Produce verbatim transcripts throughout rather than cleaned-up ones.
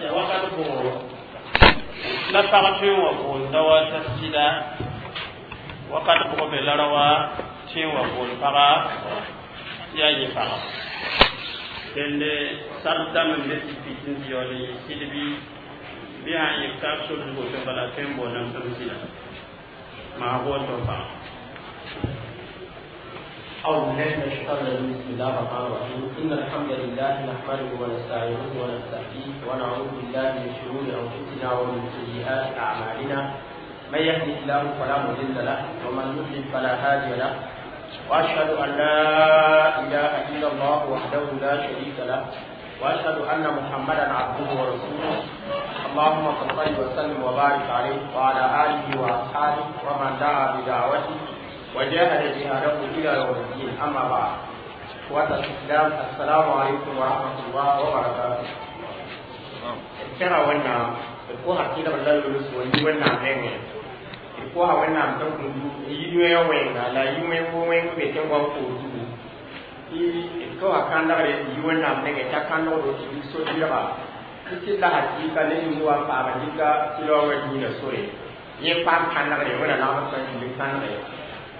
Wakat bʋgo la pag tõe n wa boond raoã t'a sɩda wakat bʋg be la raoã tõe n wa boond paga tɩ yaa yẽ paga dẽnde sart dãmb n be tɩ pit n yaool n yɩ sɩd bɩ bɩ sã n yɩ taab sor zugu tɩ bala tõe n boondame tɩ m sɩda maa boond tɩ m paga. أعوذ بالله من الشيطان الرجيم. بسم الله الرحمن الرحيم. إن الحمد لله نحمده ونستعينه ونستهديه ونعوذ بالله من شرور أنفسنا ومن سيئات أعمالنا. من يهده الله فلا مضل له ومن يضلل فلا هادي له، وأشهد أن لا إله إلا الله وحده لا شريك له، وأشهد أن محمدا عبده ورسوله. اللهم صل وسلم وبارك عليه وعلى آله وأصحابه ومن دعا بدعوته وجاهد جهاده إلى يوم الدين. أما بعد، إخوة الإسلام، السلام عليكم ورحمة الله وبركاته. ترى وانا ko hakila balla lulu so yi wannan nenge ko ha wannan tan kun yi nwe wenga la yi nwe wo wen be ten wa ko du i ko ha kan da re yi wannan nenge ta kan no do ti so ti ba ti la hakika ne ni wa pa ba ni ka ti lo wa ni na sore ye pa kan da re wala na ba san ni kan re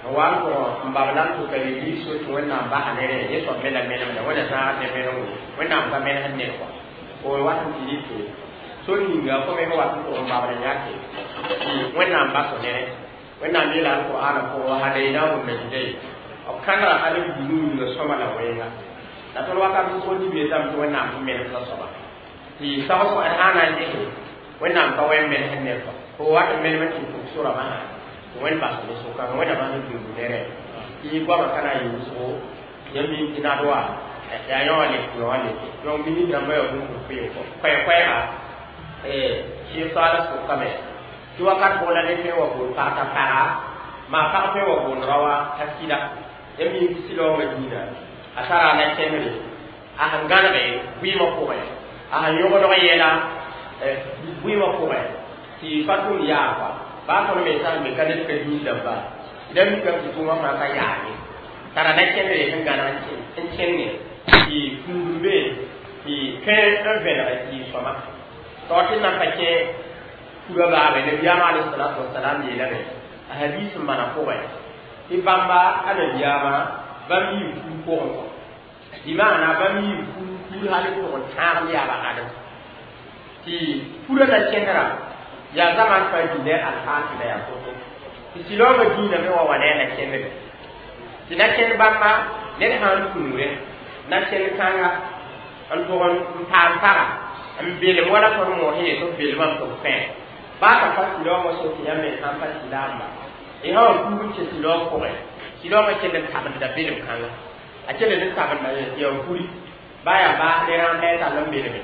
wa ko mbab lan ko kay yi so to wannan ba hanere ye so mena mena mena wala sa ne mena wannan ba mena hanne ko ko wa ti ti so ninga ko me wa ko mbab lan yake wannan ba so ne wannan ne la ko ana ko hadaina mun ne dai o kana halin dunu ne so mala wenga da to wa ka ko ni be tam to wannan ko mena so ba ti sa ko ana ne wannan ka wen mena hanne ko ko wa mena mena ko sura ba wen ba so so kan wen ba ni du nere i gwa ma kana yi so ya mi ina do ya yo le yo le yo mi ni na ma yo du ko ko ko ko ha eh shi sa la so kame ti wakat bo la ne pe wa bo pa ta para ma pa pe wa bo rawa tasida ya mi si lo ma dina asara na kemre a hangana be wi ma ko a han yo do yela eh wi ma ko ti fatum ya kwa ba ko me sa me kan ka yi da ba idan ka ki kuma ma ka ya ne tara na ken ne kan gana en ken ne ki kumbe ki ken en vera ki soma to tin na ka ke kura ba be ne biya ma alayhi salatu wassalam ye la ne hadith mana ko ba ti bamba ala biya ma ba mi ku ko ko di ma na ba mi ku ku hali ko ta ya ba adam ti kura na kenra ya zaman fa dine alhafi da ya koto ti siloma dina me wa wane na kenne ti na ken bamba ne han kunure na ken kanga an to on pam para an bele wala ko mo he to bele man to fe ba ka fa siloma so ti yamme han fa silama e ha ku ti siloma ko re siloma ken da taban da bele kanga a ken da taban da ya kuri baya ba ne ran ne ta lam bele me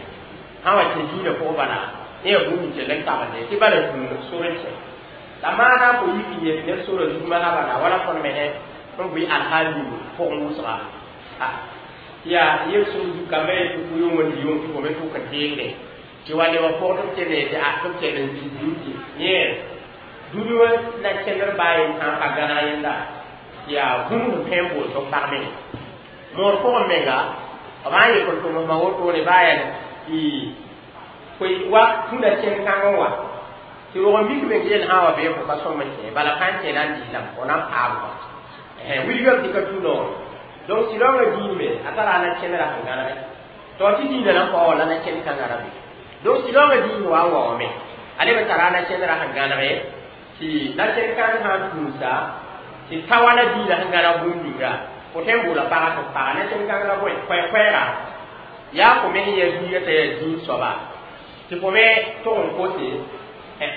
ha wa ti dina ko bana ne ya buhu ke lan taban ne ti bala tun sore ce la mana ko yi ki ne sore zuma ha bana wala kon me he on bi alhali ko musra ha ya ye so du kamé ku ku yo woni yo ko me ku ka tenge ti wale wa ko to ke ne ti a to ke ne ti du ti ne du du na kener bayin ha ka gana yenda ya hum pembo to parme mor ko mega ba ye ko to ma wo to ne bayan i koy wa tunda ken kan wa ti wo mi ke ngel ha wa be ko ka so man ke bala kan ke nan di lam ko nan pa ba eh wi ga ti ka tuno donc si lo di me atara na ken ra kan na to ti di na ko la na ken kan ra bi donc si lo di wa wa me ale be tara na ken ra kan na ti na ken kan ha tusa ti tawala di la kan na bu ni ga ko tembu la pa ko pa na ken kan la bo ko ko ra ya ko me ye di ye te di so ba ti ko me to n ko te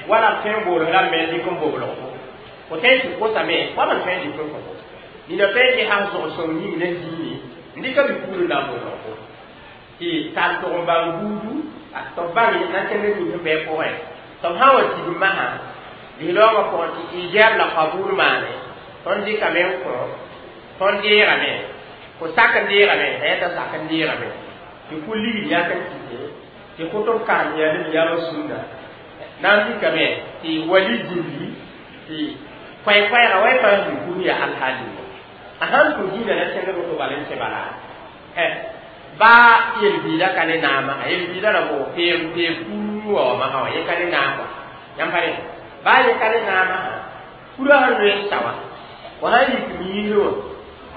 wala fen bo la me di ko bo lo ko te ti ko sa me wala fen di ko ko ni na fen di han so so ni ne di ni ndi ka bi ku la bo lo ko ti ta to ba ngudu a to ba ni na te ne ni be ko e to ha wa ti ma ha di lo ma ko ti ijab la qabul ma ne ton di ka me ko ton di ra me ko sa kan di ra me e ta sa kan di ra me ti ku li ya kan ti ti koto kan ya ni ya sunna nan ti kame ti wali jindi ti kwai kwai ra wai pa ni ku ya alhali ahan ku dina na tende ko balen se bala eh Ba yelbiida ka ne naama a yelbiida ra bo peem peem puu wa ma ha ye ka ne naama yãmb pa re ba ye ka ne naama pura sẽn loe n sa wã fo sã n yik miisr wã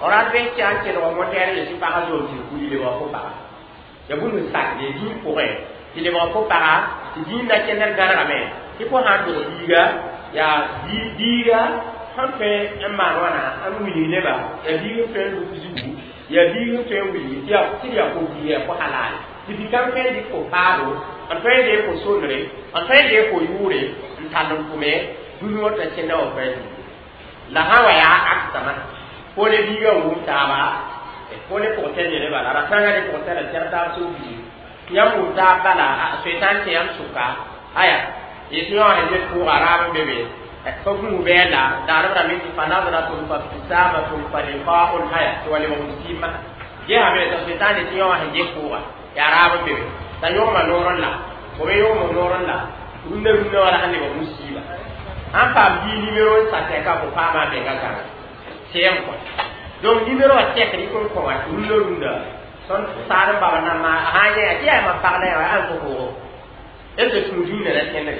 f rat bɩ tɩ a kelg motɛɛr yetɩ pagã zoom tɩ kuli lebg fo paga ya bũmb n sakde dĩig pʋgẽ tɩ lebg fo paga tɩ dĩig na kẽndr gãnegame tɩ fo sã n dog biiga yaa biiga sẽn tõe n maan wãna n wilg neba yaa biig n tõe n luk zugu yaa biig n tõe n wilg tɩ tɩ d yaa fo biiga yaa fo halal tɩ bi-kãng tõe n dɩk fo paado n tõe n deeg fo sondre n tõe n deeg fo yʋʋre n tall n tʋme dũni wã t'a kẽnda wã pa la sã wa yaa aksama fo ne biigã n wʋm taaba fo ne pʋgtɛr yele bala ra sãngã ne pʋgtɛrã tɛg taab soo biig tɩ yãmb wʋm taab bala soetãn tɩ yãmb sʋka aya yetɩ yõ sẽn get pʋʋga raab n be be fa gũus bɛɛla daarb rame tɩ fa nadratun fa ibtisamatun fa liqaun aya tɩ wa lebg musiibmã gesame t'a soetãn tɩ yõ sẽn get pʋʋga yaa raab n be be t'a yõgma noor n la fo me yõgma noor n la rũndã rũndã wala sẽn lebg musiiba sãn paam bii nimero n sa tɛka fo paama a menga gãnga sɛɛm kɔ donc nimero wã tɛkd y kõn kõ wã rũndã rũndã tõnd saad n baba na ma sã n yẽ tɩ yaa mam pag la yaa ãn fo pʋʋgo d tɩ sũur dĩinã na kẽndre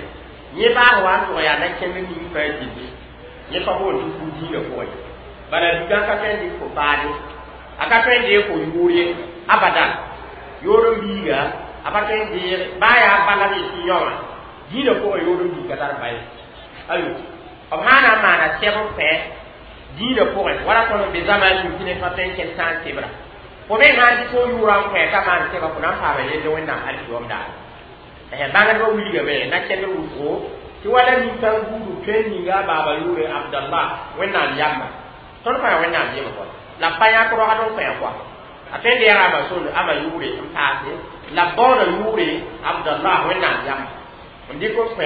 yẽ baas wa n tʋg yaa na kẽnd ning pa gilli yẽ pa boond tɩ fu dĩinã pʋgẽ bala bikã ka tõe n dɩk fo paade a ka tõe n deeg fo yʋʋr ye abadan yoor n biiga a pa tõe n deeg baa yaa bala b yetɩ yõ wã dĩinã pʋgẽ yoor n biig ka tar ba ye ayo b sã na n maana sɛb n pẽ dĩinã pʋgẽ wala tõnd n be zãma ning tɩ ned pa tõe n kẽnd sã n sebra fo me sã n dɩk fo yʋʋrã n kõ ka maan sɛba fo na n paama yelle wẽnnaam alkiyoom daare bãngdbã wilgame na kẽndr wʋsgo tɩ wala nin-kãng buudu tõe n ninga a baaba yʋʋre Abdallah wẽnnaam yamba tõnd fãa wẽnnaam yem kɔa la b pa yãk rogd n kõ kɔa a tõe n deega ama sond ama yʋʋre n paase la b baooda yʋʋre Abdallah wẽnnaam yamba n dɩk n kõ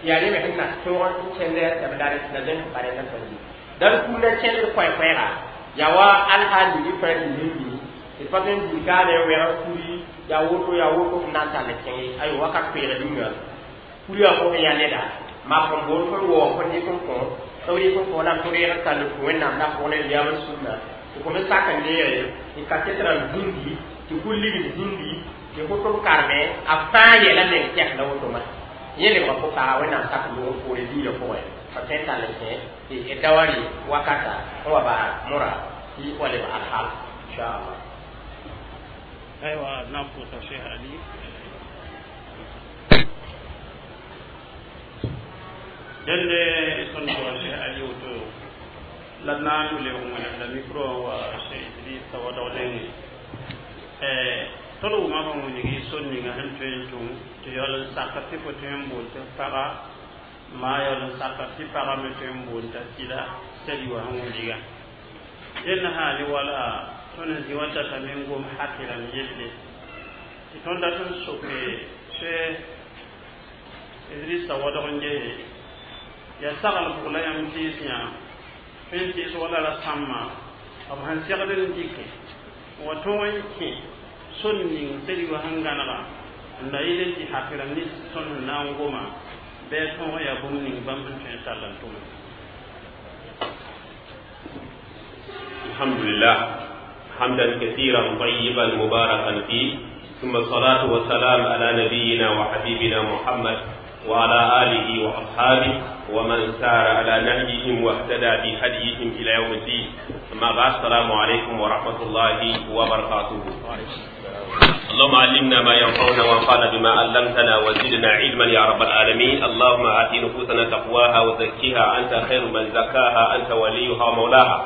yaa yẽ me sẽn na tõog n kẽnd tɩ b dar la zẽn pa rẽnd n tõe dal kũnda kẽndr koɛ-koɛɛga yaa wa alhaal ning fãa tɩ zĩndi tɩ pa tõe n dil kaane n wɛg kuri yaa woto yaa woto n na n tall kẽnge ayo wakat koeeg ninga kuri wã pʋgẽ yaa neda mak n boond fõn waoog fõn dɩk n kõ b rɩk n kõ la tɩ reeg n tall tũ wẽnnaam la pʋg ne yam n sũnna tɩ fo me sak n deege tɩ kaset rãmb zĩndi tɩ kul ligd zĩndi tɩ fo tʋb karme a fãa yɛla meng tɛkda woto ma yẽ lebga fo paga wẽnnaam sak loog poore diinã pʋgẽ fa tõe n tall n kẽ tɩ da wa rɩ wakata n wa baa mora tɩ wa leb alhaal inchallah. Aywa na pʋʋsa Cheikh Ali dẽnde tõnd pʋga Cheikh Ali woto la d na n lebg wẽnem la micro wa Cheikh Idrissa wadg nengẽ tõnd wʋma bãmb wilgi sor ninga sẽn tõe n tʋm tɩ yaool n saka tɩ fo tõe n boond tɩ paga maa yaool n saka tɩ pagã me tõe n boond t'a sɩda sɛd wã sẽn wilga dẽnd sã ne wala tõnd n zĩ wa datame n gom hakɩrãmb yelle tɩ tõnd dat n soke Cheikh Idrissa wadg n gese yaa sagl bʋg la yãmb tɩɩs yã tõe n tɩɩs wala ra sãmbã b sẽn segd n dɩke wa tõog n kẽ sor ning sed wã sẽn gãnega n la yɩl n tɩ hakɩrãmb nins tõnd sẽn na n goma bɩ a tõog yaa bũmb ning bãmb sẽn tõe n tall n tʋme. الحمد لله حمدا كثيرا طيبا مباركا فيه ثم الصلاة والسلام على نبينا وحبيبنا محمد وعلى آله وأصحابه ومن سار على نهجهم واهتدى بهديهم إلى يوم الدين أما بعد السلام عليكم ورحمة الله وبركاته. اللهم علمنا ما ينفعنا وانفعنا بما علمتنا وزدنا علما يا رب العالمين. اللهم آت نفوسنا تقواها وزكها أنت خير من زكاها أنت وليها ومولاها.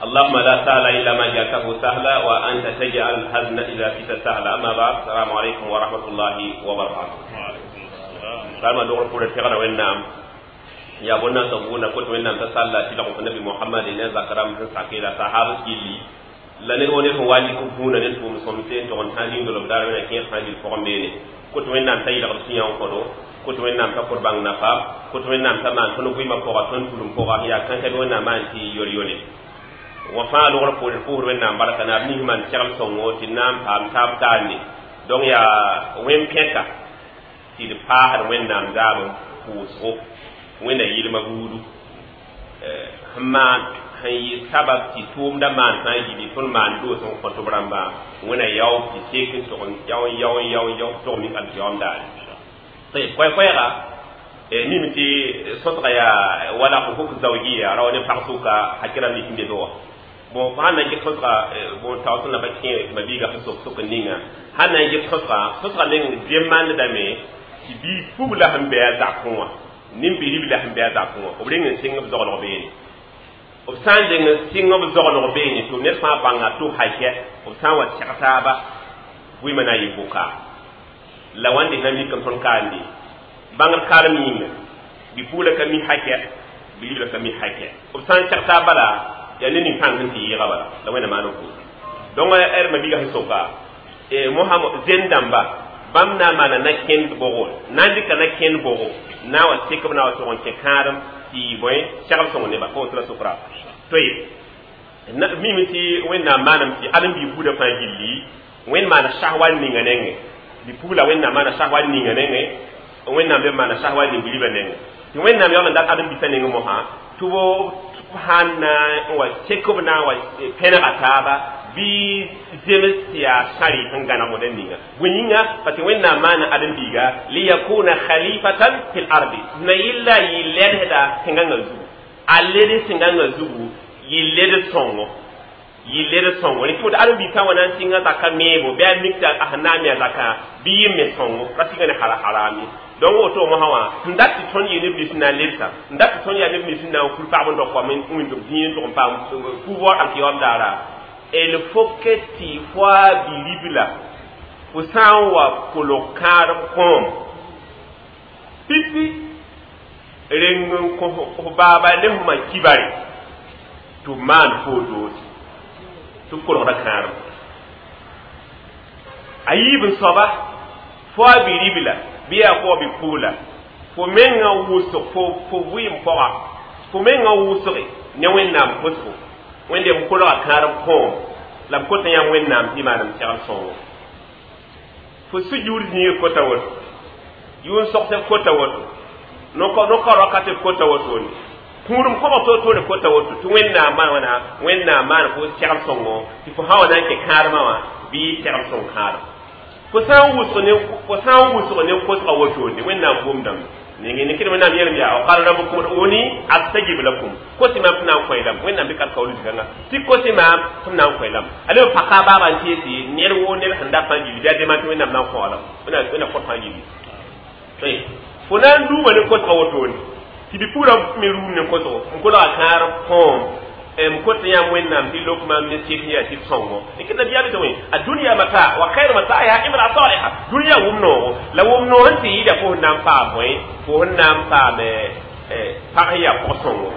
اللهم لا سهل إلا ما جعلته سهلا وأنت تجعل الحزن إذا شئت سهلا. أما بعد السلام عليكم ورحمة الله وبركاته. وعليكم السلام. سلام دور فور تغرى وينام يا بنا سبونا كنت وينام تصلى تلقى النبي محمد إن ذكرم سكيلا صحابة جلي la ned wa ned sẽn wa lik vũunã ned tʋʋm sõmse n tog n tãag yĩngr b daar wẽna kẽer sã n yel pʋgẽ beene kot wẽnnaam t'a yɩlgd sũ-yã n kõdo kot wẽnnaam t'a kõd bãng nafa kot wẽnnaam t'a maan tõnd vɩɩmã pʋga tõnd tulum pʋga yaa kãnkã bɩ wẽnnaam maan tɩ yol-yole wã fãa logr poore d pʋʋsd wẽnnaam barka naab nins maan segl sõngo tɩ d na n paam taab taarne donc yaa wẽn-pẽka tɩ d paasd wẽnnaam zaab pʋʋsgo wẽnna yɩlmã buudu sẽn maan sẽn yɩ sabab tɩ tʋʋmdã maan sã n yɩ tõnd maan doos n kõ tɩ b rãmba wẽna yao tɩ sek n tog n yao n yao n yao n yao tog mik alkiyam daare koɛɛ-koɛɛga mim tɩ sõsga yaa wala hukuk zawjiya rawa ne pag sʋka hakɩ rãmb nik n be be wã bon sãn na n get sõsga bon taoor sẽn na pa kẽ mabiiga sẽn sok sok n ninga sãn na n get sõsga sõsga meng demandame tɩ bii pugla sẽn be a zakẽ wã nin-biribla sẽn be a zakẽ wã b reng n sɩng b zoglg beene b sã n deng n sɩng b zoglg beene tɩ ned fãa bãnga tɩ hakɛ b sã n wa tɛg taaba vɩɩmã na n yɩ bʋka la wãnde na mikame tõnd kaande bãngd karem yĩnga bi-pugla ka mi hakɛ bi-ribla ka mi hakɛ b sã n tɛg taab bala yaa ne nin-pãng sẽn tɩ yɩɩga bala la wẽnna maan n pʋʋs donc d mabiiga sẽn soka mosã zend dãmba bãmb na n maana na-kẽnd bʋgo na n dɩka na-kẽnd bʋgo na n wa sek b na wa tog n kẽ kãadem tɩ yɩ bõe segl sõng neba pa woto la sokra toye mime tɩ wẽnnaam maanam tɩ ãdem-biig buudã fãa gilli wẽnd maana sahwal ninga nengẽ bi-pugla wẽnnaam maana sahwal ninga nengẽ wẽnnaam be maana sahwal ning bilibã nengẽ tɩ wẽnnaam yaool n dat ãdem-biisã nengẽ mosã tɩ b sãn na n wa sek b na n wa pẽnega taaba bɩ zems tɩ yaa sãrɩ sẽn gãneg wẽnda ninga bõe yĩnga parce que wẽnnaam maana ãdem-biiga liyakuna khalifatan fil ardi na yɩlla yɩ ledsda tẽngãngã zugu a led tẽngãngã zugu yɩ led sõngo yɩ led sõngo rẽ tɩ ãdem-biig sã n wa na n sɩnga zaka meebo bɩ a mik tɩ a sẽn na n me a zaka bɩ yɩ me sõngo ra sɩnga ne hara-haraam ye donc woto mosã wã sẽn dat tɩ tõnd yɩ neb nins sẽn na n lebsa n dat tɩ tõnd yaa neb nins sẽn na n kul pagb n dog koam n wĩnd b zĩig n tʋg n paam pouvoir alkiyam daara il faut que tɩ fo a bi-ribla fo sã n wa kolg kãadem kõom pipi reng n kõ f baaba ne f ma kibare tɩ b maan foo doose tɩ b kolgda kãadem a yiib n soaba fo a bi-ribla bɩ yaa fo bi-pugla fo mengã wʋsg fo fo vɩɩm pʋga fo mengã wʋsge ne wẽnnaam kosgo wẽnde b kolga kãadem kõom la b kota yãmb wẽnnaam tɩ maanem segl sõngo fo sujur zĩig kota woto yʋʋn sogsb kota woto no-ka wakat b kota wotone kũudem kobg toor-toore kota woto tɩ wẽnnaam maan wãna wẽnnaam maan fo segl sõngo tɩ fo sã wa na n kẽ kãadmã wã bɩ segl sõng kãadem fo sã n wʋsg ne fo sã n wʋsg ne kosga wotone wẽnnaam gomdame ningi ni kidi wẽnnaam yeelame yaa qala rabbukum ud'uni astajib lakum kosi maam tɩ na n kõ lame wẽnnaam dɩka kaool zikãngã tɩ kosi maam tɩ m na n kõ lame a leb paka baaba n tees ned woo ned sẽn dat fãa gilli bɩ a dema tɩ wẽnnaam na n kõ lame wẽnnaam kõt fãa gilli fo na n duuma ne kosga wotone tɩ bi-pugrã me ruum ne kosgo n kolga kãar kõom m kot yãmb wẽnnaam tɩ lok maam ne sɩd yaa tɩ sõngo dɩk nabiyaam tɩ wẽ a dũniyã mata wa khayr mataiha imra saliha dũniyã wʋm noogo la wʋm noog sẽn tɩ yɩɩda fo sẽn na n paam bõe fo sẽn na n paam pag sẽn yaa pʋg-sõngo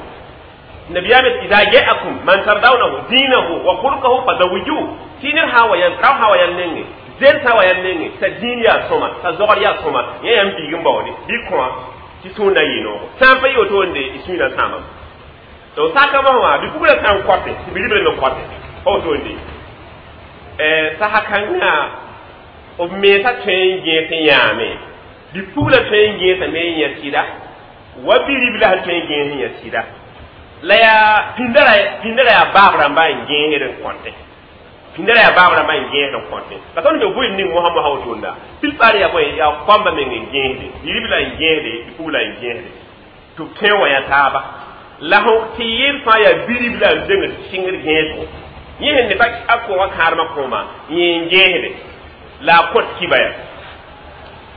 nabiyaam ida jaakum man tardawnahu dinahu wa khulqahu fazawijuhu tɩ ned sã n wa yãmb rao sã wa yãmb nengẽ zen sã wa yãmb nengẽ t'a dĩin yaa sõma t'a zogr yaa sõma yẽ yãmb biig n baoode bɩ kõa tɩ sũur na yɩ noogo sã n pa yɩ wotone y sũurã sãamame donc saka mosã wã bi-puglã sã n kõte tɩ bi-ribla me kõte pa wotone sasa kãngã b mensã tõe n gẽes n yãame bi-puglã tõe n gẽesame n yã sɩda wa bi-ribla sẽn tõe n gẽes n yã sɩda la yaa pĩnda pĩndra yaa baab rãmba n gẽesd n kõte pĩndra yaa baab rãmba n gẽesd n kõte la tõnd be vɩɩm ning mosã mosã wotonda plupart yaa bõe yaa kõamba meng n gẽesde bi-ribla n gẽesde bi-puglã n gẽesde tɩ b tõe n wa yã taaba la fõ tɩ yɩl fãa yaa bi-ribla n dengd sɩngd gẽesgo yẽ sẽn ne pa a kʋʋgã kãadmã kõoma yẽ n gẽesde la a kõt kiba ya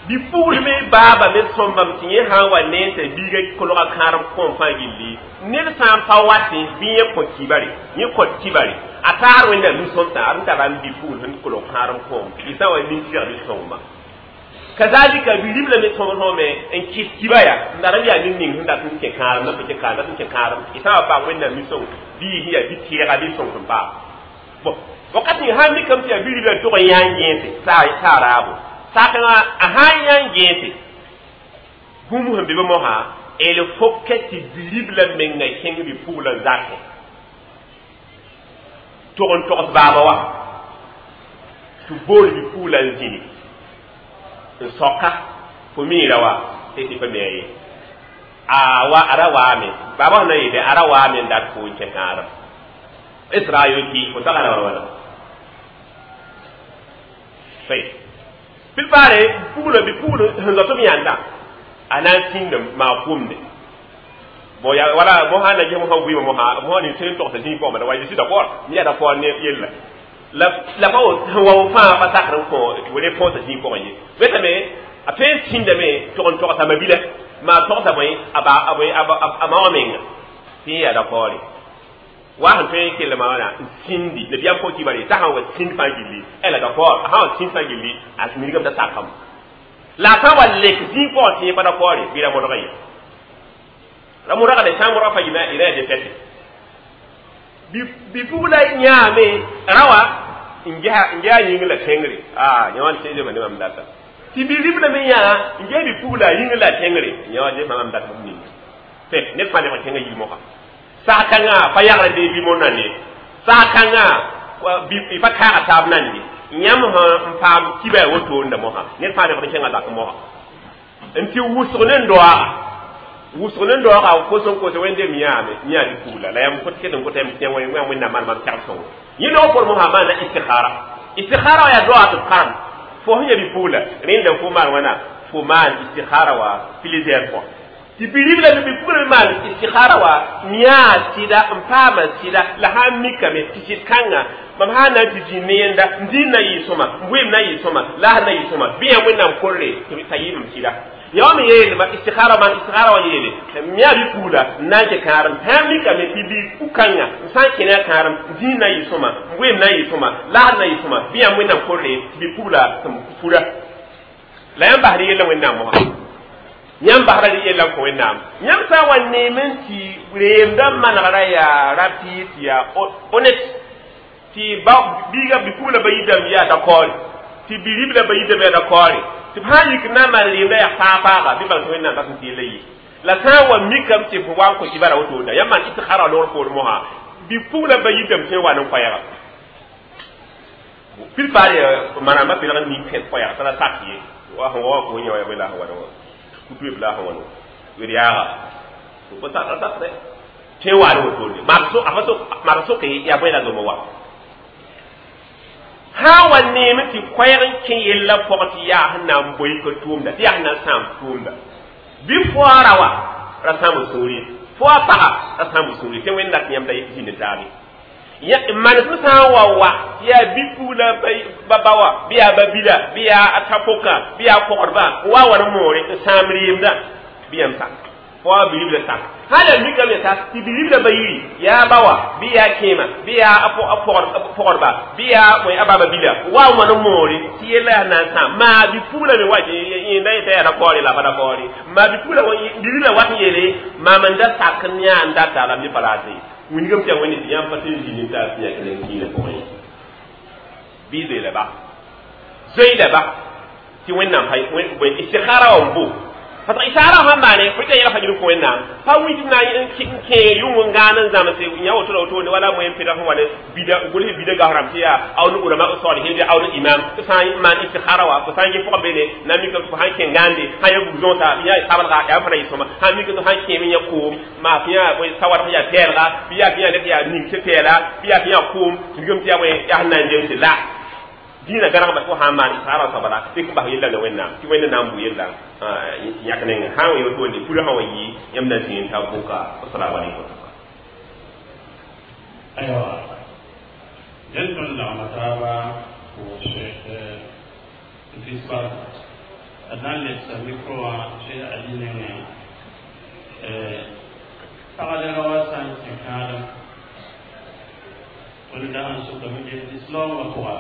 bi-pugl me baaba me sõmbame tɩ yẽ sã n wa ne n t'a biiga kolga kãadem kõom fãa gilli ned sã n pa watẽ bɩ yẽ kõ kibare yẽ kõt kibare a taar wẽnnaam nin-sõmsã ad n tara n bi-pugl sẽn kolg kãadem kõom y sã n wa nin-tɩg nin-sõngma kazalika bi-ribla me sõm sõme n kɩs kiba ya n dat n yaa ned ning sẽn dat n kẽ kãadem na pa kẽ kãadem dat n kẽ kãadem y sã n wa paam wẽnnaam nin-sõng bɩ yɩ sẽn yaa bi-tɩɛga bɩ sõng sẽn paam bon wakat ning sã n mikame tɩ yaa bi-ribla tʋg n yã n gẽese t'a raabo sakẽngã a sã n yã n gẽese bũmb sẽn be be mosã il faut que tɩ bi-ribla menga kẽng bi-puglã zakẽ tʋg n togs baaba wa tɩ bool bi-puglã n zĩni n soka fo miira wa tɩ tɩ pa me ye a wa a ra waame baaba sẽn na yɩ bɩ a ra waame n dat fo n kẽ kãadem Israel ki fo tagara wala wala fay pilpare puglo bi puglo sẽn zoa tɩ b yãnda a na n sĩnda maa komde bon ya wala mo ha na je mo ha wi mo ha mo ni sen togsa zĩig pʋgã wa je suis d'accord mi yaa d'accord ne yella la la pa wa fãa pa sakr n kõ tɩ wele põsa zĩig pʋgẽ ye wetame a tõe n sĩndame tog n togsa mabila maa togsa bõe a ba a bõe a ma wã menga tɩ yẽ yaa d'accord wa sẽn tõe n kell maa wãna n sĩndi nabiyaam kõ kibare t'a sã n wa sĩnd fãa gilli elle est d'accord a sã n wa sĩnd fãa gilli a wilgame t'a sakame la a sã n wa lek zĩig pʋgẽ tɩ yẽ pa d'accord bɩ ra modga ye la modga de sã n modga fa yɩ ya défaite bi pugla yãame rawa n gesa n gesa yĩng la tẽngre a yã wã tẽede ma ne mam data tɩ bi ribla me yã n ges bi pugla yĩng la tẽngre yã wã ges mam dat bũmb ninga tɩ ned fãa lebg kẽnga yir mosã saag-kãngã pa yagra bee bi mo nande saag-kãngã pa kaaga taab nande yãmb sẽn n paam kiba wotoonda mosã ned fãa lebg n kẽnga zak mosã n tɩ wʋsg ne n doaaga wʋsg ne n doaaga kos n kos wẽndeem yãame yã bi pugla la yãmb ket n kota yãmb wẽnnaam maan mam tɛgd sõngo yẽ noog por mosã maana istikhara istikhara wa yaa doaag tɩ b karem fo sẽn ya bi pugla rẽnda fo maan wãna fo maan istikhara wa plusieurs fois tɩ bi-ribla bi pugla me maan istikhara wa yãa sɩda n paama sɩda la sã n mikame tɩ sɩd kãnga mam sã n na n tɩ zĩnd ne yẽnda n dĩin na yɩ sõma n bʋɩɩm na yɩ sõma la sẽn na yɩ sõma bɩ yã wẽnnaam korre t'a yɩɩm sɩda ya wa me yeelma istikhara maan istikhara wa yeele yã bi pugla n na n kẽ kãadem sã n mikame tɩ bi pu-kãnga n sã n kẽ ne a kãadem dĩin na yɩ sõma n bʋɩɩm na yɩ sõma la sẽn na yɩ sõma bɩ yã wẽnnaam korre tɩ bi pugla tɩ pura la yãmb basd yella wẽnnaam mosã yãmb basra yella n kõ wẽnnaam yãmb sã n wa neem n tɩ reemdã manegrã yaa rapide tɩ yaa honnête tɩ ba biiga bi-pugla ba yidame yaa d'accord tɩ bi-ribla ba yidame yaa d'accord tɩ b sã n yik n na n maan reemda yaa fãa-faaga bɩ bãng tɩ wẽnnaam dat n tɩ yella yɩ la sã n wa mikame tɩ fo wa n kõ kibara wotoonda yãmb maan istikhara loogr poor mosã bi-pugla ba yidame tõe n wa ne koɛɛga pilpaar manamba pelg n mik kẽd koɛɛg t'a la sak ye wa sẽn wa ko yã wa la sẽn wa kutu la sẽn wa wer yaaga pa sak tõe n wa ne wotone maa soke yaa bõe la zoma wa sã n wa neem tɩ koɛɛg n kẽ yella pʋg tɩ yaa sẽn na n boe ka tʋʋmda tɩ yaa sẽn na n sãam tʋʋmda bɩ foa ra wa ra sãam sũuri foa paga ra sãam sũuri tɩ wẽnd dat yãmb da zĩnd taabe manesem sã n wa wa tɩ yaa bi-pugla ba ba wa bɩ yaa ba bila bɩ yaa a ta-pʋka bɩ yaa kogdba n wa wa ne moore n sãam reemda bɩ yãmb sak foa bi-ribla sak hal a mikame ta tɩ bi-ribla ba yiri yaa ba wa bɩ yaa kẽema bɩ yaa a pogdba bɩ yaa a baba bila wa wã ne moore tɩ yella yaa na n sãam maa bi-pugla me wa yẽnda yeta yaa dakɔɔre la pa dakɔɔre maa bi-pugla bi-ribla wat n yeele maam n da sak n yã n data la m pa raate wingame tɩ yaa wẽnde tɩ yãmb pa tɩ n zĩnd n taa tɩ yãk ne n kɩɩnã pʋgẽ ye bɩ zoe la ba zoe la ba tɩ wẽnnaam pa istikhara wa n bo parce que isara sãn maane fo tɩ yɛla fajr kõ wẽnnaam pa wi tɩ na n kẽer yʋng n gãan n zãmse yã woto la wotone wala moyen peda sẽn wa ne bida gʋls bida gasrãmb tɩ yaa aw ne ulama salihin bɩ aw ne imam tɩ sã n maan istikhara wa fo sã n yẽ pʋgã beene na mika tɩ fo sãn kẽ gãande sã yã bug zõosa bɩ yaa sablga yaa fãa na yɩ sõma sã n mika tɩ sãn kẽem n yã koom maa tɩ yã sawadg yaa pɛɛlga bɩ yaa tɩ yã ned yaa ning tɩ pɛɛla bɩ yaa tɩ yã koom tɩ gem tɩ yaa bõe yaa sẽn na n jem tɩ la dĩinã gãnegma tɩ fo sã n maan istikhara soaba tɩ n bas yella ne wẽnnaam tɩ wẽnd na n bʋ yella yãk nengẽ sã n wa wotone purã sã wa yɩ yãmb na zĩig n ta bʋka assalamu alaikum ayiwa dẽnd tõnd lagma taaba pʋʋs fisbal a na n lebsa micro wã tɩ Ali nengẽ pagdga wa sã n kẽ kãadem tõnd dag n sokame tɩ lislaoongã pʋga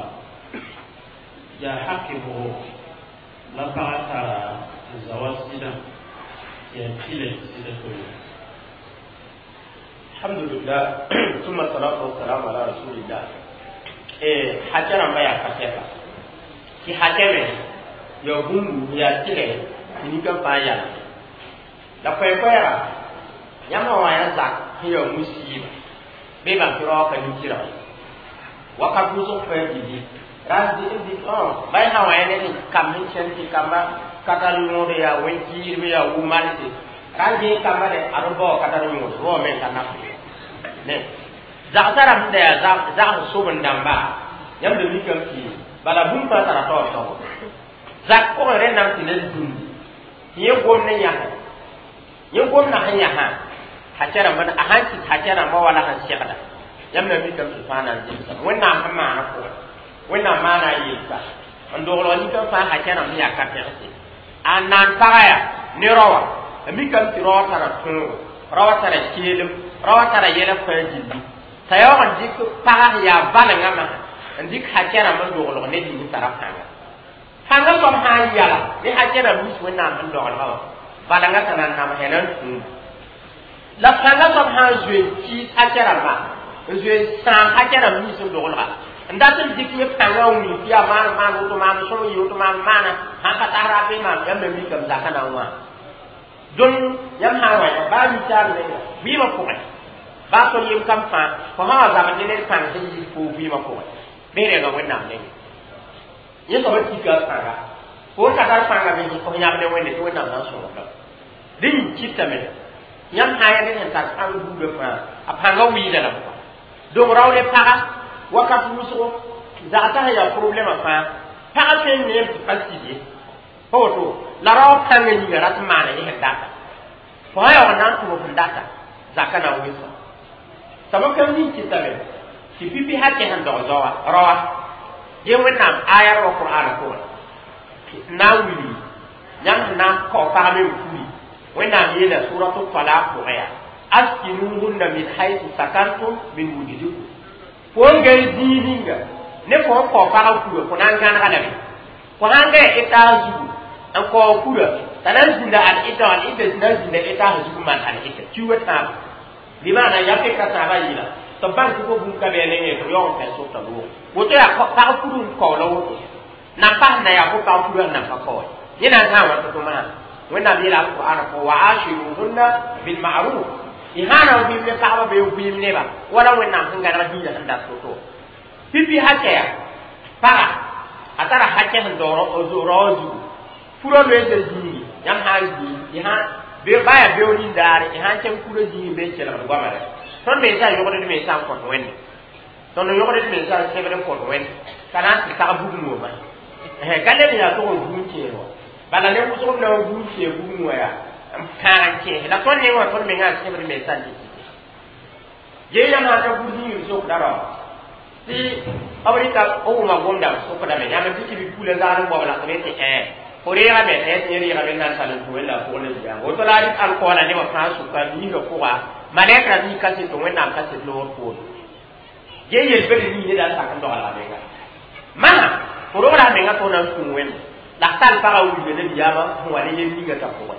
yaa haki bʋgo la paga tara zawa sɩdã tɩ yaa tɩlɛ tɩ sɩda tole alhamdulillah ثم الصلاة والسلام على رسول الله eh hakɛ rãmba yaa ka sɛka tɩ hakɛ me ya bũmb yaa tɩlɛ tɩ nika fãa yala la koɛɛ-koɛɛga yãmb wã yaa zak sẽn yaa musiiba bɩ bãmb tɩ raoog ka nik-tɩrg ye wakat wʋsg fãa billi ras bay sã wã yaa ned n kam sẽn kẽnd tɩ kamba katar yõod yaa wẽn-kiidb yaa wʋ-malse ra n gee kamba de ad b bao katar yõod rao me n ka naf ne Zagsã rãmb da yaa zags soben-dãmba yãmb da mikame tɩ bala bũmb fãa tara taoor taoor zak pʋgẽ rẽndame tɩ ned zĩndi tɩ yẽ gom ne yãsẽ yẽ gomda sẽn yãsã hakɛ rãmb a sãn kɩt hakɛ rãmbã wala sẽn segda yãmb na mikame tɩ fãa na n zemsame wẽnnaam sẽn maana pʋgẽ wẽnnaam maana a yelsa n doglg nika fãa hakɛ rãmb sẽn yaa ka-pẽgse a naan paga yaa ne raoã a mikame tɩ raoã tara tõogo raoã tara keelem raoã tara yɛla fãa gilli t'a yaoog n dɩk paga sẽn yaa valengã masã n dɩk hakɛ rãmb n doglg ned ning tara pãnga pãngã soab sã n yala ne hakɛ rãmb nins wẽnnaam sẽn doglga wã valengã t'a na n namsɛ na n tũum la pãngã soab sã n zoe n kɩɩs hakɛ rãmba n zoe n sãam hakɛ rãmb nins n doglga n dat n dɩk yẽ pãngã n wilg tɩ yaa maan maan woto maan sõm yɩ woto maan maana sãn ka tas ra be maam yãmb me mikame zakã na n wã dõn yãmb sã n wa yã baa ninsaal menga vɩɩmã pʋgẽ baa tõnd yem kam fãa fo sã wa zabd ne ned pãng sẽn yik foo vɩɩmã pʋgẽ bɩ renga wẽnnaam nengẽ yẽ soaba tika pãnga fo n ka tar pãnga me f yãb ne wẽnde tɩ wẽnnaam na n sõsdame dẽ yĩng kɩtame yãmb sã n yaa ned sẽn tar pãng buudã fãa a pãngã wɩɩda lame donc rao ne paga wakat wʋsgo zagsã sẽn yaa problɛmã fãa pagã tõe n neem tɩ pa sid ye pa woto la rao pãngã yĩnga rat n maana yẽ sẽn data fo sã yaoog n na n tʋm sẽn data zaka na n wesa sabab kam ning kɩtame tɩ pipi hakɛ sẽn dog zaoa raoa ye wẽnnaam ayar wa qur'ana pʋgẽ n na n wilgi yãmb sẽn na n kao pag me n puri wẽnnaam yeela suratu talaq pʋgẽ yaa askinuhunna min haythu sakantum min wujdikum fo n gai zĩig ninga ne fo n kao pagã kura fo na n gãnega lame fo sãn gai etaas zugu n kao kura t'a na n zĩnda al-ɩda al-ɩda na n zĩnda etaas zugu maan al-ɩda kiuugã tãabo bɩ maana ya peka tãabã yɩla tɩ b bãng tɩ fo bũmb ka bɩ a nengẽ tɩ b yaoog n pɛl sʋta loog woto yaa pag pur n kao la woto nan pas na yaa fo pag pur n nan pa kao yẽ na n sã n wa tɩ tʋ masã wẽnnaam yeela alqur'ana fo wa ashiruhunna bilma'ruf y sã n vɩɩm ne pagba bee vɩɩm neba wala wẽnnaam sẽn gãneg diinã sẽn dat woto pipi hakɛ ya paga a tara hakɛ sẽn rao zugu purã loeesã zĩigi yãmb sã n zĩig y sã baa yaa beoog nin-daare y sã n kẽng purã zĩig be n kelgd goama rɛ tõnd mensã yogd d mensã n kõt wẽnde tõnd yogd d mensã n sẽbd n kõt wẽnde ka na n tɩ tag bugum wã ka leb yaa tʋg n gũum kẽes wã bala ne wʋsg b na n gũum kẽes bugum wã yaa n kãag n kẽes la tõnd neng wã tõnd mengã n sẽbd mensã n dɩk gee yãmb sã n ta gũud zĩig b sokda rao tɩ b rɩka b wʋma gomda b sokdame yãmb tɩ tɩ bi-pula zagd n bao la tɩ tɩ ẽ fo reegame ẽ tɩ yẽ reegame n na n tall n tũ wẽnda pʋgẽ la ziyaanga woto la a rɩk alkoɔla nebã fãa sʋka niisã pʋga malɛk ra mii kaset wẽnnaam kaset loogr poore gee yel-bed nii ned a sak n doglga menga masã fo rogra a menga tɩ f na n kũ wẽnde la f tall pagã wilga nabiyaamã sẽn wa ne yel ninga t'a pʋgẽ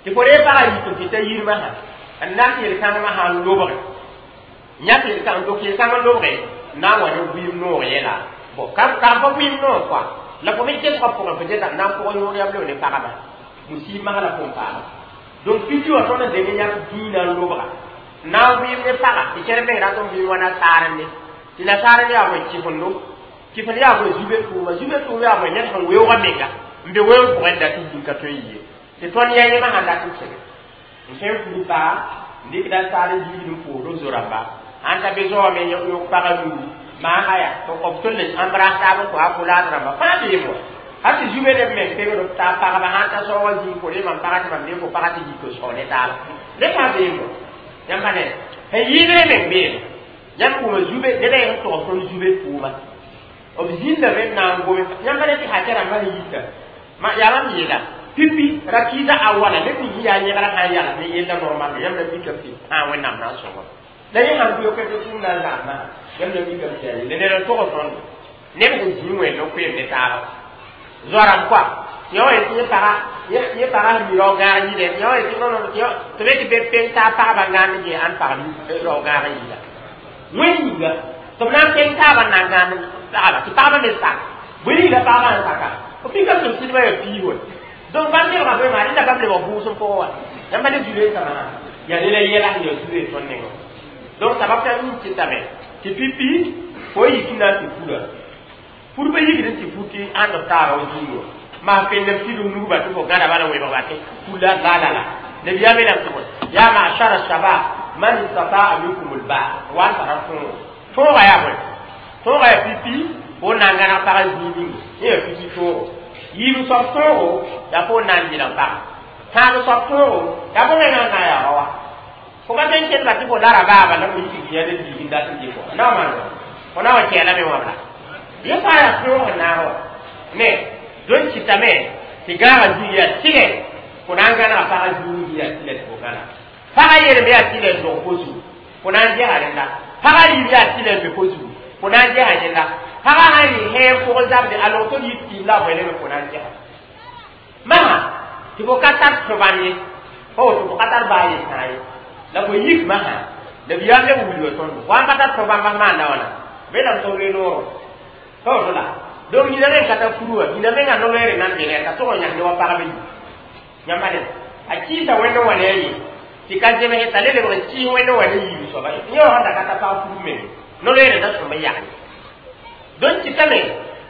tɩ fo reeg pagã yik n tɩ ta yirmã sã n na n yel-kãngmã sã n lobge yãk yel-kãng dok yel-kãng n lobge n na n wa ne vɩɩm noog yɛla bon ka ka pa vɩɩm noog kɔa la fo me gesgã pʋgẽ fo gesa n na n pʋgẽ yõor yam leb ne pagba musiib masã la pʋgẽ paama donc piti wã tõnd n deng yãk dĩinã n lobga n na n vɩɩm ne paga tɩ kẽr meng rat n vɩɩm wa nasaar ne tɩ nasaar ne yaa bõe kɩfendo kɩfend yaa bõe zube tʋʋma zube tʋʋm yaa bõe ned sẽn weoogã menga n be weoog pʋgẽ dat n yĩn ka tõe n yɩ tɩ tõnd ya yẽmã sãn dat n kẽge n tõe n pur paga n dɩkda saar n yiigd n poosd b zo-rãmba sãn ta be zoa me yõk pagã nuuru maa aya b tõnd le embrasse taab n kõ a kolaad rãmba fãa beem wa hal tɩ zube neb meng pegd b taab pagba sãn ta soog wã zĩig fo re mam paga tɩ mam ne fo paga tɩ yik n sao ne taaba ne fãa beem wa yãmb pa ne sẽn yɩɩdre meng beem yãmb wʋma zube ned a yen tog tõnd zube tʋʋma b zĩndame n na n gome yãmb pa ne tɩ hakɛ rãmbã sẽn yita yaa mam yeela pipi rakiida a wala ned ning yaa yẽgra sã n yals ne yella normal yãmb na mikame tɩ tãag wẽnnaam na n sõngo la yẽ sãn goeoka tɩ tʋʋm na n zãmsã yãmb na mikame tɩ yaa yelle ned n tog tõnd neb sẽn zĩig wẽnd n koeem ne taaba zoarãmb koa yã wa yetɩ yẽ paga yẽ paga sẽn mi rao gãag yɩlɛ yã wa yetɩ non tɩ be tɩ be peng taab pagba gãand gee ãn pag rao gãag n yɩla wẽnd yĩnga tɩ b na n peng taabã n na n gãand pagba tɩ pagba me sak bõe yĩnga pagba sẽn saka b mikame tɩ b sɩdbã yaa piis wa donc bãmb lebga bõe maa rẽnda bãmb lebg vʋʋsem pʋgẽ wa yãmba ne zu-reensãmã yaa ne la yɛla sẽn yaa zu-reen tõnd nengẽ donc sabab t'a yĩng kɩtame tɩ pipi fo yik n na n tɩ pura pur pa yikd n tɩ pur tɩ ãnd b taaba wa zĩig wã maa pendem tɩdg nugba tɩ fo gãda bala wẽbg ba tɩ pur la la la la nabiyaam yeelame tɩ bõe yaa ma'shara shabab Man istata'a minkum al-ba'a wa tara tõogo tõoga yaa bõe tõoga yaa pipi fo na n gãneg pagã zĩig ninga yẽ yaa pipi tõogo yiib soab tõogo yaa fo na n yɩlg paga tãab soab tõogo yaa fo mengã n na n yaa raoã fo ka tõe n kell tɩ fo lara baaba la fo yik yã ne biig n dat n dɩk wã na wa maan fo na wa kɛɛlame wã la yẽ fãa yaa tõog n naag wa ne dõn kɩtame tɩ gãagã zĩig yaa tɩlɛ fo na n gãnega pagã zĩig yaa tɩlɛ tɩ fo gãna pagã yelme yaa tɩlɛ n dog fo zugu fo na n gɛsa rẽnda pagã rɩɩb yaa tɩlɛ n be fo zugu fo na n gɛsa yẽnda pagã sãn rɩ hẽem pʋgẽ zabde a log tɩ d yit kɩɩm la a bõe fo na n gɛsa masã tɩ fo ka tar tõ-bãmb ye pa woto fo ka tar baa yel-sãa ye la fo yik masã la b yaam leb wilga tõndo fo sãn pa tar tõ-bãmba maanda wãna be lame tɩ b re noorã pa woto la donc nina meng ka tar furu wã nina mengã no-loeere nan be ne ka tog n yãsd wa pagb yi yãmba ne a kɩɩsa wẽnd n wa ne a ye tɩ ka zemse t'a le lebg n kɩɩs wẽnd n wa ne yiib soaba yẽ wã sẽn da ka tar pag furu meng no-loeere da sõm n yagl donc kɩtame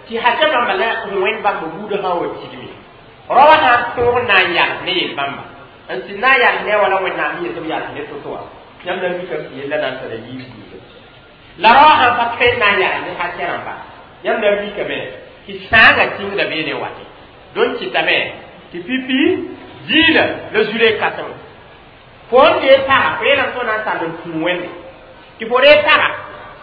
tɩ hakɛ bãmba la wẽnd bãmb buudã sã n wa tigme raoã sã n tõog n na n yals ne yel-bãmba n sɩd na n yals ne a wala wẽnnaam yetɩ b yals ne to-to wã yãmb na n mikame tɩ yella na n tara yiib buuda la raoã sãn pa tõe n na n yals ne hakɛ rãmba yãmb na n mikame tɩ sãangã tĩngda bee ne wate donc kɩtame tɩ pipi diinã la zure kãsem fo n dee paga fo yeelame tɩ f na n tall n tũ wẽnde tɩ fo ree paga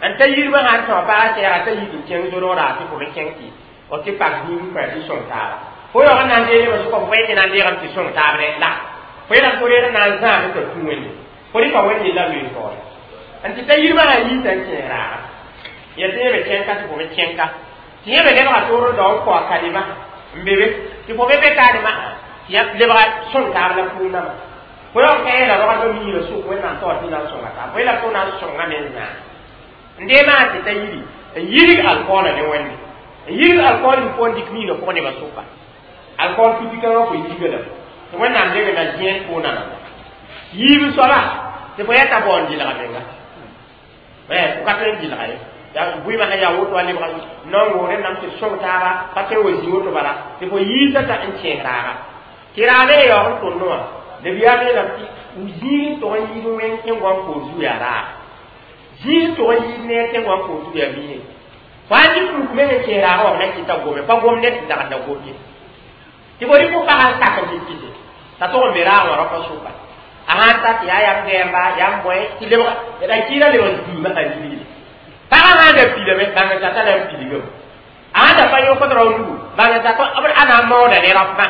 n ta yirmã sãn tõa paga sɛɛga t'a yik n kẽng zodgda tɩ fo me kẽng tɩ f tɩ pak zĩig n kõ tɩ sõng taaba fo yaoog n na n dee nebã sʋka fo pa yetɩ na n deegame tɩ sõng taab dɛ la fo yeelame tɩ fo reeg n na n zãag t'a tũ wẽnde fo rɩka wẽnd yella loees taoore n tɩ ta yirmã sã yiita n kẽes raaga ya tɩ yẽ me kẽnka tɩ fo me kẽnka tɩ yẽ me lebga toor n dao n kao a kalima n be be tɩ fo me be kalima tɩ ya lebga sõng taab la pʋʋg namba fo yaoog ka yeela rogdbã miirã sʋk wẽnnaam taoor tɩ na n sõnga taab fo yeelame tɩ f na n sõnga me n zãag n dee maan tɩ ta yiri n yirg alkoolã ne wẽnde n yirg alkool n pʋgẽ dɩk miigã pʋgẽ nebã sʋka alkool pipi kãngã fo yirga lame tɩ wẽnnaam deng na zẽed pʋʋna namba yiib soaba tɩ fo yɛta bao n dɩlga menga fo ka tõe n dɩlga ye bʋɩmã sã yaa woto a lebga naongo rẽnnam tɩ sõng taaba pa tõe wa zĩ woto bala tɩ fo yiisa t'a n kẽes raaga tɩ raag me yaoog n tõnd wã la b yaa meelame tɩ zĩig n tog n yiid wẽng tẽn-goam koor zu yaa raag zĩig n tog n yiid neer tẽn-goam koor zu yaa miine fo sãn dɩk ruk meng n kẽes raagã wã b na kɩta gome pa gom ned sẽn dagd la gom ye tɩ fo rɩk fo pagã n sak n tɩ kɩse t'a tog n be raag wã rapa sʋka a sãn ta tɩ yaa yam gɛɛmba yam bõe tɩ lebga la kɩɩra lebg zĩigmã sã yirgre pagã sãn da pilame bãng n tata la n pilgame a sãn da pa yõkd rao nugu bãng n tata b a na n maooda ne rap mã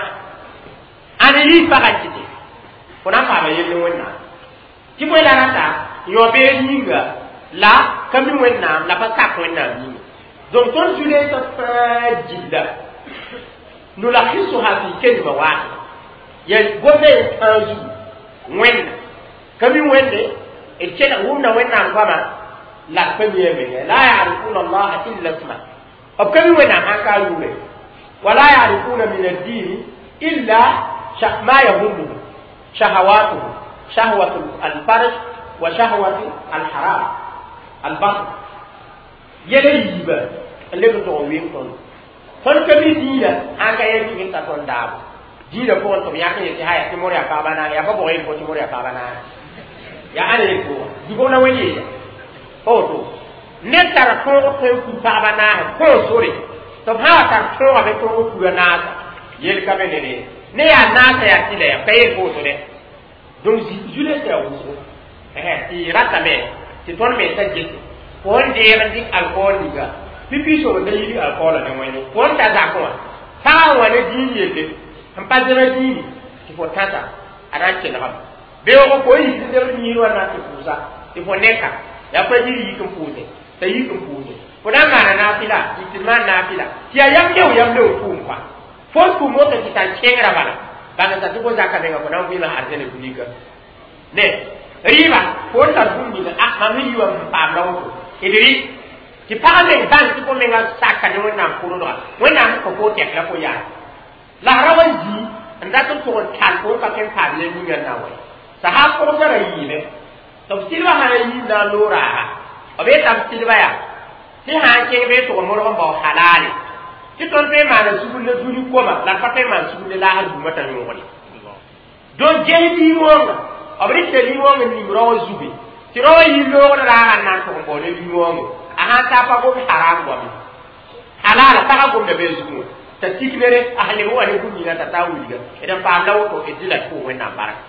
ãn yiis pagã n kɩte fo na n paama yell ne wẽnnaam tɩ bõe la rata yõ beed yĩnga la ka mi wẽnnaam la pa sak wẽnnaam yĩnga donc tõnd zu-leesã fãa gilla nulakisuha fi kalima wahida ya gomda yen tãag zugu wẽnna ka mi wẽnde d kelg wʋmda wẽnnaam goama la b pa mi a menga la yarifuna allaha illa isma b ka mi wẽnnaam sãn ka a yʋʋre wala yarifuna min addini illa ma yahumuhu shahawatuhu shahwatu alfarj wa shahwatu alharam albatn yɛla yiiba n leb n tog n weng tõnd tõnd ka mi dĩinã sãn ka yɛl tɩg n ta tõnd daabo dĩinã pʋgẽ tɩ b yãk n yetɩ haya tɩ mor yaa pagba naag yaa pa bʋg yel fo tɩ mor yaa pagba naag yaa ãn yel pʋgã dibg la wẽnd yeela pa woto ned tara tõog tõe n kur pagba naase kõo sore tɩ b sã wa tar tõogame tõog n kura naasa yel ka be ne re ne yaa naasa yaa tɩ la ya ka yel fo woto dɛ donc zulesã yaa wʋsgo tɩ ratame tɩ tõnd mensã gese fo n deeg n dɩk alkool ninga pipi sobd la yirg alkoolã ne wẽnde fo n ta zakẽ wã pagã wã ne dĩin yelle n pa zẽma dĩini tɩ fo tãsa a na n kelgame beoogo fo n yik n zebd yĩir wã na tɩ pʋʋsa tɩ fo neka yaa pa yir yik n pʋʋse t'a yik n pʋʋse fo na n maana naafɩla yik tɩ maan naafɩla tɩ yaa yam leo yam leo tʋʋm kɔa fo n tʋm woto tɩ tar kẽngrã bala bãng t'a tɩ fo zaka menga fo na n vɩɩmã arzɛna wilga ne rɩɩba fo n tar bũmb ninga a mam sẽn yi wã n paam la woto d rɩ tɩ pag meng bãng tɩ fo menga saka ne wẽnnaam pʋrendga wẽnnaam sẽn kõ fo tɛk la fo yaa la ra wa zĩ n dat n tʋg n tall fo n ka tõe n paam yel ninga n na n wa sã sã pʋgsã ra yiime tɩ b sɩdbã sã n yiim na n loog raaga b yetame sɩdba yaa tɩ sã n kẽng bee tʋg n modg n bao halaale tɩ tõnd tõe n maana sugr la dũni koma la d pa tõe n maan sugr ne laasr bũmã t'a yõogre donc ges biig wãnga b rɩkda nin-wãng n ning rao zuge tɩ rao yi loogd raaga n na n tʋg n bao ne nin-wãngo a sãn ta pa gom haram goame halala pagã gomda be zugẽ wã t'a tik nere a sẽn leb n wa ne bũmb ninga t'a taa wilga d n paam la woto d dɩla d pʋʋg wẽnnaam barka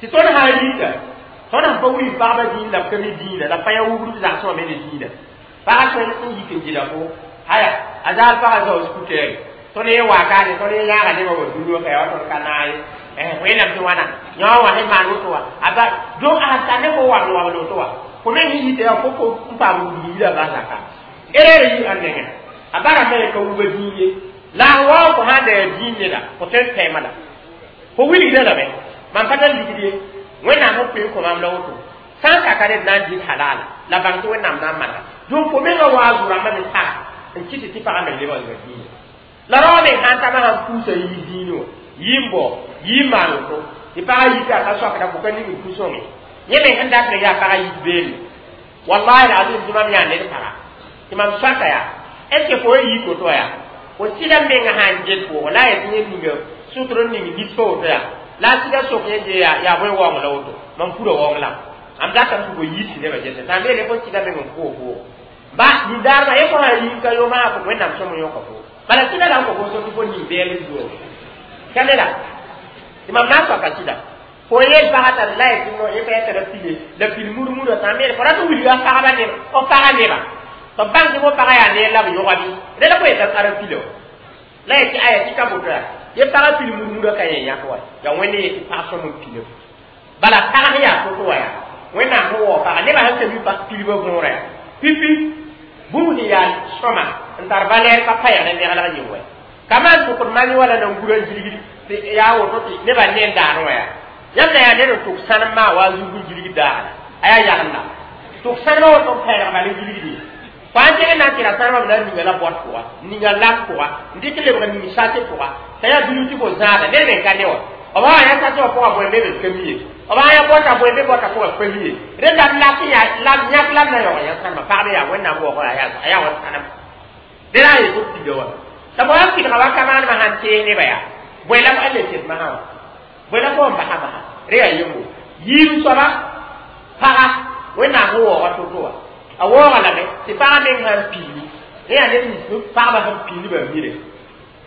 tɩ tõnd sã n yita tõnd sẽn pa wilg pagba dĩin la b ka mi dĩinã la pa ya wubr b zagsẽ wã me ne dĩinã pagã tõe n yik n gɩda fo aya a zaal pagã zao skutɛɛre tõnd ye wakaane tõnd ye yãaga nebã wa dũni wã ka yaa wa tõnd ka naag ye wẽnnaam tɩ wãna yõ wã sẽn maan woto wã a ba donc a sẽn tar ne fo wabl wabl woto wã fo me sẽn yita yaa fo fo n paam wudg yila bas zaka erreur yi a nengẽ a bara me ka wubã dĩin ye la a wao fo sãn da yaa dĩin neda fo tõe n tɛɛmã la fo wilgda lame mam pa tar ligd ye wẽnnaam sẽn pʋɩ n kõ maam la woto sã n kaka ned na n dɩt halala la bãng tɩ wẽnnaam na n manega donc fo menga waa zu-rãmbã me saga n kɩt tɩ pagã me lebg n dĩinã la rao meng sãn tama sãn puusa yɩ dĩinẽ wã yɩ n bao yɩ n maan woto tɩ pagã yita a ka soakda fo ka ning n pu-sõnge yẽ meng sẽn dat me yaa pagã yit beene wallahi alazim tɩ mam yaa ned paga tɩ mam soaka yaa est ce que fo yik woto yaa fo sɩda menga sãn get pʋʋgẽ la a yetɩ yẽ ninga sʋtr n ning nisfa woto yaa la a sɩda sok yẽ je yaa yaa bõe waoong la woto mam pura waoong la am datame tɩ fo yit nebã gese sã n beele fo sɩda meng n pʋʋg pʋʋg ba nindaarmã yẽ fo sã n yĩng ka yoma fo wẽnnaam sõm n yõka fo bala sɩda la n kõ fo so tɩ fo ning bɛɛl n zuo ka ne la tɩ mam na n soaka sɩda fo yel pagã t'a la yetɩ no yẽ pa yɛta la pile la pil mur-murã sã n meele fo rat n wilga pagba neba f pagã neba tɩ b bãng tɩ fo pagã yaa neer la b yõga bɩ rẽ la fo yeta ara pila wa la yetɩ aya tɩ ka boto yaa ye pagã pil mur-murã ka yẽ yãk wa yaa wẽnd yetɩ pag sõm n pile bala pag sẽn yaa to-to wa yaa wẽnnaam sẽn waoog pagã nebã sẽn ka mi pilbã võora yaa pipi bũmb sẽn yaa sõma n tar valɛɛr ka pa yãg ne neglg yɩng wɛ ka maan tʋkd mani wala nan gura n gilgd tɩ yaa woto tɩ nebã ne n daan wã yaa yãmb na yaa ned n tʋk sãnem maa wa a zug n gilgd daagla a yaa yagenda tʋk sãnemã woto n pɛɛlg bal n gilgd ye fo n tẽg n na n tɩ ra sãnemã b na n ninga la bɔt pʋga n ninga lak pʋga n dɩk n lebg ning sase pʋga t'a yaa bilf tɩ fo zãada ned me n ka ne wã b sã yaa sase wã pʋgã bõe be b ka mi ye b sã yaa bɔta bõe be bɔta pʋgã pa mi ye rẽnda b lak yaa la yãk la b na yaoog yã sãnema pagb yaa wẽnnaam waoog a yaa wa sãnem dẽ la a yetɩ b pida wã t'a bõe n pidga wa ka maanema sãn tees nebã yaa bõe la b le ted masã wã bõe la fo n basa masã rẽ yaa yembo yiib soaba paga wẽnnaam sẽn waooga to-to wã a waooga lame tɩ pagã meng sãn pilli rẽ yaa ned nins pagba sẽn pilli ba mire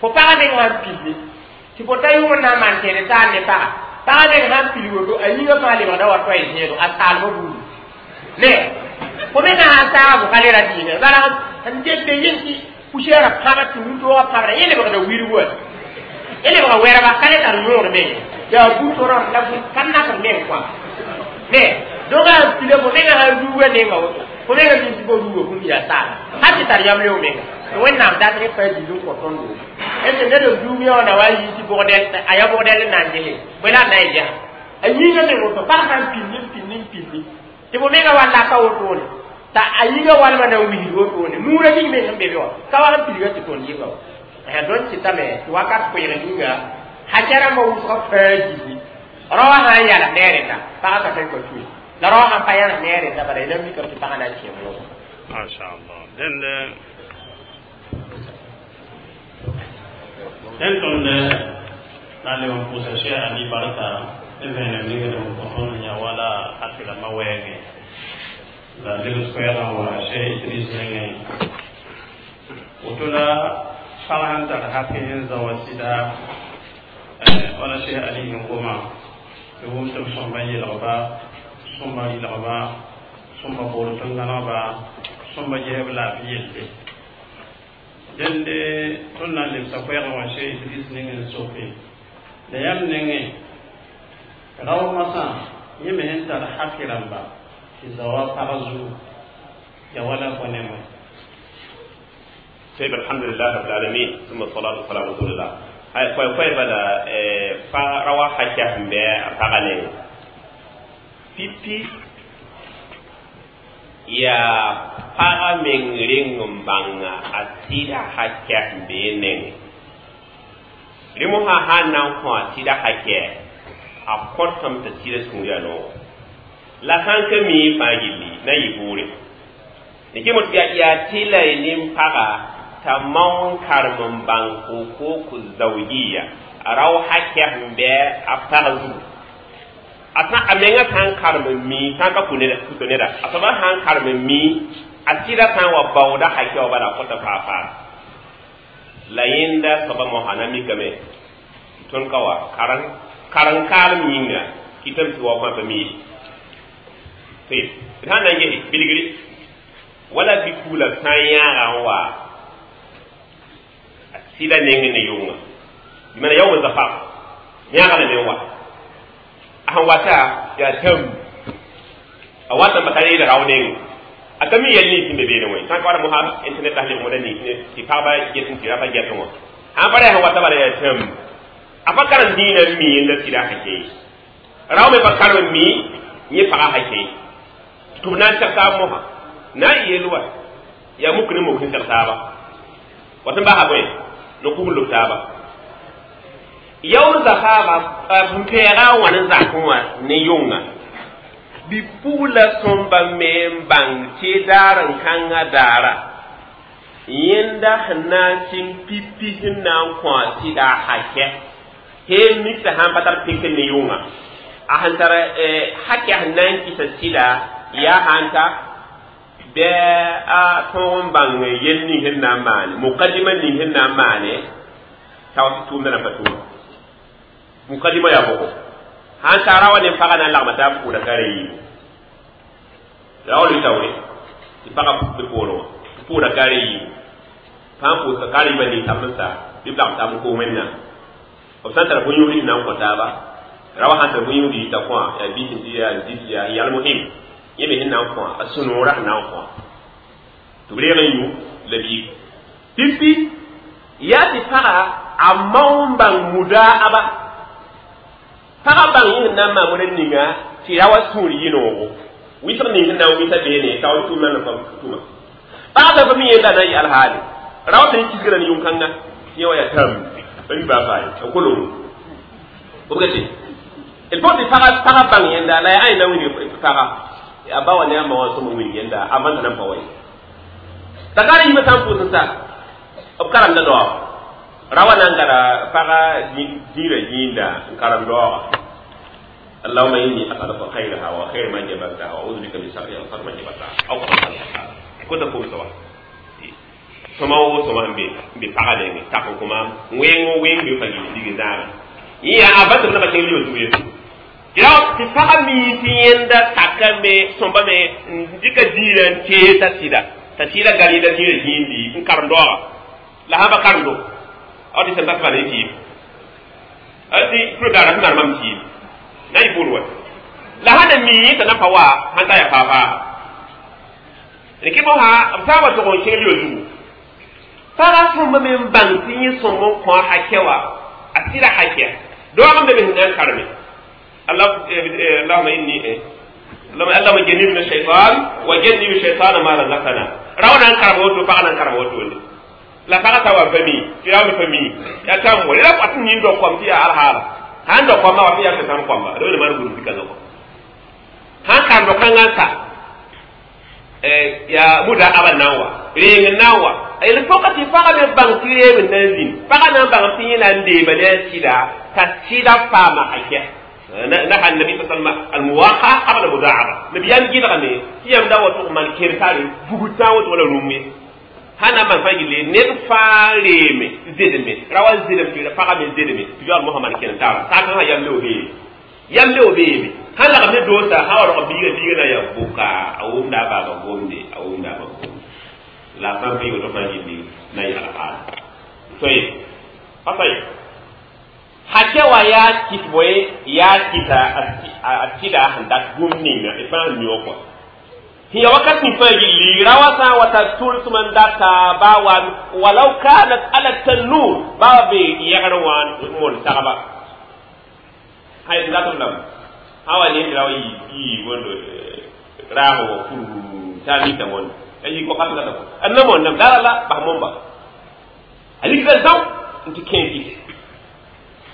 fo pagã meng sãn pilli tɩ fo ta yʋng n na n maan tẽed taar ne paga pagã meng sãn pil woto a yĩngã fãa lebgda wa toa y zẽedo a saalmã buudi ne fo me sã n saaga fo ka le ra dɩɩgẽ bala n get be yẽ tɩ poussière pãba tɩ wũntoogã pãbra yẽ lebgda wirg wa yẽ lebga wɛrba ka le tar yõod meng yaa bu-torã la ka nakd meng kõa ne donc a pila fo menga sãn ruuga nenga woto fo menga min tɩ fo ruuga bũmb yaa saala hal tɩ tar yam leo menga tɩ wẽnnaam dat rẽ pa dil n kõ tõndo est ce ned n duum yã wã na wa yi tɩ bʋgdɛl a yaa bʋgdɛl n na n gese bõe la a na n gesa a yĩngã meng woto pag sãn pilli n pilli n pilli tɩ fo menga wa laka wotone t'a a yĩngã walmã na n wisd wotone nuurã ning me sẽn be be wã ka wa sẽn pilga tɩ tõnd yɩnga wa tõnd sɩtame tɩ wakat koeeg ninga hakɛ rãmbã wʋsgã fãa gilli rao sã n yalg ne a rẽnda pagã ka tõe n ka tue la rao sãn pa yãls ne a rẽnda bala y na mikame tɩ pagã na n kẽ wʋʋg masha allah dẽnd dẽn tõnd na n leb n pʋʋsa Cheikh Ali barka ne vẽenem ningd n kõ tõnd yã wala hakk rãmbã wɛɛngẽ la lebs koɛɛgã wa Cheikh Idris nengẽ woto la pag sẽn tar hakk n zã wa sɩda wala Cheikh Ali sẽn goma tɩ wʋm tɩ b sõmba yelgba sõmba yelgba sõmba boor tẽn-gãnegba sõmba gesb laafɩ yelle dẽnde tõnd na n lebsa koɛɛgã wã Cheikh Idris neng n soke la yãmb nengẽ rao masã yẽ me sẽn tar hakk rãmba tɩ zaoa pag zugu ya wala fo ne wã طيب الحمد لله رب العالمين ثم الصلاة والسلام على رسول الله ay koy koy bala pa rawa hakya mbe a paga ne pipi ya paga meng ring banga a sida hakya mbe neng rimo ha ha nan ko a sida hakya a kotam ta sida sunga no la han ka mi fa gilli na yi bure ne ke mutu ya ya tilai nin paga ta maun karmin ban ko ku zaujiya raw hakya mbe a paga zu A sã a menga sã n karem n mi sã n ka kʋ neda kuto neda a soaba sã n karem n mi a sɩda sã n wa baooda hakɛ wã bala a kõta faa-faa la yẽnda soaba moasã na mikame tõnd ka wa karen karen kaalem yĩnga kɩtame tɩ wa fãa pa mi ye d sã n na n gese bilgri wala bi-kugla sã n yãaga n wa a sɩda neng ne yʋnga bɩ mana yaoom zafaf yãaga lame n wa a sẽn wata yaa tãm a wata n pa tar yeela rao neng a ka mi yɛl nins sẽn be beene wã sã n ka wala mosã internet la sẽn moda nins tɩ pagba get n tɩ rapa gɛt wã sãn pa ra sẽn wata bala yaa tãm a pa karem dĩinã n mi yẽnda sɩda hakɛ rao me pa karem n mi yẽ pagã hakɛ tɩ b na n seg taab mosã na n yeel wa yaa muk ne muk sẽn seg taaba wat n basa bõe no kug n lob taaba yaool zafaaba n pɛɛga n wãn n zakẽ wã ne yʋnga bi-pugla sõmba me n bãng tɩ daar n kãngã daara yẽnda sẽn na n sɩng pipi sẽn na n kõ a sɩda a hakɛ hee miksa sãn pa tar pɩk ne yʋnga a sẽn tar hakɛ sẽn na n kɩsa sɩda yaa sãn ta bɩ a tõog n bãng yel ning sẽn na n maane mukadima ning sẽn na n maane t'a wa tɩ tʋʋmdã na pa tʋʋm mukadima yaa bʋgo sãn ta ra wa ne pagã na n lagma taab pʋʋda ka ra yiibu ra wa lʋɩ tɩ pagã be poorẽ wã tɩ pʋʋda ka ra yiibu fãa pʋʋsga ka ra yiibã ning-tab n sa bɩ b lagm taab n koos wẽnnaam b sã n tara bõn-yũud n na n kõ taaba ra wa sãn tar bõn-yũud yita kõa yaa bɩs n tɩ yaa zis yaa yalmohim yẽ me sẽn na n kõa a sũ-noorã sẽn na n kõa tɩ b reeg n yũ la biig pipi yaa tɩ pagã a mao n bãng mudaaba pagã bãng yẽ sẽn na n maan wẽna ninga tɩ ra wa sũur yɩ noogo wɩsg ning sẽn na n wɩsa beene t'a wa tʋʋmã na tʋma pagã sa fa mi yẽnda na n yɩ alhaale ra wa sẽn kisgra ne yʋng-kãnga tɩ yẽ wa yaa tãmb pa mi baa faa ye a kolongo b gete il faut tɩ pagã pagã bãng yẽnda la yaa ãe na wilg pagã a ba wa ne a ma wã sõm n wilg yẽnda a vãnda nan pa wa ye t'a ka yiibã sã n pʋʋs n sa b karemda daoog ra wa na n gada pagã zĩirã yĩnda n karem daooga اللهم إني أسألك خيرها وخير ما جبلتها وأعوذ بك من شرها وشر ما جبلتها أو كما قال كنت كوم سوا sõma wo sõma n be n be pagã nengẽ tak n kõ maam wẽngo wẽng be fa gil dig zãaga yẽ yaa a bas b naba kẽng lio zug ye tɩ tɩ pagã mii tɩ yẽnda sakame sõmbame n dɩka zĩirã n tees t'a sɩda t'a sɩda gal yẽnda zĩirã zĩindi n karem daooga la sã pa karemdo a tɩ sẽn tat bala y tɩɩm a tɩ pʋr daara sẽn maan mam tɩɩm na y buud wa la sã na mii t'a na pa wa sãn ta yaa faa-faa rɩkɩ mosã b sã n wa tʋg n kẽng lio zugu pagã sõmba me n bãng tɩ yẽ sõmb n kõ a hakɛ wa a sɩda hakɛ daoog n be me sẽn na n kareme اللهم إني اللهم جنبنا الشيطان وجنب الشيطان ما رزقنا راونا نكرم وتو فانا نكرم وتو la paga ta wa fami ti ra mi fami ya tam mo la pat ni do kom ti al hala han do kom ma wa ti ya tan kom ba do ne man guru dika ko han kan do kan sa eh ya muda aban nawa reng nawa il faut que tu faga me bang ti re men nan faga nan bang ti nan de ba ne sida ta sida fama hakya نهى النبي صلى الله عليه وسلم المواقعة قبل المداعبة نبيان جيدا غني يام دا وتو man kertare bugutan woto wala rume hana man fa gile ne fa reme zedeme rawa zedem ti fa me zedeme ti yor muhammad ken tara ta kan yam le obe yam le obe be hala ga me dosa ha wa ro biga biga na ya buka awumda ba ba gomde awumda ba la fa bi woto fa gile na ya ala soyi afai hake wa ya kit boye ya kita a tida sẽn dat bũmb ninga d fãa n yõ kɔ sẽn ya wakat sẽn fãa gilli ra wa sã n wa tar tʋlsem n data baa wa walau kanat ala tanur baa wa be yɛgr wã n mon sagba hay d dat b lame sã wa ne ra wa yii wẽndo raag wa pur t'a mita wẽnd a yii wakat gata a na moonname dara la bas momba a likda zão n tɩ kẽe kɩse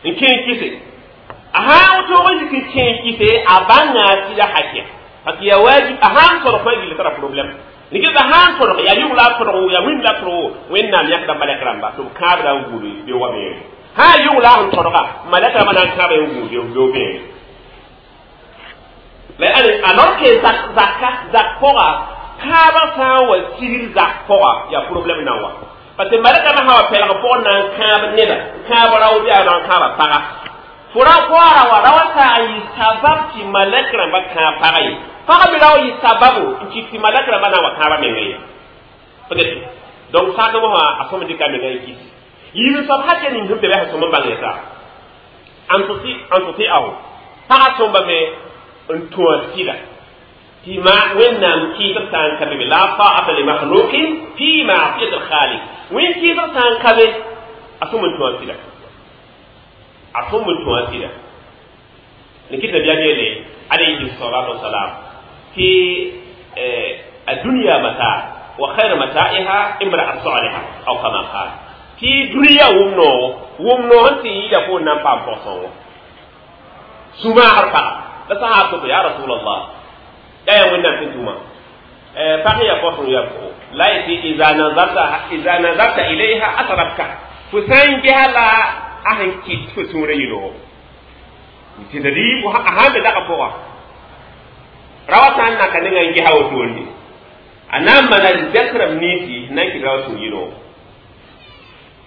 n kẽe kɩse a sã n woto n zik n kẽe kɩse a bãnga sɩda hakɛ parce que ya wajib a sã n tõdg fãa gilli tara problème rɩk a sã n tõdg yaa yʋg la a tõdg yaa wĩnd la a tõdg wẽnnaam yãkda malɛk rãmba tɩ b kãabda n gũud beo wa beere sã n yʋg la a sẽn tõdga malɛk rãmbã na n kãaba n gũud beo beere La alors que zaka zak pʋga kãabã sã n wa sigr zak pʋga yaa problème na wa parce que malɛka me sã wa pɛlg pʋgẽ na n kãab neda kãab rao bɩ a na n kãaba paga fo ra koara wa ra wa saag yɩ sabab tɩ malɛk rãmba kãab pagã ye pagã me ra wa yɩ sababu n kɩt tɩ malɛk rãmba na n wa kãabã menga ye peut-être donc sakẽ wã a sõm dɩka menga n kis yiib soab hakɛ ning sẽn be bɩ a sõm n bãng yeta an tuti'ahu pagã sõmbame n tũ a sɩda tɩ ma wẽnnaam kɩɩsg sã n ka be la ta'ata li makhluqin fi ma'siyati al-khaliq wẽn kɩɩsg sã n ka be a sõm n tũ a sɩda a sõm n tũ a sɩda ne kɩt nabiyaam yeele alayhi salatu wasalam tɩ الدنيا متاع وخير متاعها امرأة صالحة أو كما قال tɩ dũniyã wʋm noogo wʋm noog n tɩ yɩɩda fo n na n paam pɔg-sõngo sũ-maagr paga la sã n to ya rasulallah ya ya wẽnnaam sẽn tʋma pag ya pɔsẽ ya pʋgɔ la y tɩ iza nazarta iza nazarta ilayha asrabka fo sã n gesa la a sẽn kɩt fo sũurã yɩ-noogo c'est-à-dire a sãn be dagã pʋga ra wa sã n naka nengã n gesa wotone a na n mana zɛk rãmb ninsi na n kɩt ra wa sũur yɩ-noogo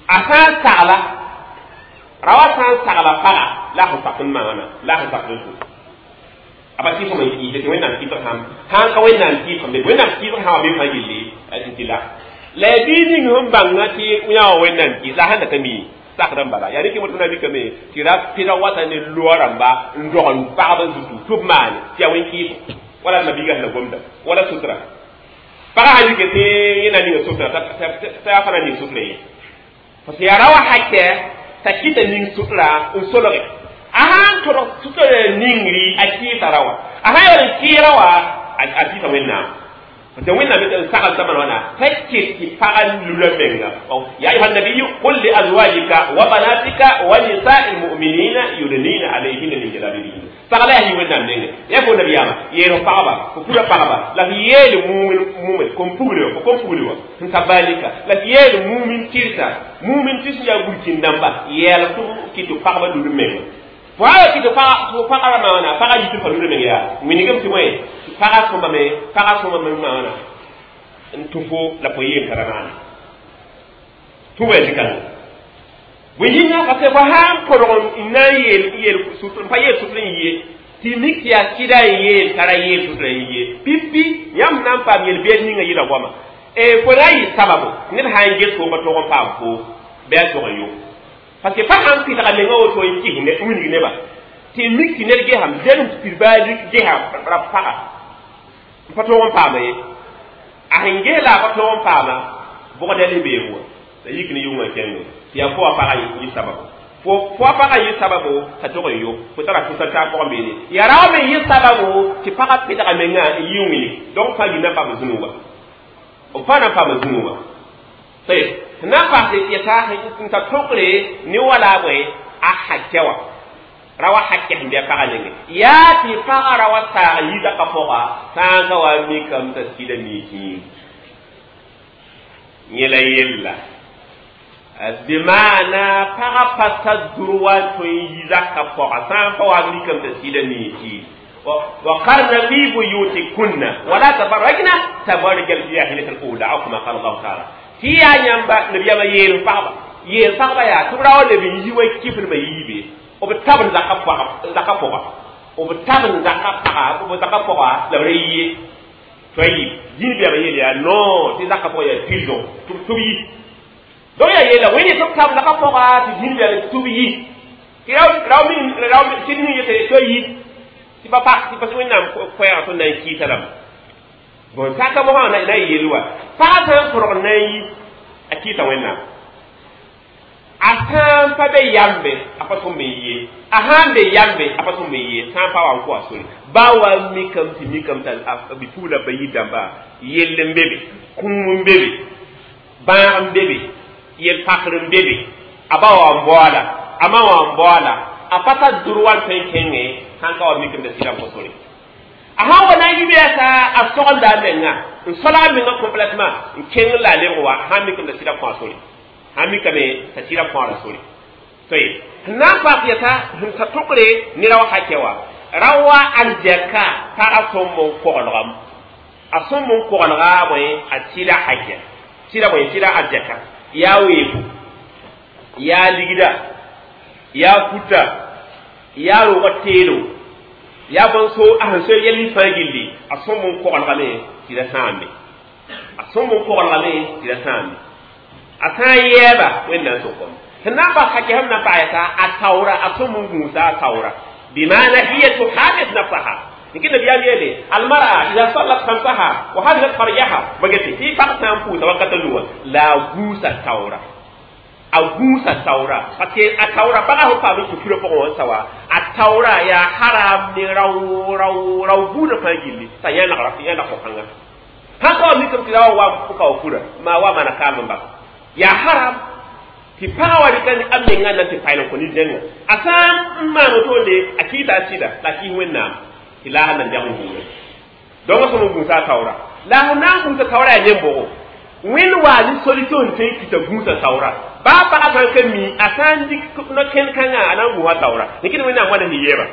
a sã n sagla ra wa sã n sagla paga la a sẽn pak n maana la a sẽn pak n tũ a pa kɩs n kɩɩse tɩ wẽnnaam kɩsg sãm sãn ka wẽnnaam kɩɩsg be wẽnnaam kɩɩsg sã wa be fãa yelle tɩ la la ya bii ning sẽn bãnga tɩ yã wa wẽnnaam kɩs la a sẽn da ka mi sakd n bala yaa rɩk wẽnnaam mikame tɩ ra pɩda wata ne loa rãmba n dog n pagb zutu tɩ b maane tɩ yaa wẽn kɩɩsg wala mabiiga sẽn na gomda wala sutra pagã sã yike tɩ yẽ na ninga sutra t'a yaa fa na ning sutra ye parce que yaa ra wa hakɛ t'a kɩta ning sutra n solge a sãn todg sutra ningri a kɩɩsa ra wa a sã yaool n kɩɩra wa a kɩɩsa wẽnnaam parce que wẽnnaam n sagl t'a maan wãna t'a kɩt tɩ pagã lula menga ya ayuha nabiyu qul li azwajika wa banatika wa nisa'i lmuminina yudnina alayhinna min jalabibihinna sagla yaa yɩ wẽnnaam nengẽ ya fo nabiyaamã yeel f pagba fo pura pagba la f yeel mumin kom pugri wa fo kom pugri wa sẽn ta balika la f yeel mumin tɩrsa mumin tɩ sẽn yaa gũrkĩn dãmba yɛɛl tɩ kɩt tɩ pagba lul menga fo a kɩt tɩ pagã maana pagã yitɩ fa lul meng yaa wingame tɩ wẽ pagã sõmbame pagã sõmbame maana n tũ fo la fo yeel tara maana tũ wa zikãngã bõe yĩnga parce que fo sãn põdg n na n yeel yeel n pa yeel sʋtr n yie tɩ mik tɩ yaa sɩda n yeel tara yeel sʋtra n yie pipi yãmb na n paam yel-beed ninga yɩla goama fo na n yɩ sababo ned sã n ges fo pa tog n paam fo bɩ a tog n yo parce que pa sãn pɩdga menga woto n kɩs wilg neba tɩ mik tɩ ned gesam zɛl n pid baa lik gesa ra paga n pa tog n paama ye a sẽn ges la a pa tog n paama bʋgda le beem wa la yik ne yʋngã kẽngo tɩ yaa fo wa pagã yɩ sababu fo fo pagã yɩ sababu t'a tog n yo fo tara fʋsã taab pʋgẽ beene yaa ra wa me yɩ sababu tɩ pagã pɩdga menga n yɩ wĩnig donc fãa yɩ na n paam zũnu wa b fãa na n paam zũnu wa sẽn na n paas yɛta n ta tokre ne wala a bõe a hakɛ wa ra wa hakɛ sẽn bɩ a pagã nengẽ yaa tɩ pagã ra wa saag yidaka pʋga sã n ka wa mikame t'a sɩda miisẽ yẽ la yella bɩmaana pagã pa tar droit tõe n yi zakã pɔga sã n pa wa mikame t'a sɩda miisẽ وقرن في بيوتكن ولا تبرجن تبرج الجاهلية الأولى أو كما قال الله تعالى tɩ yaa yãmba nabiyaamã yeel pagba yeel pagba yaa tɩ b ra wa leb n yi wa kifl ma yiibe b tab n zaka pɔga b tab n zaka paga b zaka pɔga la b ra yie tayib dĩn biyaamã yeel yaa non tɩ zaka pɔga yaa prison tɩ b yi donc yaa yeela wẽnd tɩ b tab zaka pɔga tɩ dĩn biyaamã tɩ b yi tɩ rao tɩ ning yetɩ tɩ yi tɩ pa pa tɩ pa wẽnnaam koɛɛgã tõnd na n kɩɩsa rãmba bon saka mosã na n yel wa pagã sã n põrg na n yi a kɩɩsa wẽnnaam a sã n pa be yambe a pa tõm n ye a sã n be yambe a pa tõm n ye sã n pa wa n kʋ a sore ba wa mikame tɩ mikame t'a bi-pugla ba yir dãmba yell n be be kũum n be be bãag n be be yel-pakr n be be a ba wa n baoola a ma wa n baoola a pa tar droit n tõe n kẽngẽ sãn ka wa mikame t'a sɩda n kõ sore a sãn wa na n yɩ bɩ a sogelda a menga n solg a menga complètement n kẽng la a lebg wa sãn mikame t'a sɩda kõ a sore sãn mikame t'a sɩda kõora sore toye sẽn na n paas yɛta sẽn ta tokre nera wa hakɛ wa Rawa aljaka paga sõm n koglgam a sõm n koglga bõe a tɩla hakɛ tɩla bõe tɩla aljaka yaa weebo yaa ligda yaa kuta yaa rogã teelo yaa bõn-so a sẽn soe yɛl fãa gilli a sõm n koglgame tɩ ra sãambe a sõm n koglgame tɩ ra sãambe a sã n yɛɛba wẽnnaam sʋkame sẽn na n bas hakɛ sẽm na n paasa a taoora a sõm n gũusa a taoora. بمعنى هي تحافظ نفسها. لكن النبي يلي المرأة إذا صلت خمسها وحفظت فرجها بقت في فرق سامبو توقت اللغة لا غوسة تورا أغوسة تورا parce a taura baga ho pa mi kuro po on sawa a taura ya haram ni raw raw raw buda fa gilli sa ya na rafi ya na ko kanga ha ko mi kam tilawa wa ko ka kura ma wa mana ka ba ya haram tɩ pagã wa rɩka ne a mengã na tɩ paɩl n kõ nin-dẽngã a sã n maan wotoonde a kɩɩta a sɩda la a kɩɩs wẽnnaam tɩ laasã nan dɛg n gũuda donc a sõm n gũusa a taoora la a na n gũusa taoora yaa yẽm-bʋgo wẽnd waa ne solution tõe n kɩta gũusa taoora baa pagã sã n ka mi a sã n dɩk no-kẽn-kãngã a na n gũusa taoora nekɩd wẽnnaam wãna sẽn yeeba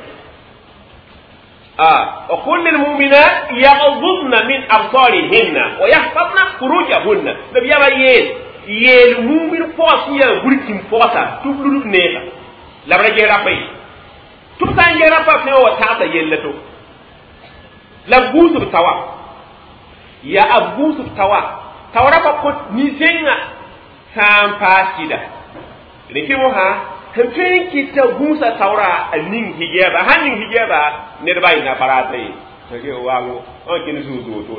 وقل للمؤمنات يغضضن من أبصارهن ويحفظن فروجهن نبي يا yeel yeel mumin pɔgs n yaa burkin pɔgsa tɩ b ludb neega la b ra ges rapa ye tɩ b sã n ges rapa fẽe wa tagsa yella to la b gũus b tawa yaa b gũus b tawa tao rapa kõt nin-zẽngã sã n paas sɩda rẽkɩ mosã sẽn tõe n kɩta gũusa taoora a ning hijɛɛba sãn ning hijɛɛba ned ba yɩ na ye waago n kẽnd zũu-zũu to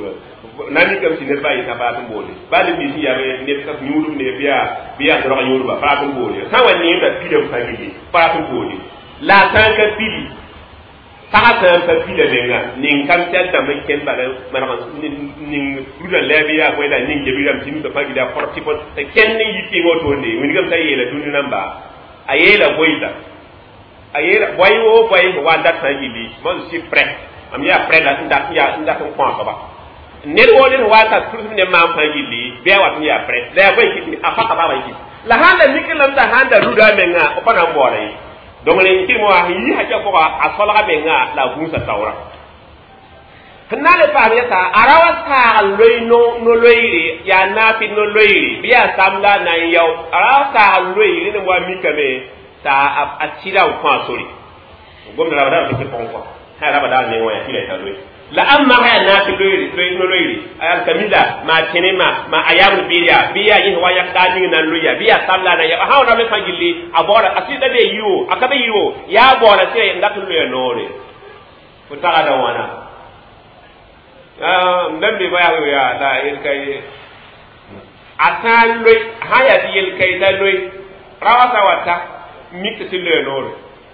na mikame tɩ ned ba yɩ sã n boole baa ned nins yaa ned ka yũudb ne bɩ yaa bɩ yaa rog yũudba faraat n boole sã n wa neemda pidame fãa gilli faraat n boole la a sã n ka pidi pagã sã n pa pida menga ning kam tɛl dãmb n kẽnd bala maneg ning rudã lɛɛb yaa bõe la ning gebirame tɩ nusa fãa gilli a kɔr tɩ kẽnd n yi tɩng wotoonde wingame t'a yeela dũni rãmba a yeela boɩda a yeela boy wo boy wa dat fãa gilli moi je suis prêt am yaa prêt la n dat n yaa n dat n kõ a soaba ned woo ned wa ta tʋls ne maam fãa gilli bɩ a wat n yaa prêt la yaa bõe kɩt a paka baaba kɩt la sãn da mik lame t'a sãn da ruda a menga b pa na n baooda ye donc rẽ kɩrem wa sẽn yi hakɛ pʋga a solga menga la a gũusa taoora sẽn na n le paam yɛsa a ra wa saag loe no-loeere yaa naafɩ no-loeere bɩ yaa samda na n yao a ra wa saag loeere ne wa mikame t'a a tɩla n kõ a sore gomda rabada b tɩ pʋgẽ kɔ sã rabada a meng wã yaa tɩla t'a loe la am ma yaa naafɩ loeere no-loeere alkamila maa tẽne ma ma a yaamd bɩɩr yaa bɩ yaa yẽs wa yak daa ning na n loe yaa bɩ yaa samla na ya sã wa rab fãa gilli a baooda a sɩda be yɩ a ka be yɩ yaa baooda sɩda n dat n loeya noore fo tagada wãna n bãmb ba yaa yaa la yel-ka ye a sã n loe sã n yaa tɩ yel-ka la loe ra wa sã wa ta mik tɩ sɩ loeya noore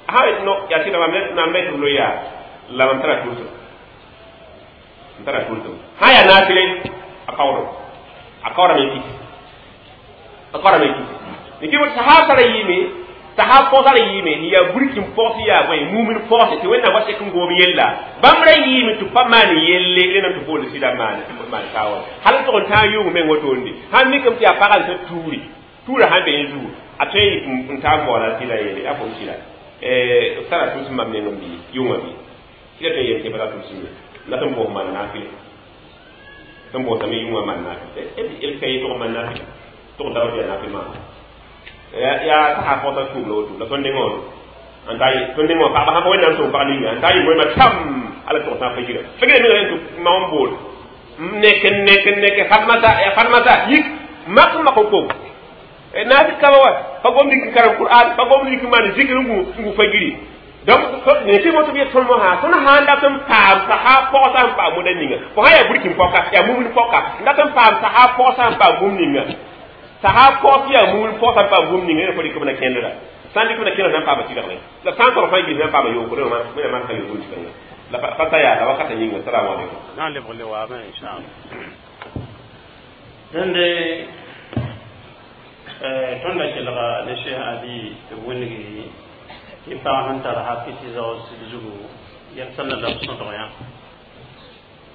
sã no yaa sɩda mam mam me tɩ b loe yaa la mam tara tʋʋsem n tara tʋʋsem sã yaa naasre a kaoodem a kaoodame n kis a kaoodame n kis ne kɩ sahab tara yɩɩme sahab pɔgsa ra yɩɩme n yaa burkin pɔgs yaa bõe mumin pɔgse tɩ wẽnnaam wa sek n gom yella bãmb ra yɩɩme tɩ pa maan yelle rẽndame tɩ boond sɩda maan maan taoor hal n tʋg n tãag yʋng meng wotoonde sãn mikame tɩ yaa pagã n ta tuuri tuurã sãn be yẽ zugu a tõe n taa n baooda sɩda yeele yaa fo sɩda b tara tʋʋsem mam nengem bɩ yʋngã bɩ sɩda tõe n yel tɩ pa ta tʋʋsem ye la tɩ n boos maan naafɩle tɩ n boosame yʋngã maan naafɩ el ka ye tʋg n maan naafɩla tʋg n dabd yaa naafɩl maana yaa sasa pɔgsa tuum la woto la tõnd nengã woto n ta tõnd nengã wã pagba sãn pa wẽnnaam tʋm pag ninga n ta yɩ moẽmã tam ala tʋg sã fajira fajira menga rẽnd tɩ mam n bool nek nek nek fatmata ya fatmata yik mak mak ko nafi kaba wa pa gom dik karam qur'an pa gom dik man zikr ngu ngu fajiri donc ne ti moto bi ton mo ha ton ha nda ton paam sa ha pɔgsa n paam moda ninga fo sã yaa burkin pɔka yaa mumin pɔka nda ton paam sa ha pɔgsa n paam bũmb ninga saha pɔs yaa mumin pɔgsa n paam bũmb ninga ne fo dɩk b na kẽndra sã n dɩk b na kẽndra sã n paama tɩrg la sã n tɔg fãa gils sã n paama yooko rẽ wẽna maan sã yooko tɩkãnga la pa ta yaa la wakata yĩnga salamu aleykum na n lebg le waame inchallah dẽnde tõnd da kelga ne Cheikh Ali tɩ b winggi tɩ pag sẽn tar haki tɩ zao sɩd zugu yɛl sẽn la la b sõdg yã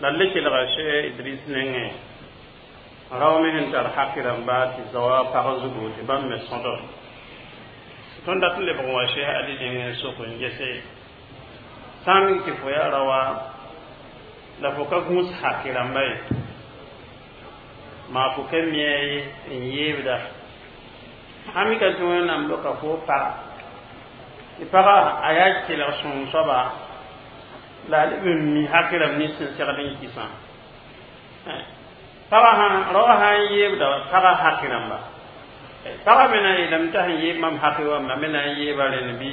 la d le kelga Cheikh Idris nengẽ rao me sẽn tar haki rãmba tɩ zaoa pag zugu tɩ bãmb me sõdg tõnd dat n lebg n wa Cheikh Ali nengẽ n sok n gese Sã n mik tɩ fo yaa raoã la fo ka gũus haki rãmba ye, maa fo ka mi a ye n yeebda sã mika tɩ Wẽnnaam loka fo paga tɩ paga a yaa kelg sõng soaba la a leb n mi haki rãmb nins sẽn segd n kɩsã. Paga sã, raoã sã n yeebda paga haki rãmba, paga me na n yeelame t'a sẽn yeeb mam haki wã, ma me na n yeeba rẽnd bɩ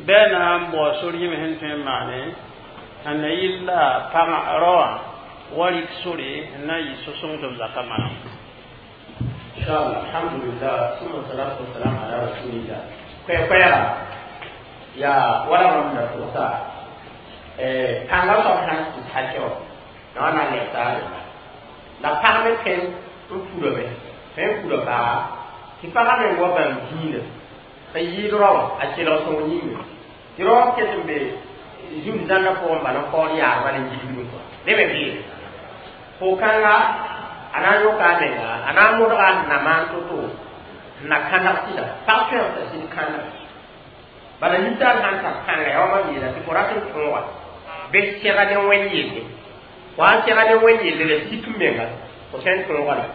bɩ a na n bao sor yĩm sẽn tõe n maane sẽn na yɩl la pagã raoã wa rɩk sore n na n yɩ so-sõng tɩ b zaka maneg. Inshallah, alhamdulillah, summa salatu wassalam ala rasulillah. Koɛ-koɛɛga yaa wala mam na tʋgsa pãngã soab sãn kɩs hakɛ wã na wa na n lɛb taab la pag me tõe n purame, tõe n pura paaga tɩ pagã me wa bãmb dĩinã n yɩɩd raoã a kelg sõng yĩnga tɩ rao ket n be zũnd zãnna pʋgẽ bala n kaood yaadba ne gilgdẽ kɔa ne me beene fo kãnga a na n yõka a menga, a na n modga n na maan to-to n na kãneg sɩda pag tõe t'a sɩd kãneg bala ninsaal sãn tar kãnga yaa wa mam yeela tɩ fo rat n tõoga bɩ sɛga ne wẽn yelle wa n sɛga ne wẽn yelle la sik n menga fo tõe n tõoga la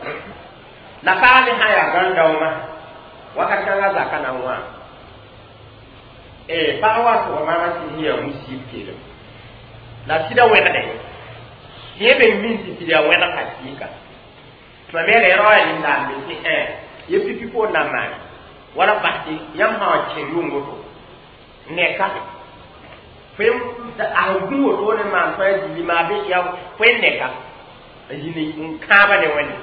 la pag me sã yaa gãn-daoomã wakat kãngã zaka na n wã pag wa sʋga maama tɩ yaa musib kelem la sɩda wẽgdẽ tɩ yẽ me min tɩ sɩd yaa wẽgd ka sɩɩka tɩ mam yeela rao yaa nindaam be tɩ ẽ ye pipi poor na n maane wala bas tɩ yãmb sã wa kẽ yʋng woto neka fo a sẽn gũ woto ne maan tõe a zĩndi maa bɩ ya fo n neka n zĩnd n kãaba ne Wẽnde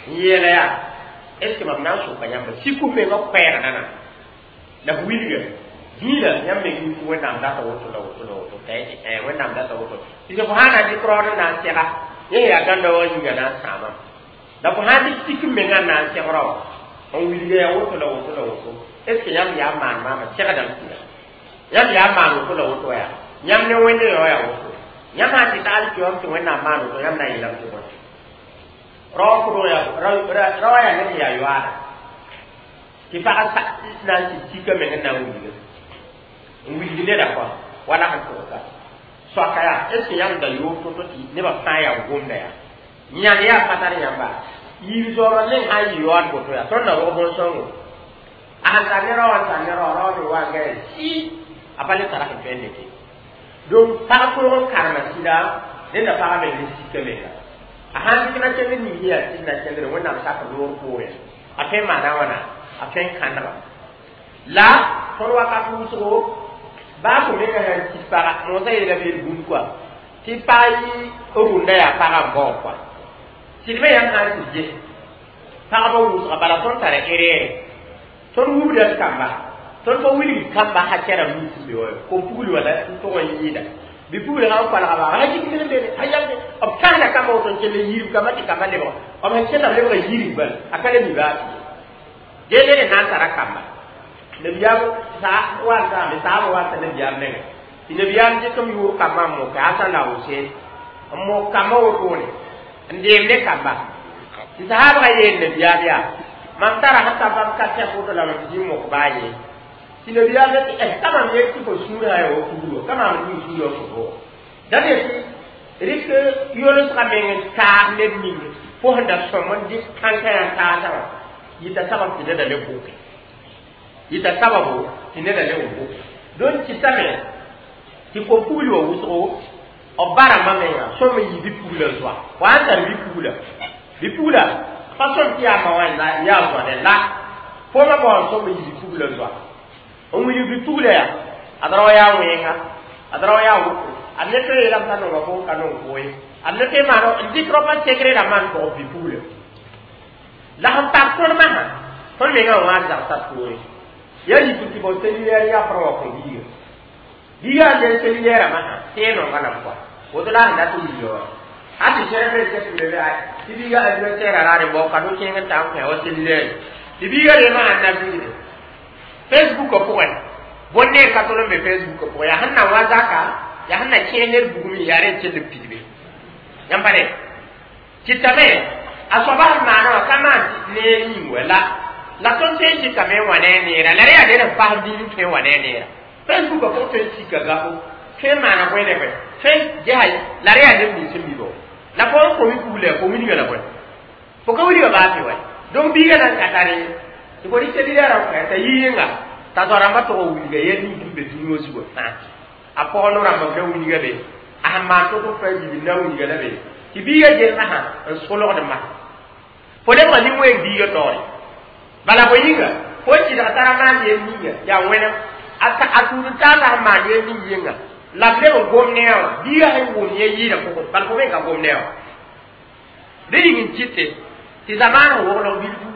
n yeela yaa est ce que mam na n soka yãmba sik f mengã koɛɛg nana la f wilga dĩinã yãmb me gũ tɩ Wẽnnaam data woto la woto la woto t'a yetɩ Wẽnnaam data woto tɩ fo sã na n dɩk raood n na n sɛga yẽ yaa gãnda wã yĩnga na n sãamam la fo sã n dɩk sik n mengã n na n sɛg rao n wilga yaa woto la woto la woto est ce que yãmb yaa n maan maama segdame sɩda yãmb yaa n maan woto la woto yaa yãmb ne Wẽnde yao yaa woto yãmb sã n tɩ tagl kɩ tɩ Wẽnnaam maan woto yãmb na n yeelame tɩ bõe rao kʋdg rao yaa ned yaa yoaada tɩ pag na n sɩd sika meng n na n wilga n wilg neda kɔa wala sẽn tʋgsa soaka yaa est ce que yãmb da yoog to-to tɩ nebã fãa yaa gomda yaa yãnd yaa pa tar yãmba yiib zoobã meng sã n yɩ yaood boto yaa tõnd na rog bõn-sõngo a sẽn tar ne rao n tar ne rao rao me wa n gã sɩ a pa le tara sẽn tõe n lete. Donc pag tõog n karema sɩda nenda pagã meng ne sika menga a sãn dɩk na kẽnd ning yaa sɩd na kẽndre Wẽnnaam sak loor poorẽ a tõe n maana wãna a tõe n kãnega la tõnd wakat wʋsgo baa fo menga sãn kis paga moosã yeela beel bũmb kɔa tɩ pag yɩ rʋnda yaa pagã n baoog kɔa sɩd me yãmb sã n tɩ ges pagba wʋsga bala tõnd tara erɛɛre tõnd wubda d kamba tõnd pa wilgd kamba hakɛ rãmb nins n be wa kom-pugl wala n tʋg n yɩɩda bi-pugl sã n kolga ba a jik ned bene a yalde b tãsda kamba woto n kell yirb kamba tɩ kamba lebg b sẽn kẽnda b lebga yirb bal a ka le mi baa tɩ ye dẽ ned sã n tara kamba nabiyaam sa wa n saaba wa t'a nabiyaam menga tɩ nabiyaam dɩk m yʋʋr kambã n moka Hasan la Husein n mok kambã wotone n deem ne kamba tɩ sahaabga yeel nabiyaam yaa mam tara sẽn ka bãmb ka tɛk woto la mam zĩ mok baa ye tɩ nabiyaam tɩ eh ka mam yet tɩ fo sũurã yaa wa pugl wa ka maam ning sũurã fo bo da ne tɩ rɩk yolsgã meng n taag ned ning fo sẽn da sõm n dɩk kãnkã yã n taasã wã yɩta sabab tɩ neda le bʋke yɩta sababu tɩ neda le bʋke donc kɩtame tɩ kom-pugl wa wʋsgo b ba rãmbã menga sõm n yɩ bi-pugla zoa wa n tar bi-pugla bi-pugla pa sõm tɩ yaa ma wã yaa zoa la fo ma bao n sõm n yɩ bi-pugla zoa n wilg bi-pugla yaa ad rao yaa wẽnga ad rao yaa woto ad ne tõe yeelame t'a nonga fo ka nong fo ye ad ne tõe maan n dɩk raopã segre rãmbã n tog bi-pugla la sẽn pak tõnd masã tõnd mengã wã zagsa poore ya yik tɩ bao cellulaire yaa pʋgã wa kõ biiga biiga n der cellulaire masã tẽe nonga lam kɔa woto la sẽn dat n wilga wa a tɩ sẽrb n ket n be tɩ biiga anniversaire a raar n bao kado kẽeng n ta n kõ wa cellulaire tɩ biiga reemã sãn na bilgde Facebook pʋgẽ bõn-neer ka tol n be Facebook pʋgẽ yaa sẽn na wa zaka yaa sẽn na kẽe ned bugum yaa rẽ n kell n pidbe yãmb pa ne tɩtame a soaba sẽn maana wã ka maan neer yĩng wa la la tõnd tõe n dɩkame n wa ne a neera la rẽ yaa ned n fasd dĩin n tõe n wa ne a neera. Facebook pʋgẽ tõe n sika gafo tõe n maana bõe ne bõe tõe n ges la rẽ yaa neb nins sẽn mi bo la fo n komi kugla fo wilga la bõe fo ka wilga baa tɩ wa donc biiga na n ka tare tɩ fo rɩk cellulaire n kõ t'a yi yẽnga t'a zoa-rãmbã tog n wilga yɛl ning sẽn be dũni wã zugã fãa a pɔgɔ no-rãmba b na wilga be a sẽn maan to-to pa yiib n na wilga la be tɩ biiga gelmã sã n solgd ma fo lebga nin-wẽng biiga taoore bala fo yĩnga fo n kɩdg tara maan yel ninga yaa wẽnem a tũud n taasa sẽn maan yel ning yẽnga la b leb n gom ne a wã biiga sẽn wʋm yẽ yɩɩda pʋgẽ bala fo me ka gom ne a wã dẽ yĩng n kɩte tɩ zamaan sẽn woglg bilfu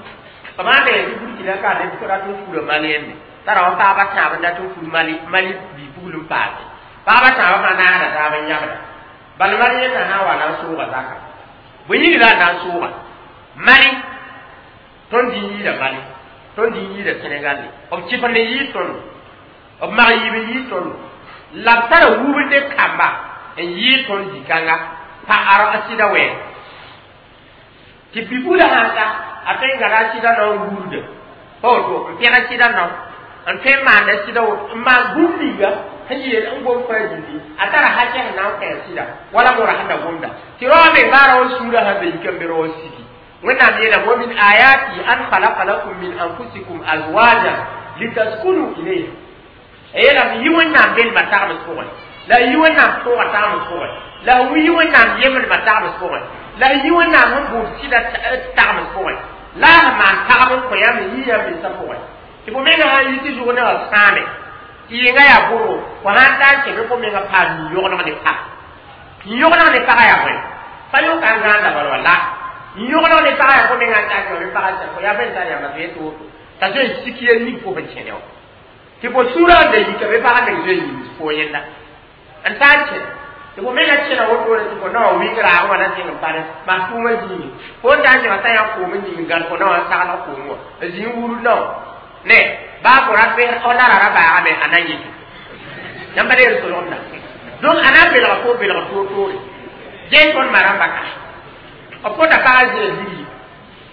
b maanda tɩ Burkina ka neb rat n fura malien t'a ra wa paaba tãab n dat n fur mali mali bi-pugl n paase paaba tãabã fãa naagda taab n yãbda bal mali yẽnda sã n wa na n sʋʋga zaka bõe yĩng la a na n sʋʋga mali tõnd dĩn yɩɩda mali tõnd dĩn yɩɩda Senegal b kɩfend n yɩɩ tõndo b mag yiib n yɩɩ tõndo la b tara wubde kamba n yɩɩ tõnd zĩ-kãnga pa a sɩda wɛɛg tɩ bi-pugla sãn ta a tõe n gãda a sɩda nao n wurda pa woto n pẽg a sɩda nao n tõe n maanda sɩda woto n maan bũmb ninga sẽn yeel n gom fãa zĩndi a tara hakɛ sẽn na n kõ a sɩda wala mora sẽn da gomda tɩ rao meng baa rao sũurã sã be yika n be rao sigi wẽnnaam yeelame wa min ayati an khalaqa lakum min anfusikum azwajan litaskunu ilayha a yeelame yɩ wẽnnaam belmã tagbs pʋgẽ la y yɩ wẽnnaam tʋʋga tagbs pʋgẽ la f yɩ wẽnnaam yemdmã tagbs pʋgẽ la y yɩ wẽnnaam sẽn buud sɩda tagbs pʋgẽ la a sẽn maan tagb n kõ yãmb n yɩ yãmb mensã pʋgẽ tɩ fo menga sã n yi tɩ zʋg nebã sãame tɩ yẽnga yaa bʋrgo fo sã n ta n kẽ bɩ fo menga paam yĩn-yogeneg ne pag yĩn-yogeneg ne pagã yaa bõe pa yʋka n zãanda bala wa la yĩn-yogeneg ne pagã yaa fo menga n ta n kẽ bɩ pagã sã fo yaa fẽn tar yãmba tɩ yetɩ woto t'a zoe n sik yel ning fo sẽn kẽne wã tɩ fo sũurã n da yika bɩ pagã meng zoe n yims fo yẽnda n ta n kẽ tɩ fo menga kẽna wotone tɩ fo naoã wɩng raag wã na zẽng n pare maa tʋʋmã zĩigi fo n ta n kẽma t'a yã koom n ning n gãd fo naoã n sagl koom wã n zĩig wurd nao ne baa fo rat f la ra baagame a na n yɩ yãmba leer solgemda donc a na n belga fo belg toor-toore gee tõnd ma rãmba ka b kõta pagã zĩa zigi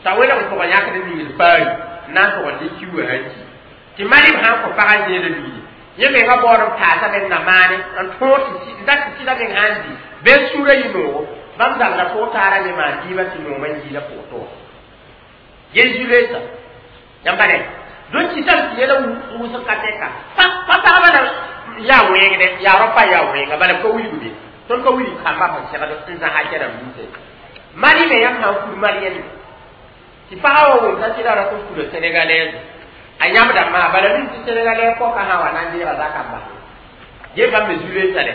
t'a welg n tʋg yãkd n ningd paari n na n tʋg n dɩ kiuugã sã n ki tɩ malib sã n kõ pagã zẽeda ligdi yẽ menga baood n paasame n na maane n tõog tɩ n dat tɩ sɩda meng sã n zĩ bɩ sũurã yɩ noogo bãmb zabda pʋg taara ne maan dɩɩbã tɩ noomã n yiila pʋg tʋga gel zu-loeesa yãmba ne donc kɩtame tɩ yɛla wʋsg ka tɛka pa pagba la yaa wẽngdɛ yaa rao pa yaa wẽnga bala b ka wilg be tõnd ka wilg kamba sẽn segd n zãsa kɛrãmb ninsẽ mali me yãmb sã n fur malien tɩ pagã wa wʋm t'a sɩda rat n fura sénégalaise a yãbda maa bala min tɩ sénégalais pɔka sã wa na n deega zakã n bas ge bãmb me zu-loeesa dɛ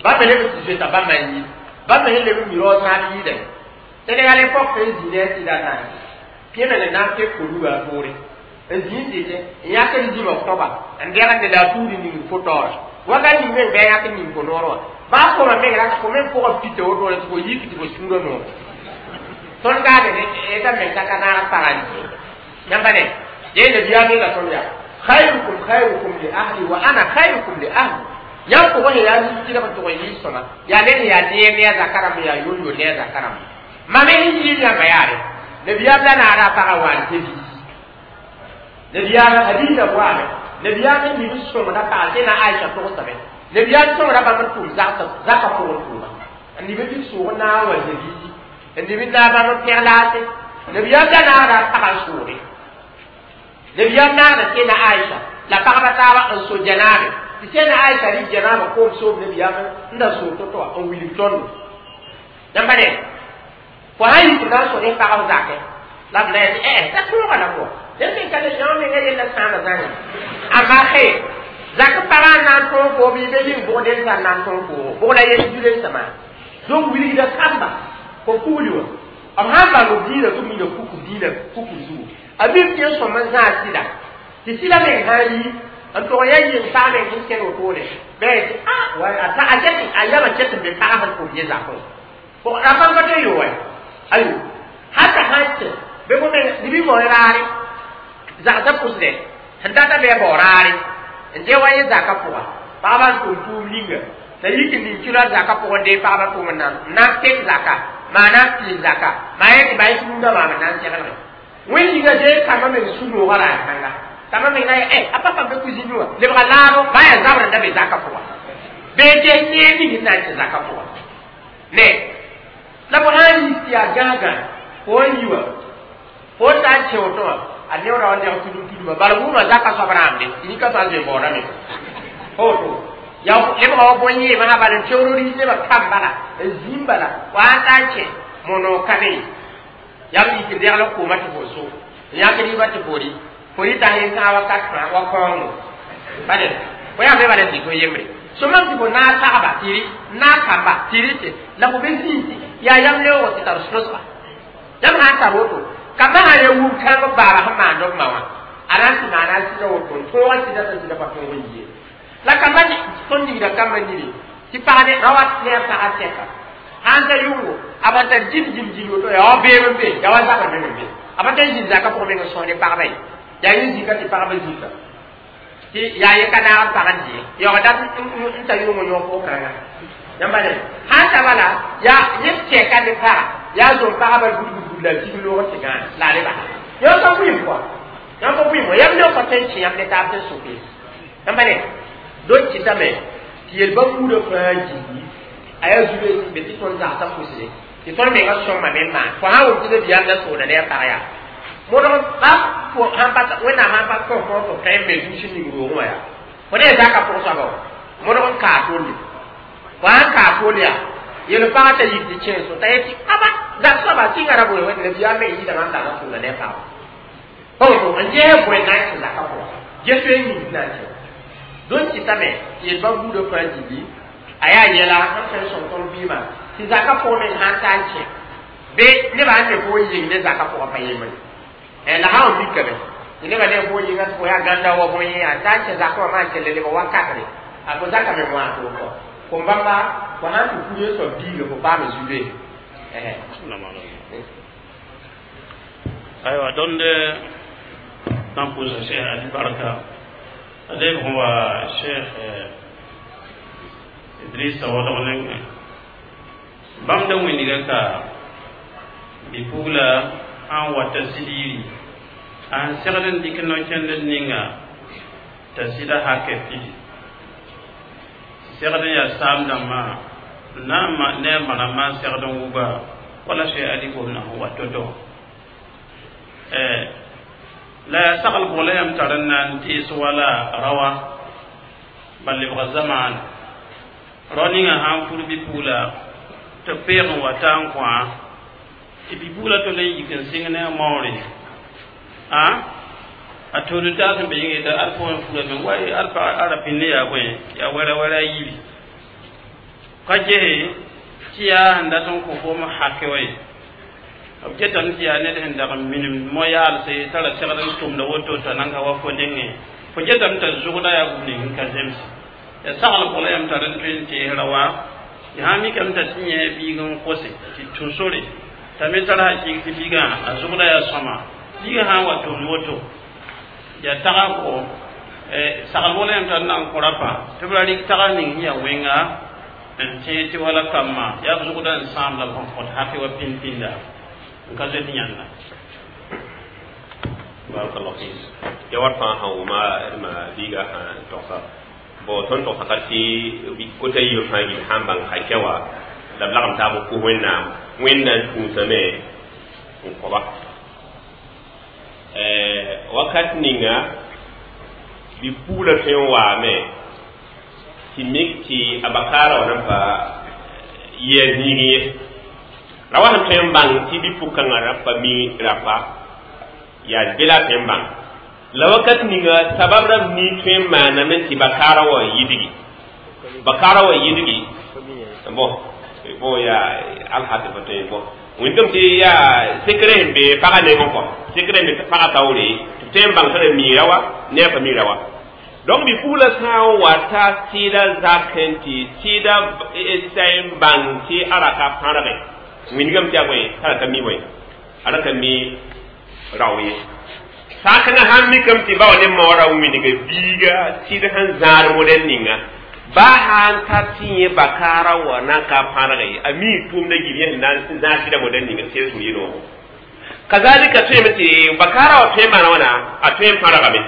bãmb me leb n tɩ zoeta bãmb n yɩ bãmb me sẽn leb n mi rao sãab yɩɩdame sénégalais pɔk tõe n zĩ ne a sɩda naane pẽ me ne na n pẽ koluga a poore n zĩ n dɩtẽ n yãkd zĩmã kõba n dẽgende la a tuud n ning fo taoora wakat ning meng bɩ a yãk n ning fo noor wã baa koma meng rata fo meng pʋgã pita wotone tɩ fo yik tɩ fo sũurã noor tõnd gaade ta meng ka ka naag pagã yãmba ne yee nabiyaam yeela tõnd yaa khayrukum khayrukum li ahli wa ana khayrukum li ahli yãmb pʋgẽ sẽn yaa tɩlg n tʋg n yɩɩ sõma yaa ned sẽn yaa neer ne a zaka rãmb yaa yon-yon ne a zaka rãmb mam sẽn yɩɩd yãmba yaare nabiyaam la naara a pagã wa n tɩ nabiyaam hadiisa goame nabiyaam n nib sõngda pag sẽna Aisha togsame nabiyaam sõngda bãmb n tʋʋm zaka pʋgẽ tʋʋma n nib n dɩk sʋʋg n na n wa zebiisi n nib n na bãmb n pẽg laase nabiyaam la naagda a pagã n sʋʋge nabiyaam naagda sẽna Aisha la pagba taaba n so janaabe tɩ sẽna Aisha rɩk janaaba koom soob nabiyaam n da soog to-to wã n wilg tõndo yãmba ne fo sã n yik n na n so ne pagb zakɛ la b na yetɩ ɛ t'a tõoga la moa dẽn me ka yã menga yella sãama zãnga amma xe zak pagã n na n tõog fo bɩ be yĩng bʋgd n zãn na n tõog foogo bʋg la yel zu-loeensã maa donc wilgda kamba fo kugli wã b sãn bãng b diinã tɩ b mina kuk diinã kuk zugu a mim tɩ n sõm n zãas sɩda tɩ sɩda meng sã n yi n tʋg ya yɩng pag meng sẽn kẽn wotone bɩ a ket a yamã ket n be pagã sẽn tʋm yẽ zakẽ a bãmb ka tõe yo wa ayo hata sã n kẽ bɩ fo meng nib bao raare zagsã pʋsdɛ sẽn data bɩ a bao raare n dẽ wa yẽ zaka pʋga pagba n tʋm tʋʋm ninga t'a yik n ning kɩla zaka pʋgẽ dee pagba tʋm n na n na n pek zaka maa na n pɩɩs zaka maa yẽ tɩ maa yẽ tũudã maam n na n seglge wẽnd yĩnga dee kambã meng su-noogã raar kãnga Kama me na eh apa pa be cousine wa lebga laaro ba ya zabr da be zaka pʋga bee ges neer ning na n tɩ zaka pʋga ne la fo sã n yik tɩ yaa gãagã fo n yi wa fo n ta n kẽ woto wã a neoora wa neg tudum tuduma bala wʋma zaka soab rãamde tɩ nika sã n zoe baoodame fo woto ya lebga wa bõn-yẽemã sã bal n teoor ris nebã kam bala n zĩim bala wa n ta n kẽ monoog ka ne yaa b yik n degl n kooma tɩ fo so n yãk rɩɩbã tɩ fo rɩ fo rɩta sẽn kãag wakat fãa wa kõongo bale fo yaa be bala n dɩk yembre so mam tɩ fo naag pagba tɩ rɩ naag kamba tɩ rɩte la fo be zĩig tɩ yaa yam leoogo tɩ tar sõsba yãmb sã n tar woto kambã sã ya wub kãng b baaba sẽn maand b ma wã a na n tɩ maana a sɩda woto n tõog a sɩda t'a sɩda pa tõog n yie la kambã tõnd ningda kambã nini tɩ pag ne ra wat ne a pagã tɛka sãn ta yʋngo a pa tar jil jil jil woto yaa wa beem n be yaa wa zabr meng n be a pa tar zĩnd zakã pʋgẽ meng n sõs ne pagba ye yaa yẽ zĩka tɩ pagba zĩka tɩ yaa ye ka naag n pag n dɩ yaoog dat n ta yʋngo yõg pʋg-kãnga yãmba ne sãn ta bala yaa yẽ tɛka ne paga yaa zom pagba bud bud bud la tig loog tɩ gãana la a lebasa yõ ka bʋɩm kɔa yõ ka bʋɩm yãmb ne pa tõe n kẽ yãmb ne taab sẽn soke yãmba ne dõn kɩtame tɩ yel-bã buudã fãa gilli a yaa zube sẽn be tɩ tõnd zagsã pʋsde tɩ tõnd menga sõngame n maan fo sã wʋm tɩ nabiyaam la sooda ne a pag yaa modg ba fo sãn pa wẽnnaam sãn pa kõ fõ tɩ tõe n me dũs n ning roogẽ wã yaa fo ne zaka pʋg soaba wã modg n kaa tolle fo sãn kaa toll yaa yel pagã t'a yik tɩ kẽen so t'a yetɩ aba zak soaba sɩnga ra bõe wẽnd nabiyaam me yɩɩdame n dag n sooda ne a pag pa woto n ges bõe na n kẽ zaka pʋgã ges tõe n ning na n kẽ dõn kɩtame tɩ yel-bã buudã fãa gilli a yaa yɛla sẽn tõe n sõng tõnd vɩɩmã tɩ zaka pʋgẽ meng sãn ta n kẽ be nebã sẽn ne fo n yɩng ne zaka pʋgã pa yembre la sã n mikame tɩ nebã ne fo yɩnga tɩ fo yaa gãnda wa bõe a ta n kẽ zakã wã maan kell lebg wakatre a fo zaka me wã to kɔ kom bãmba fo sãn tɩ pur soab biiga fo paame zube aywa tõnd na n pʋʋsa Cheikh Ali barka a leb sẽn wa Cheikh Idrissa waoodg nengẽ bãmb da wĩndga ka bi-pugla sãn wata sɩd yiri a sẽn segd n dɩk no-kẽndr ninga t'a sɩda hakɛ pidi segd n yaa saam dãmbã na n ne a ma rãmbã n segd n wʋba wala Cheikh Ali gomdã sẽn wa to-to la yaa sagl pʋgẽ la yãmb tar n na n tees wala rawa bal lebga zamaan rao ninga sã n pur bi-pugla tɩ b peeg n wa ta n kõ tɩ bi-pugla tol n yik n sɩng ne a maoore a a tood n taas n be yĩnga yeta ad fo n fugame wa ad pa a ra pĩnd yaa bõe yaa wɛra wɛra a yibi ka gese tɩ yaa sẽn dat n kõ foom hake wa ye b getame tɩ yaa ned sẽn dag n minim mo-yaalse t'a ra segd n tʋmda woto t'a nan ka wa fo nengẽ fo getame t'a zʋgda yaa bũmb ning n ka zems ya sagl pʋgẽ la yãmb tar n tõe n teesra wa tɩ sã n mikame t'a tɩ yẽ biig n kose tɩ tũ sore t'a me tar hakɩɩg tɩ biigã a zʋgda yaa sõma biigã sã n wa tʋmd woto yaa taga kɔ sagl pʋgẽ la yãmb tar n na n kõ rapa tɩ b ra rɩk tags ning sẽn yaa wẽnga n tẽeg tɩ wala kambã yaa b zʋgda n sãam la b sẽn kõt hake wa pĩnd-pĩnda n ka zoet yãnda barakallahu fik ya war fãa sã wʋma ma biiga sã togsa bon tõnd togsa ka tɩ kota yiib fãa gil sãn bãng hakɛ wã la b lagem taab n kos wẽnnaam wẽnna n tũusame n kõba wakat ninga bi-pugla tõe n waame tɩ mik tɩ a bakaara wã nan pa yɩ a zĩigẽ ye ra wa sẽn tõe n bãng tɩ bi-pʋg-kãngã rapa mi rapa yaa be la a tõe n bãng la wakat ninga sabab rãmb nii tõe n maaname tɩ bakaara wã yidgi bakaara wã yidgi bon bon yaa alhasɩ fa tõe bon wẽndame tɩ yaa sekre sẽn be pagã nengẽ kɔ sekre sẽn be pagã taoore tɩ b tõe n bãng t'a ra miira wa ne a pa miira wa donc bi-pugla sã n wa ta sɩda zakẽ tɩ sɩda sã n bãng tɩ a ra ka pãrge wĩndgame tɩ yaa bõe t'a ra ka mi bõe a ra ka mi rao ye sã-kãngã sãn mikame tɩ ba wa ne maoorã wĩndga biiga sɩd sẽn zãad modɛl ninga ba sãn ta tɩ yẽ bakaara wa na n ka pãrge ye a mi tʋʋmdã gil yẽ sẽn na n zãad sɩda modɛl ninga tɩ sẽn yɩ noogo kazalika tõeme tɩ bakaara wa tõe n maana wãna a tõe n pãrgame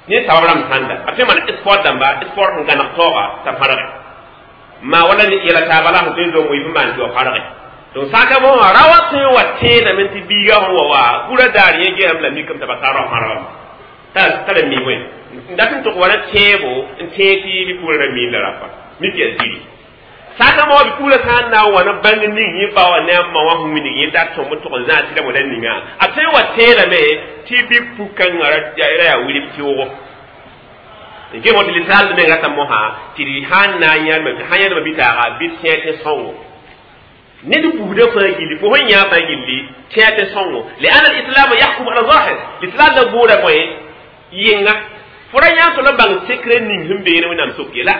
Ne sabab rãmb sãnda a tõe n maan sport dãmba sport sẽn gãneg taooga t'a fãrge maa wala yɛla taaba la sẽn tõe n zom wɩɩf n maan tɩ wa fãrge. Donc sãka mosã ra wa tõe n wa tẽedame tɩ biiga sẽn wa wa kura daar yẽ gesame la mikame t'a pa tar ra fãrgame t'a la mi wẽ n dat n tʋg wa na tẽebo n tẽeg tɩ bɩ-pugla ra miin la rapa mik yaa ziri. Sãka mo bɩ-pugla sã n na n wa na bãng ning yẽ ba wã ne a ma wã sẽn wilg yẽ dat sõm n tʋg n zãag tɩ ra moda ninga a tõe n wa tẽedame tɩ bɩ-pug-kãngã ra yaa wilb tɩʋgo n gem tɩ linsaald meng rata mosã tɩ d sãn na n yãlma sãn yãlma bɩ-taaga bɩ tẽ tɩ sõngo ned buudã fãa gilli fo sẽn yã fãa gilli tẽ tɩ sõngo lian alislam yahkum ala zahir l'islam la buuda bõe yɩnga fo ra yã tɩ la bãng sekre ning sẽn beene wẽnnaam sok ye la.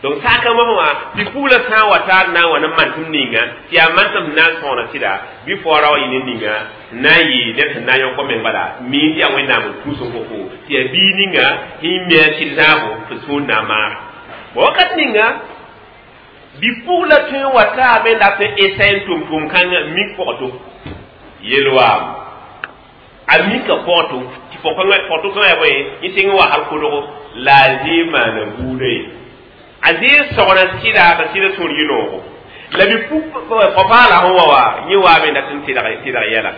Donc sãka mosã wã tɩ pugla sã n wa taar na n wa ne mantem ninga tɩ yaa mantem sẽn na n sõona sɩda bɩ foora wa yɩ ne ninga n na n yɩ ned sẽn na n yõk meng bala miin tɩ yaa wẽnnaam n tũus n kofo tɩ yaa biig ninga sẽn mi a sɩd zãabo fo sũur na n maag bõ wakat ninga bɩ-pugla tõe n wa taame la tɩ esɛ n tʋm tʋʋm-kãngã mik pɔgto yel-waam a mika pɔgto tɩ pɔgto kãngã yaa bõe yẽ sɩng n wa hal kodgo la a zɩɩ maana buudã ye a zɩɩ sogna sɩda t'a sɩda sũur yɩ noogo la bɩ-pug paala sẽn wa wa yẽ waame dat n tɩlg tɩlg yɛla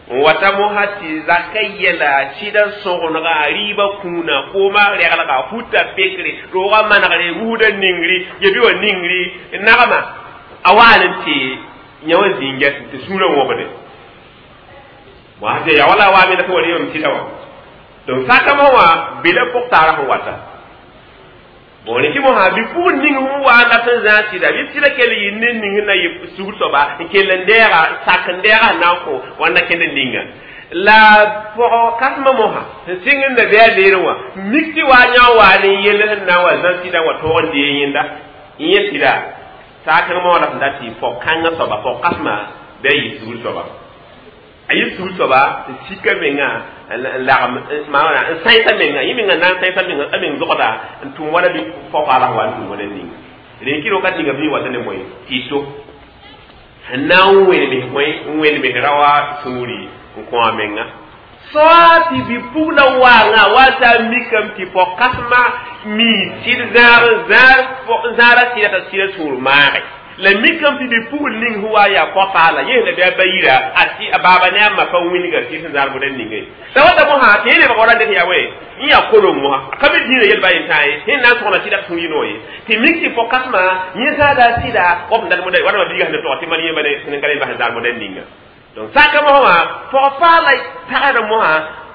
n wata mosã tɩ zaka yɛla sɩda sõgenga rɩɩbã kũuna koomã reglga futa pekre roogã manegre wusda ningri yebi wã ningri nagma a waan n tɩ yã wã zĩnga tɩ sũurã wõbde ya wala waame la tɩ wa rɩɩbame sɩda wã. Donc saka mosã wã bela pʋg-taarã sẽn wata bon rẽkɩ mosã bɩ-pugr ning sẽn wa n dat n zãag sɩda bɩ sɩda kell yɩ ne ning sẽn na yɩ sugr soaba n kell n deega sak n deega sẽn na n kõ wãnda kẽnd ninga la pɔgɔ kãsmã mosã sẽn sɩng n da bɩ a leerẽ wã mik tɩ waa yã wa ne yell sẽn na n wa zã sɩdã wa tõog n dee yẽnda n yẽ sɩda saakẽng mosã la sẽn dat tɩ pɔg-kãngã soaba pɔg-kãsmã bɩ a yɩ sugr soaba a yɩ sugr soaba n sika menga n lagem maana n sãysa menga yẽ menga na n sãysa menga a meng zogda n tʋm wala bɩ fao-paala wa n tʋm wala ninga rẽn wakat ninga bɩ wata ne moe tɩ to sẽn na n wẽneme bõe n wẽneme ra wa sũuri n kõ a menga soa tɩ bɩ-pugla waangã wa t'a mikame tɩ pɔg-kãsmã mi sɩd zãag zãara sɩda t'a sɩda sũur maage la mikame tɩ bɩ-pugl ning sẽn wa yaa pɔ-paala yẽ la bɩ a ba yira a tɩ a baaba ne a ma pa wilga tɩ sẽn zãar moda ninga ye la wata mosã tɩ yẽ lebg wala dɩk yaa wɛ n yaa kolong mosã a ka be dĩinã yel ba yen tãa ye sẽn na n sõgna sɩda sũur yɩ noor ye tɩ mik tɩ pɔ-kãsmã yẽ zãada sɩda wa b dat moda wãnama biiga sẽn tog tɩ man yẽ sẽn ka le bas zãar moda ninga. Donc sãka mosã wã pɔg-paala tagsd mosã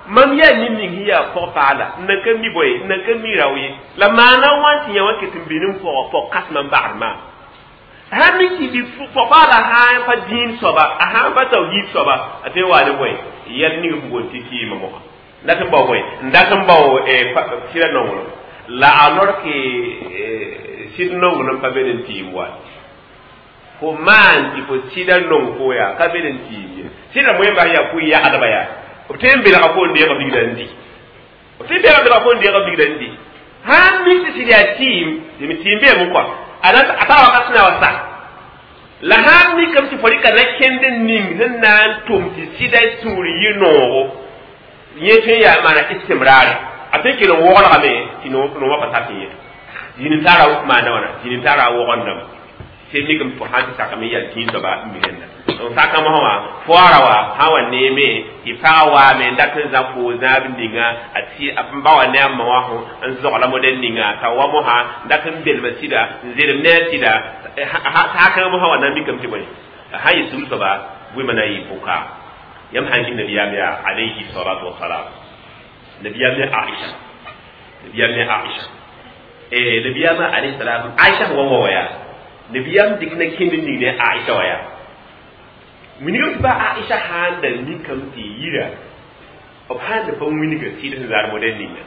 mam yaa ned ning sẽn yaa pɔg-paala n nan ka mi bõe n nan ka mi rao ye la maana wã tɩ yã wã ket n bɩ n pɔg pɔg-kãsmã n bagd maam sãn mik tɩ pɔg-paala sã n pa dĩin soaba a sã n pa tawhiid soaba a tõe n wa ne bõe yɛl ning sẽn boond tɩ kɩɩmã mosã n dat n bao bõe n dat n bao sɩda nonglem la alors que sɩd nonglem pa be n tiim wa fo maan tɩ fo sɩda nong fo yaa ka be n tiim ye sɩda moẽmba yaa pʋɩ yagdba yaa b tõe n belga fo n deega bigda n di b tõe n belga belga fo n deega bigda n di sãn mik tɩ sɩd yaa tiim tɩ tiim beeme kɔa a tara wakat sẽn na wa sa la sãn mikame tɩ fo rɩka na kẽnd ning sẽn na n tʋm tɩ sɩda sũur yɩ noogo yẽ tõe n yaa maana istimraare a tõe n kell n woglgame tɩ noomã pa tar tɩ yẽ zĩn tara maana wãna zĩn tara wogendame tɩ mikame fo sãn tɩ sakame yaa tĩig soaba n mi rẽnda. Donc saka mosã wã foara wa sã wa neeme tɩ pagã waame n dat n zã fo zãab ninga a tɩ a ba wa ne a ma wã n zogla modɛl ninga t'a wa mosã n dat n belma sɩda n zelem ne a sɩda saakãng mosã wa na n mikame tɩ bõe sã n yɩ sugr soaba bʋɩmã na n yɩ pʋka yãmb sãn kɩ nabiyaam yaa alayhi salatu wasalam nabiyaam ne Aisha nabiyaam ne Aisha eh nabiyaam alayhi salam Aisha wa wa ya nabiyaam dɩk na kẽnd ning ne Aisha wa yaa winigame tɩ ba Aisha sãn da mikame tɩ yira b sãn da pa wilga sɩd sẽn zaar modɛl ninga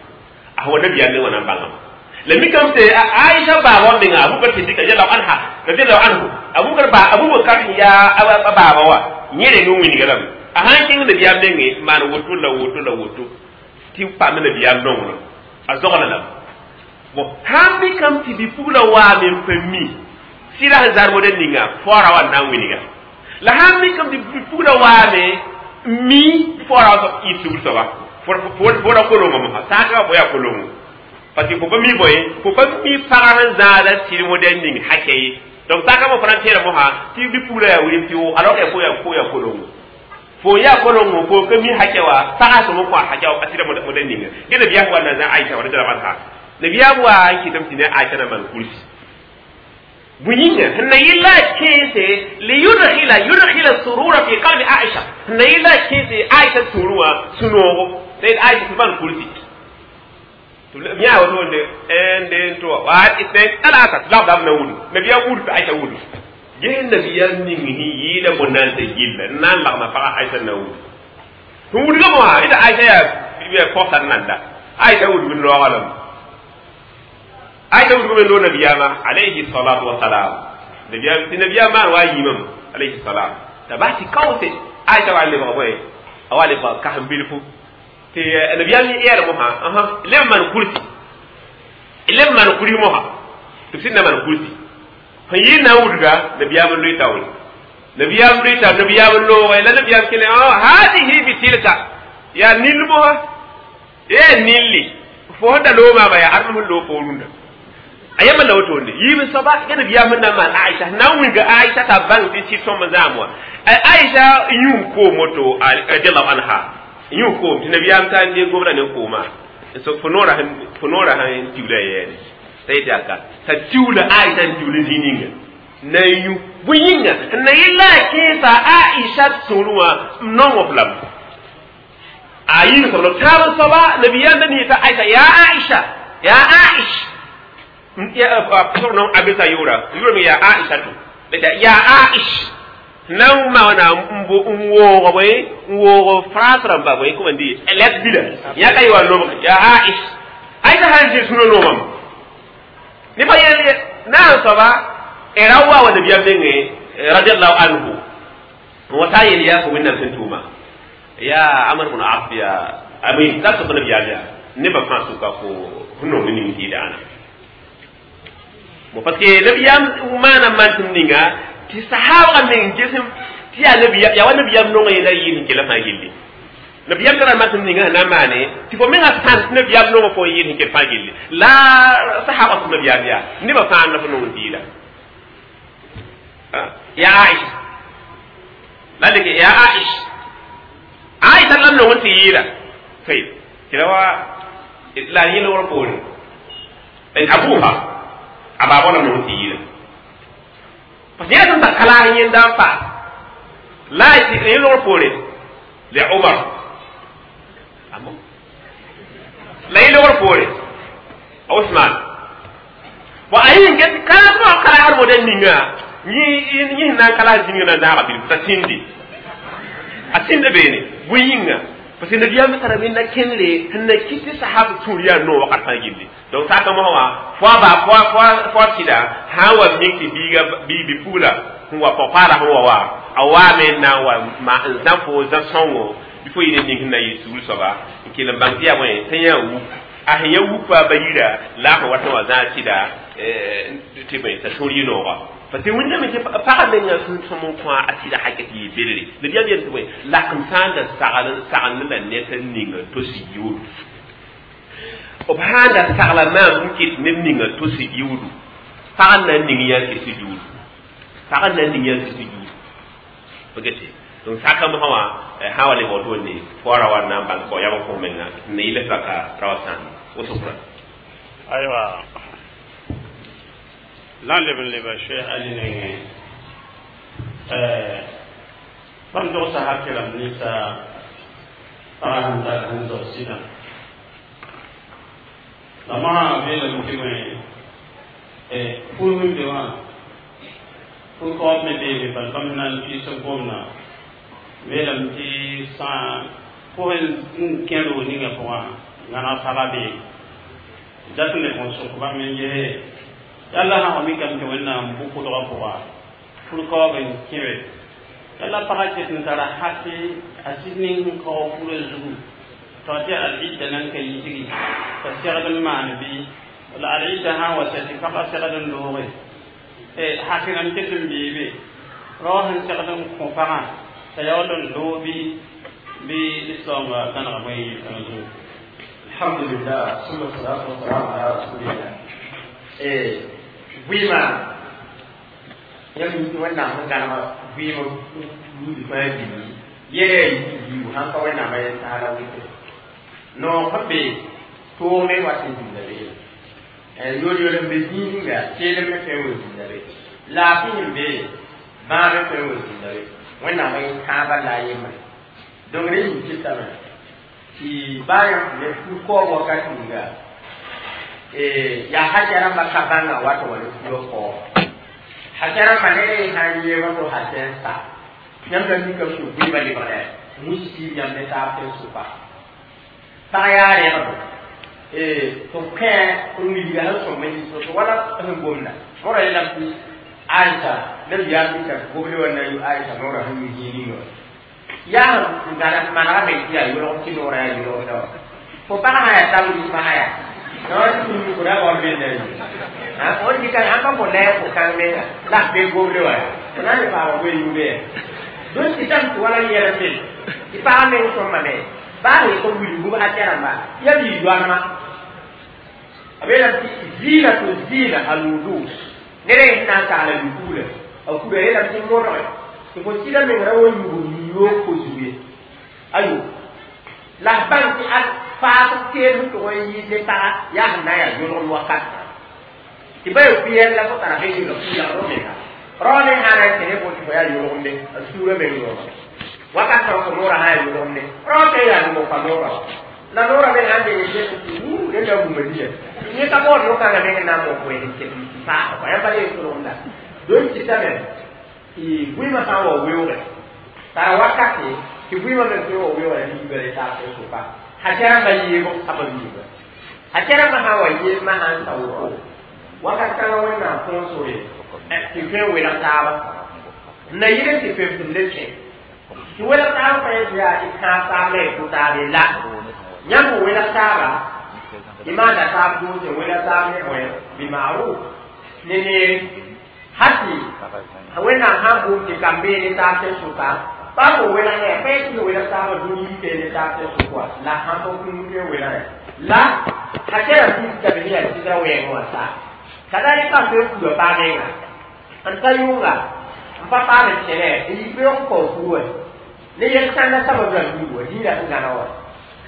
a wa nabiyaam me wã na n bãngame la mikame tɩ Aisha baaba menga Abubakar Siddiq radiallahu anha radiallahu anhu Abubakar ba Abubakar yaa a baaba wa yẽ reng n wilga lame a sãn kẽng nabiyaam nengẽ maan woto la woto la woto tɩ paam nabiyaam nonglem a zogla lame bon sãn mikame tɩ bɩ-pugla waame n pa mi sɩda sẽn zar modɛl ninga foora wa n na n wilga la sãn mikame tɩ bɩ-pugla waame mi foora wa yɩ sugr soaba Fo ra kolongo mosã saaka fo yaa kolongo parce que fo pa mi bõe fo pa mi pagã sẽn zãada sɩd modɛl ning hakɛ ye. Donc saaka mo fo na n tẽeda mosã tɩ bɩ-pugla yaa wilem tɩ wo alors que fo yaa fo yaa kolongo fo yaa kolongo fo ka mi hakɛ wa pagã sõm n kõ a hakɛ a sɩda modɛl ninga ge nabiyaam wa na zã Aisha radiallahu anha nabiyaam wa n kɩtame tɩ ne Aisha na maan kursi bõe yĩnga sẽn na yɩla kẽese liyudkhila yudkhila surura fi qalbi Aisha sẽn na yɩla kẽese Aisha sũurẽ wã sũ-noogo la Aisha tɩ maan kursi yã woto nde un deux trois واحد اثنين ثلاثة tɩ lagdame na wudg nabiyaam wudg tɩ Aisha wudg ges nabiyaam ning sẽn yɩɩda bõn-naansa gilla n na n lagma pagã Aisha na wudg sẽn wudga mosã ɩta Aisha yaa pɔgsar nanda Aisha wudg n raooga lame Aisha wudg me loog nabiyaamã alayhi salatu wasalam nabiyaam tɩ nabiyaam maan wa a yiimame alayhi salam t'a bas tɩ kaoose Aisha wa n lebg bõe a wa lebg kasem bilfu tɩ nabiyaam yɛɛr mosã leb maan kursi leb maan kursi mosã tɩ b sẽn na maan kursi sẽn yɩ na n wudga nabiyaam n loe taoore nabiyaam loe taoor nabiyaam n looge la nabiyaam kele hadihi bitilka yaa nill mosã yaa nilli fo sẽn da loog maama yaa ãdem sẽn loog fo rũndã a yãmba la wotone yiib soaba ya nabiyaam sẽn na n maan Aisha na n wilga Aisha t'a bãng tɩ sɩd sõm n zãam wã Aisha yũ koom woto radiallahu anha yũ koom tɩ nabiyaam taa n dee gobda ne koomã fo noorã fo noorã sẽn tiwla yɛɛne t'a yetɩ yaa ka t'a tiwla Aisha n tiwl zĩ ninga na n yũ bõe yĩnga n na yella a kẽesa Aisha sũurẽ wã n nong f lame a yɩɩg soab la taab n soaba nabiyaam da niita Aisha yaa Aisha yaa Aish no abisa yʋʋra yʋʋra me yaa Aisha to yaa Aish na n maana n bo n woog bõe n woog France rãmba bõe comment dire lettre bila yãka yɩ wa lobg yaa Aish Aisha sãn zĩ sũurã noomame ne pa yel na n soaba ra wa wa nabiyaam nengẽ radiallahu anhu n wa taa yel yaa fo wẽnnaam sẽn tʋʋma yaa Amr bn As yaa ami la sob nabiyaam yaa nebã fãa sʋka fo fo nong ning tɩɩda ãna bon parce que nabiyaam maana mansem ninga tɩ sahaabga meng gesem tɩ yaa nabiyaam yaa wa nabiyaam nongã yẽla yɩɩl sẽn kela fãa gilli nabiyaam tara mansem ninga sẽn na n maane tɩ fo menga sãn tɩ nabiyaam nongã fo n yɩɩl sẽn kel fãa gilli la sahaabga sẽn nabiyaam yaa nebã fãa la fo nong n tɩɩda yaa Aisha la leke yaa Aisha Aisha la nong n tɩ yɩɩla tɩ la wa la yẽ logr poore abuha a baaba la nong n tɩ yɩɩla parce que yaa sẽn ta kalaag yẽnda n paas la yẽ logr poore le Umar la yẽ logr poore Osman bon a yẽ get kalaag wã kalaagr modɛl ninga yẽ sẽn na n kalaas zĩnga na n zãaga bilfu t'a sĩndi a sĩnda beene bõe yĩnga parce que nabiyaam tara me na kẽngre sẽn na kɩt tɩ sahab sũur yaa noog wakat fãa gilli donc saka mosã wã fo a ba fo a sɩda sã n wa mik tɩ biiga bi-pugla sẽn wa pɔg-paala sẽn wa wa a waame n na n wa n zã fo zã sõngo bɩ fo yɩ ne ning sẽn na yɩ sugr soaba n kell n bãng tɩ yaa bõe t'a yã wuk a sẽn yã wukpa ba yira la a sẽn wat n wa zã sɩda tɩ bõe t'a sũur yɩ nooga parce que wẽnnaam tɩ pagã menga sẽn sõm n kõ a sɩda hakɛ tɩ yɩ belre nabiyaam yel tɩ bõe lakem sã n da sagl sagend la ned n ninga tos yiuudu b sã n da sagla maam n kɩt neb ninga tos yiuudu pag n na n ning yã kɩs yiuudu pag n na n ning yã kɩs yiuudu pa gete donc saka mosã wã sã wa lebg woto ne fo ra wa na n bãng kɔ yam n kõ menga n na yɩl raka ra wa sãam woto aywa la n leb n leba Cheikh Ali nengẽ bãmb dogsa hakɩ rãmb ninsa pagã sẽn tar sẽn dog sɩdã la mosã beelame tɩ bõe fur sẽn be wã fur kaoob me beebe bal bãmb na n piis n gomdã beelame tɩ sã pʋgẽ n kẽ roog ninga pʋgã gãneg pagã bee dat n leb n sok bãmb n yese yalla sã wa mikame tɩ wẽnnaam bʋ-pʋdgã pʋga fur kaoog n kẽbe yalla pagã ket n tara hake a sɩd ning sẽn kaoog furã zugu t'a tɩ al-idda nan ka yisgi t'a segd n maan bɩ wala al-idda sã n wa sa tɩ pagã segd n looge hak rãmb ket n beebe rao sẽn segd n kõ pagã t'a yaool n loog bɩ Bɩ soaoongã tãnega bõe yel-kãngã zugu. Alhamdulillah, summa salatu wasalam ala rasulillah. Eh, vɩɩmã yãmb Wẽnnaam sẽn gãneg vɩɩm buud fãa billi yɛla yaa yiibu sãn ka Wẽnnaamã yel saala wɩte noog sẽn be toog me wat n zĩnda be, yol-yol n be zĩig ninga keelem me tõe n wa zĩnda be, laafɩ sẽn be bãab me tõe n wa zĩnda be. Wẽnnaamã yẽ kãabã la a yembre. Donc rẽ yĩng kɩtame tɩ baa yãmb ne fu-kaoog wakat ninga yaa hakɛ rãmbã ka bãnga wat n wa ne fuga kaoog hakɛ rãmbã ne sãn yeeba to hakɛ n sa yãmb la mikame tɩ vɩɩmã lebgdɛ musi yãmb ne taab tɩ n sʋka pag yaa rẽgdo tɩ kẽ n wilga sẽn sõm n yis wala sẽn gomda mõra yeelame tɩ Aisha nabiyaam dɩka goble wã na yʋ Aisha noorã sẽn yũ zĩig ninga yaa n gãd manegame tɩ yaa yolg tɩ noorã yaa yolgda wã fo pag sã yaa tab yisma sã yaa no tɩ kʋra baood benda ye fo dɩka sãn pa fo na fo kãng menga la f be goble wã fo na n le paama goe yʋʋde ya. Donc tɩ tame tɩ wala yɛl n be tɩ pag meng sõmbame baa sẽn yetɩ wilgu hakɛ rãmba ya b yɩ yoanema a beelame tɩ ziina to ziina alwudu ned sẽn na n kagla yukugla a kuda yeelame tɩ modge tɩ fo sɩda meng ra wa yug yoog fo zug ye ayo la f bãng tɩ a faas teel sẽn tʋg n yɩ ne paga yaa sẽn na n yaa yõlgem wakat tɩ ba yaa kuyɛl la fo tara be yɩla kuyagd menga rao ne sã na n kẽ ne fo tɩ fo yaa yõlgemde a suurã meng yooma wakat sã fo noorã sã yaa yõlgemde rao tõe n yaa numo pa noorã la noorã me sãn deng n tɩ wuu rẽnda bũmba nia yẽ ka baood no-kãngã meng n na n mok wẽnd n paasa kɔa yãmb pa le tʋlgemda. Donc kɩtame tɩ vɩɩmã sã n wa weoogɛ tara wakate tɩ vɩɩmã me tõe wa weoogã liiga le taab tɩ sʋka hakɛ rãmbã yeego saba liiga hakɛ rãmbã sã n wa yeemã sã n sa woto wakat kãngã Wẽnnaam põosore tɩ tõe n welg taaba n na yɩl n tɩ pem tɩ le kẽ tɩ welg taaba pa yetɩ yaa tɩ kãab taab la y kʋ taab ye la yãmb n welg taaba tɩ maanda taab doose n welg taab ne bõe bimaruf ne neere hati Wẽnnaam sãn boom tɩ kam-bee ne taab tɩ sʋka pa fo welg ne pa yetɩ welg taabã dũni yike ne taab tɩ sʋk wa la sãn pa kũum tõe n welgẽ la hakɛra piisame sẽn yaa sɩdra wɛɛngẽ wã sa kadalika tõe n kura paa menga n ta yʋnga n pa paam n kẽne n yi beoog n kao furu wã ne yel-kãndã sabab rãmb yiib wa dĩinã sẽn gãna wã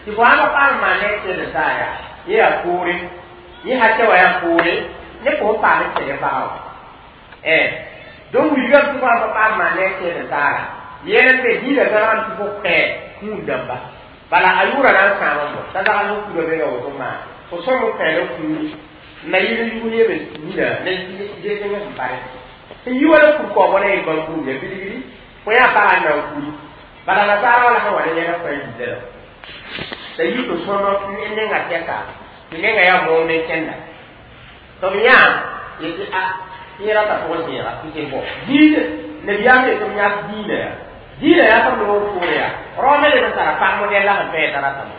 tɩ fo sãn pa paam n maan ne tẽnd saa yaa yẽ yaa poore yẽ hakɛ wã yaa poore ne fo n paam n kẽne pagã wã eh donc wilgame tɩ fo sãn pa paam maan ne tẽnd saara yẽl n be dĩinã gãnegame tɩ fo kẽ kũun dãmba bala a yʋʋra na n sãam n bɔ t'a zagl n kura menga woto maan fo sõm n kẽel n kũuni n na yɩl n yʋg yeme nina ne zẽng sẽn pare sẽn yi wala kur kaoobã na yel bãmb buud ya bilgri fo yaa pagã n na n kuri bala nasaara wala sẽn wa ne yɛlg fãa yilla la la yi tɩ sõm n nenga tɛka tɩ nenga yaa moog ne kẽnda tɩ b yã yetɩ a yẽ rata pʋgẽ zẽega tɩ tɩ bɔ diinɛ nabiyaam yetɩ b yãk diinã yaa diinã yaa tɩ b loog poore yaa rao me leb n tara pag modɛl la sẽn pɛɛ t'a ratame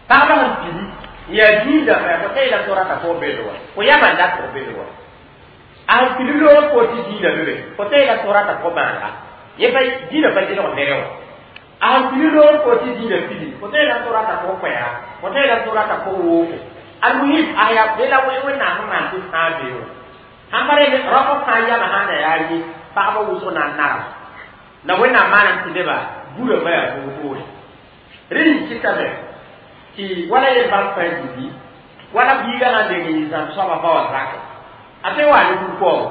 pagba sẽn pili n yaa diin dãmba yaa fo ta yeelame tɩ rata fo bel wa fo yama n dat fo bel wa a sẽn pili loog poor tɩ diinã be be fo ta yeelame tɩ rata fo bãaga yẽ pa diinã pa kelg nere wã a sẽn pili loog poor tɩ diinã pili fo ta yeelame tɩ rata fo koɛɛga fo ta yeelame tɩ rata fo wooko almuhim a yaa be la Wẽnnaam sẽn maan tɩ fãa bee wã sãn pa re rao fãa yama sã na yaa ye pagba wʋsg na n narem la Wẽnnaam maanam tɩ neba burã yaa poore rẽ yĩng kɩtame tɩ wala yel bãmb fãa yĩngi wala biigã sãn deng n yɩ zãmb soabã ba wa zake a tõe n wa ne kur-kaoogo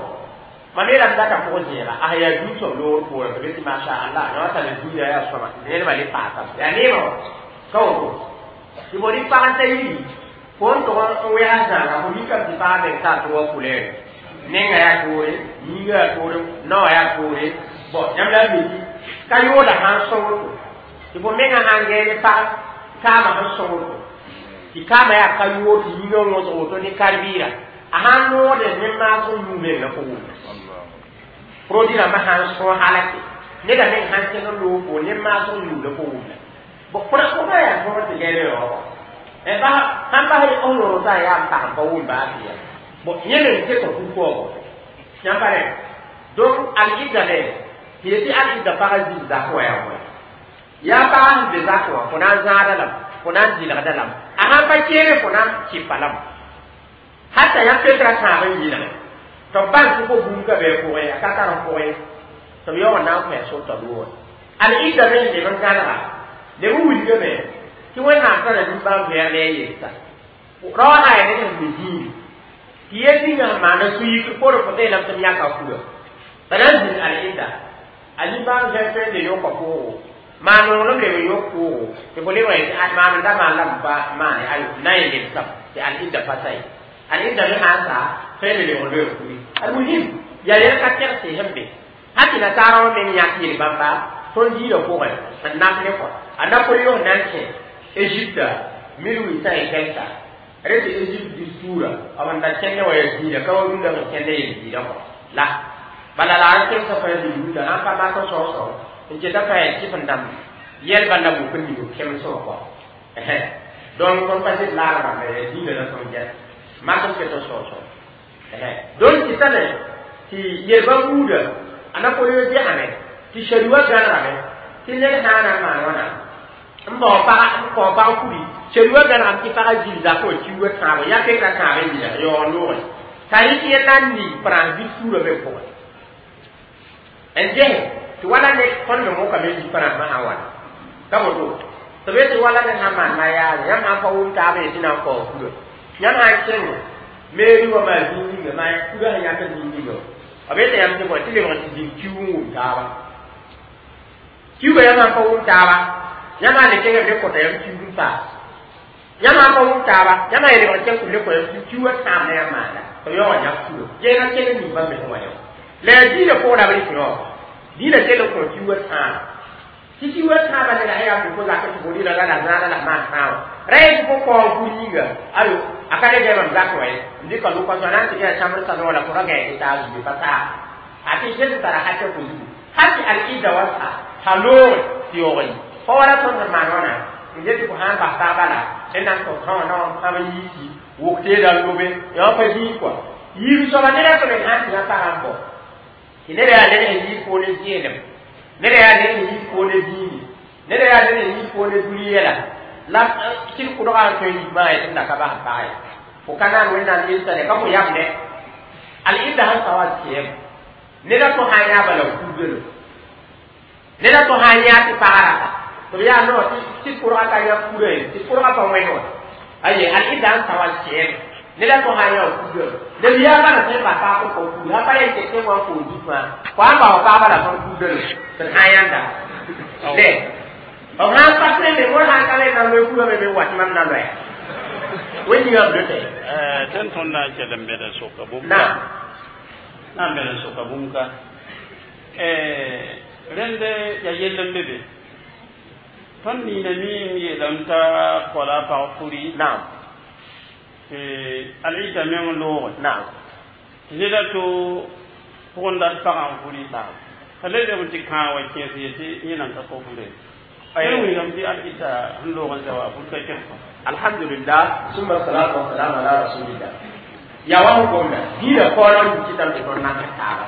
mam yeelame data pʋgẽ zẽega a yaa dũu soab loogr poorẽ tɩ be tɩ masha Allah yã tara dũniyã yaa sõma tɩ nedbã le paasame yaa neemã wã ka woto tɩ fo rɩk pag n ta yiri fo n tʋg n wɛgs zãaga fo mikame tɩ pag meng taa tɩ wa kulɛɛre nenga yaa toore yĩnga yaa toore naoã yaa toore bɔn yãmb la n yeti ka yooda sãn sõng woto tɩ fo menga sãn gɛɛ ne pag kaamã sẽn sõng woto tɩ kaamã yaa ka yoor tɩ yĩngã wõsg woto ne kar-bɩɩra a sãn noode ne maasg yũ menga fo wʋmda produit rãmbã sãn sõs halake neda meng sãn kẽng n loog fo ne maasg yũuda fo wʋmda fo pa yaa tõog tɩ gɛɛre yaoogã sãn bas f yõor t'a yaa n pag pa wʋm baa tɩ ya bon yẽ meng ket kur-kaoogo yãmb pa rẽ. Donc al-idda ne tɩ yetɩ al-idda pagã zĩnd zak wa yaa wã Yaa pag sẽn be zak wã fo na n zãada lame, fo na n dɩlgda lame, a sãn pa kẽere fo na n kɩpa lame, hata yãmb petra tãab n yɩlge tɩ b bãng tɩ fo bũmb ka be a pʋgẽ, a ka tar n pʋgẽ tɩ b yaoog n na n kõ sor t'a loogẽ. Al-idda me n leb n gãnega, leb n wilgame tɩ Wẽnnaam tara nimbãan-vɛɛg ne a yelsa rao sã yaa ned sẽn be zĩigri tɩ yel ninga sẽn maanda sũ-yikr poorẽ fo yeelame tɩ m yãka kura t'a na n zĩnd al-idda a nimbãan-vɛɛg tõe n le yõka poogo, maan nonglem leb n yõk poogo tɩ fo lebg yetɩ maam n da maan la m pa maane ayo na n lebsam tɩ al-idda pa sa ye. Al-idda me sã n sa tõe n le lebg loeeg kuri. Almuhim yaa yɛl ka tɛg sɩɩs n be hal tɩ nasaarã wã meng yãk yel bãmba tõnd diinã pʋgẽ n nap ne kɔ a Napoléon na n kẽ Égypte mille huit cent et quelque rẽ tɩ Égypte discours b n da kẽndẽ wã yaa diinã ka wa rũndã sẽn kẽndẽ yel diinã kɔ la bala la a kemsã fãa bilbuda sãn pa mak n sao-sao n keta fãa yaa kɩf n dãmb yɛl bala wʋk n ning kems wã kɔ. Donc tõnd pa zɩ laag rãmba yaa diinã la tõnd gɛs mak n ket n sao-sao. Donc tɩ tame tɩ yel-bã buuda a Napoléon gesame tɩ shari wã gãnegame tɩ ned sã n na n maan wãna n bao pag n kao pag kuri, shari wã gãnegame tɩ pagã zĩnd zakã wã kiuugã tãabo ya peka tãab n yɩla yaoog noogẽ t'a rɩk yẽ na n ning France discours me pʋgẽ n ges tɩ wala ne tõnd me mokame yi France sã wãna ka woto tɩ b tɩ wala ned sãn maan mariage, yãmb sãn pa wʋm taabã yetɩ na n kao kura, yãmb sãn kẽng mairie wã maa zĩig ninga maa kura sẽn yãk zĩig ninga b yeta yãmb tɩ bõe tɩ lebg tɩ zĩnd kiug n wʋm taaba kiuga. Yãmb sãn pa wʋm taaba, yãmb sã le kẽng b le kõta yãmb kiug n paas. Yãmb sãn pa wʋm taaba, yãmb sã lebg kẽng tɩ b le kõ yãmb kiug kiuga tãab na yãmb maanda tɩ b yaoog n yãk kura geena kell n ning bãmb me sẽn wa yã la yaa diinã pʋgã la b rɩk yõ diinã kell n kõ kiuga tãab tɩ kiuga tãabã neda sã yaa fo zak tɩ fo rɩla la la zãada la maan tãabã ra yetɩ fo kao kur yĩnga ayo a ka le gɛ mam zak wa ye n dɩka loka na n tɩ gɛa chambre salon la fo ra gɛɛ tɩ taa zuge pa taa a tɩ sẽn tara hakɛ fo zugu hal tɩ al-idda wa sa t'a loogre tɩ yaoog yi fa wala tõnd sẽn maan wãna n get tɩ fo sãn bas taaba la d na n tɩ sã wã na wã n yiisi wʋk teeda n lobe yã pa zĩig kɔa yiib soaba neda tɩ me sãn tɩ yã pagã n bao tɩ neda yaa ned sẽn yiis poone zẽenem, neda yaa ned sẽn yiis poone zĩigi, neda yaa ned sẽn yiis poone dũni yɛla la sɩd kʋdgã n tõe n yik maa yetɩ m da ka bas n pag ye fo ka naan Wẽnnaam yelsa ne ka fo yam ne al-idda sẽn sa wa sɛɛm neda tõ sã n yaa bala kugelo neda tõ sã n yã tɩ paga rata tɩ b yaa no tɩ kʋrga ka yã kura ye tɩ kʋrga pa wẽn wã aye al-idda sẽn sa wa sɛɛm neda tõ sã n yã kugelo neb yaa bala sẽn pa paag n kao kugr sã pa yen tɩ tẽ wã n koos zut fãa fo sãn bao paagba la tõnd kugdelo tɩ d sã n yãnda le b sãn pa tõe me wã sãn ka le na loe kugame me wat mam na loɛɛ wẽn yĩngã b lote. Tõnd tõnd na n kell n bẽd n soka bũmb na na n bẽd n soka bũmb ka rẽnd yaa yell n be be tõnd nina miime yeelame t'a koala a pag kuri naam tɩ al-idda meng loogẽ naam tɩ neda to pʋgẽ dat pagã n furi naam t'a le leb n tɩ kãag wa kẽes yetɩ yẽ nan ka kao fure tõe wilgame tɩ al-idda sẽn loog n za wa fur ka kẽs kõ. Alhamdulillah, summa salatu wa salam ala rasulillah. Ya wa gomna diina kono kitam tɩ tõnd nan ka taaba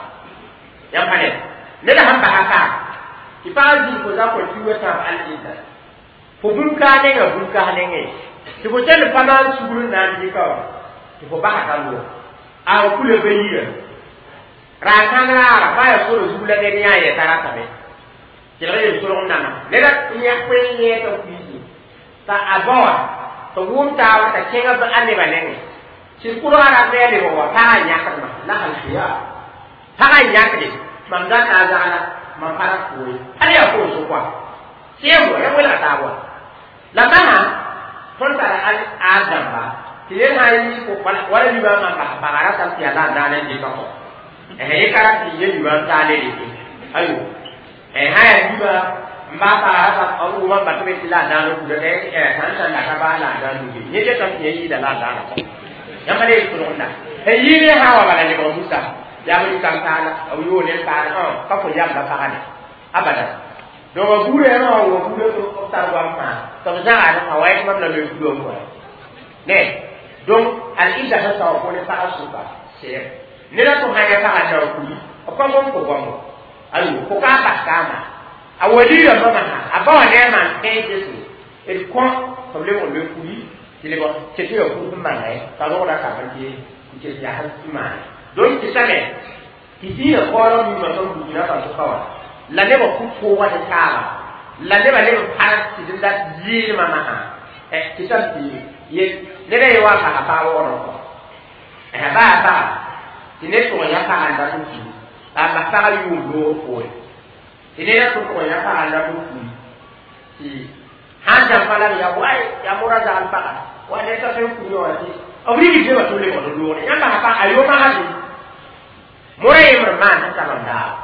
yãmb pa ne neda sãn basa ka tɩ pag zĩig fo za kõ kiuga tãab al-idda fo bũmb-kaas nenga bũmb-kaas nengẽ tɩ fo kell pa maan sugr n na n dɩka wã tɩ fo basa ka loog a f kula ba yira raar-kãng raara pa yaa sora zug la ned yã yɛta ratame kelg yel solg n nana neda yã koe n yẽeta kuiisi t'a a baoã tɩ wʋm taaba t'a kẽngã a nebã nengẽ sɩd kʋrgã rat ne a lebg wa pagã n yãkdma la alkhiyar pagã n yãkde mam data a zagla mam pa ra foo ye hal yaa foo sʋk wa sẽem wa ya welga taab wa la masã tõnd tara a dãmba tɩ ned sã n yi wala libã n bas paga ratame tɩ yaa la a daan n dɩka kɔ yẽ ka rat tɩ ye libã n taa ne rete ayo sã yaa libã n baa paga rata n wʋma n bat be tɩ la a daan n kuda sãn sãn la ka baa la a daan nuge yẽ getame tɩ yẽ yɩɩda la a daana kɔ yãmb le solgenda sẽn yɩɩ ne sã wa bala lebg busa yaa b rɩkam taala b yoog ne paala ka fo yamba pagã ne abadan. Donc a buudã yãmb wã wa buudã b tar goam fãa tɩ b zãgame a wa yetɩ mam la loe kugã n kɔa ne. Donc al-idda sẽn sao fo ne pagã sʋka sɛɛm neda tʋ sã yã pagã na n kuli b pa gom fo goamo ayo fo ka bas kaama. A wali rãmbã masã a ba wã ne a maan kẽes yesu d kõ tɩ b lebg n loe kuri tɩ lebg tɩ tɩ ya kur sẽn manga ye t'a rogda kambr tɩ n ket yas n maane donc tɩ same tɩ dĩinã kaoolg mimã tõnd Burkina Faso ka wã la nebã ku koogã ne taaba la nebã leb n pãrs tɩ d dat yɩɩlmã masã tɩ sam tɩ ye ned a ye wa n basa pag waoodg kɔ baa paga tɩ ned tʋg n yã paga n dat n kii la a bas pagã yʋʋm loogr poore tɩ ned a tʋg n yã paga n dat n kii tɩ sãn dãmba la b ya way yaa mora zagl paga wa ned ka tõe n kũyã wã tɩ b rigd nebã tɩ b lebg n loogre yãmb basa pag a yoma hali mora yembr n maan sẽn ta mam daabo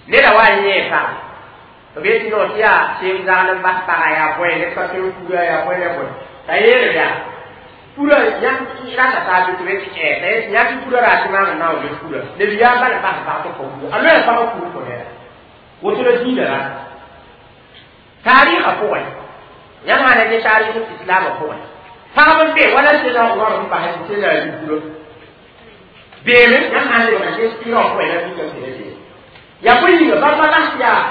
neda wa n yẽe paga b yetɩ no tɩ yaa seem zagl n bas paga yaa bõe ned ka tõe n kura yaa bõe ne bõe t'a yeelb yaa pura yãmb rata taa bɩ tɩ be tɩ ɛ t'a yetɩ yã tɩ pura raa tɩ maam n na n loe pura neb yaa bal n bas pag tɩ kõ pura a loea pagã kur kõ neda woto la dĩinã rata taarɩɩgã pʋgẽ yãmb sã na ne taarɩɩg islaamã pʋgẽ pagb n be wala sẽna Umar n basɛ tɩ sẽna a pura beeme yãmb sã n lebga ne sɩrã pʋgẽ la mikame tɩ ra beeme yaa bõe yĩnga bãmba bas yaa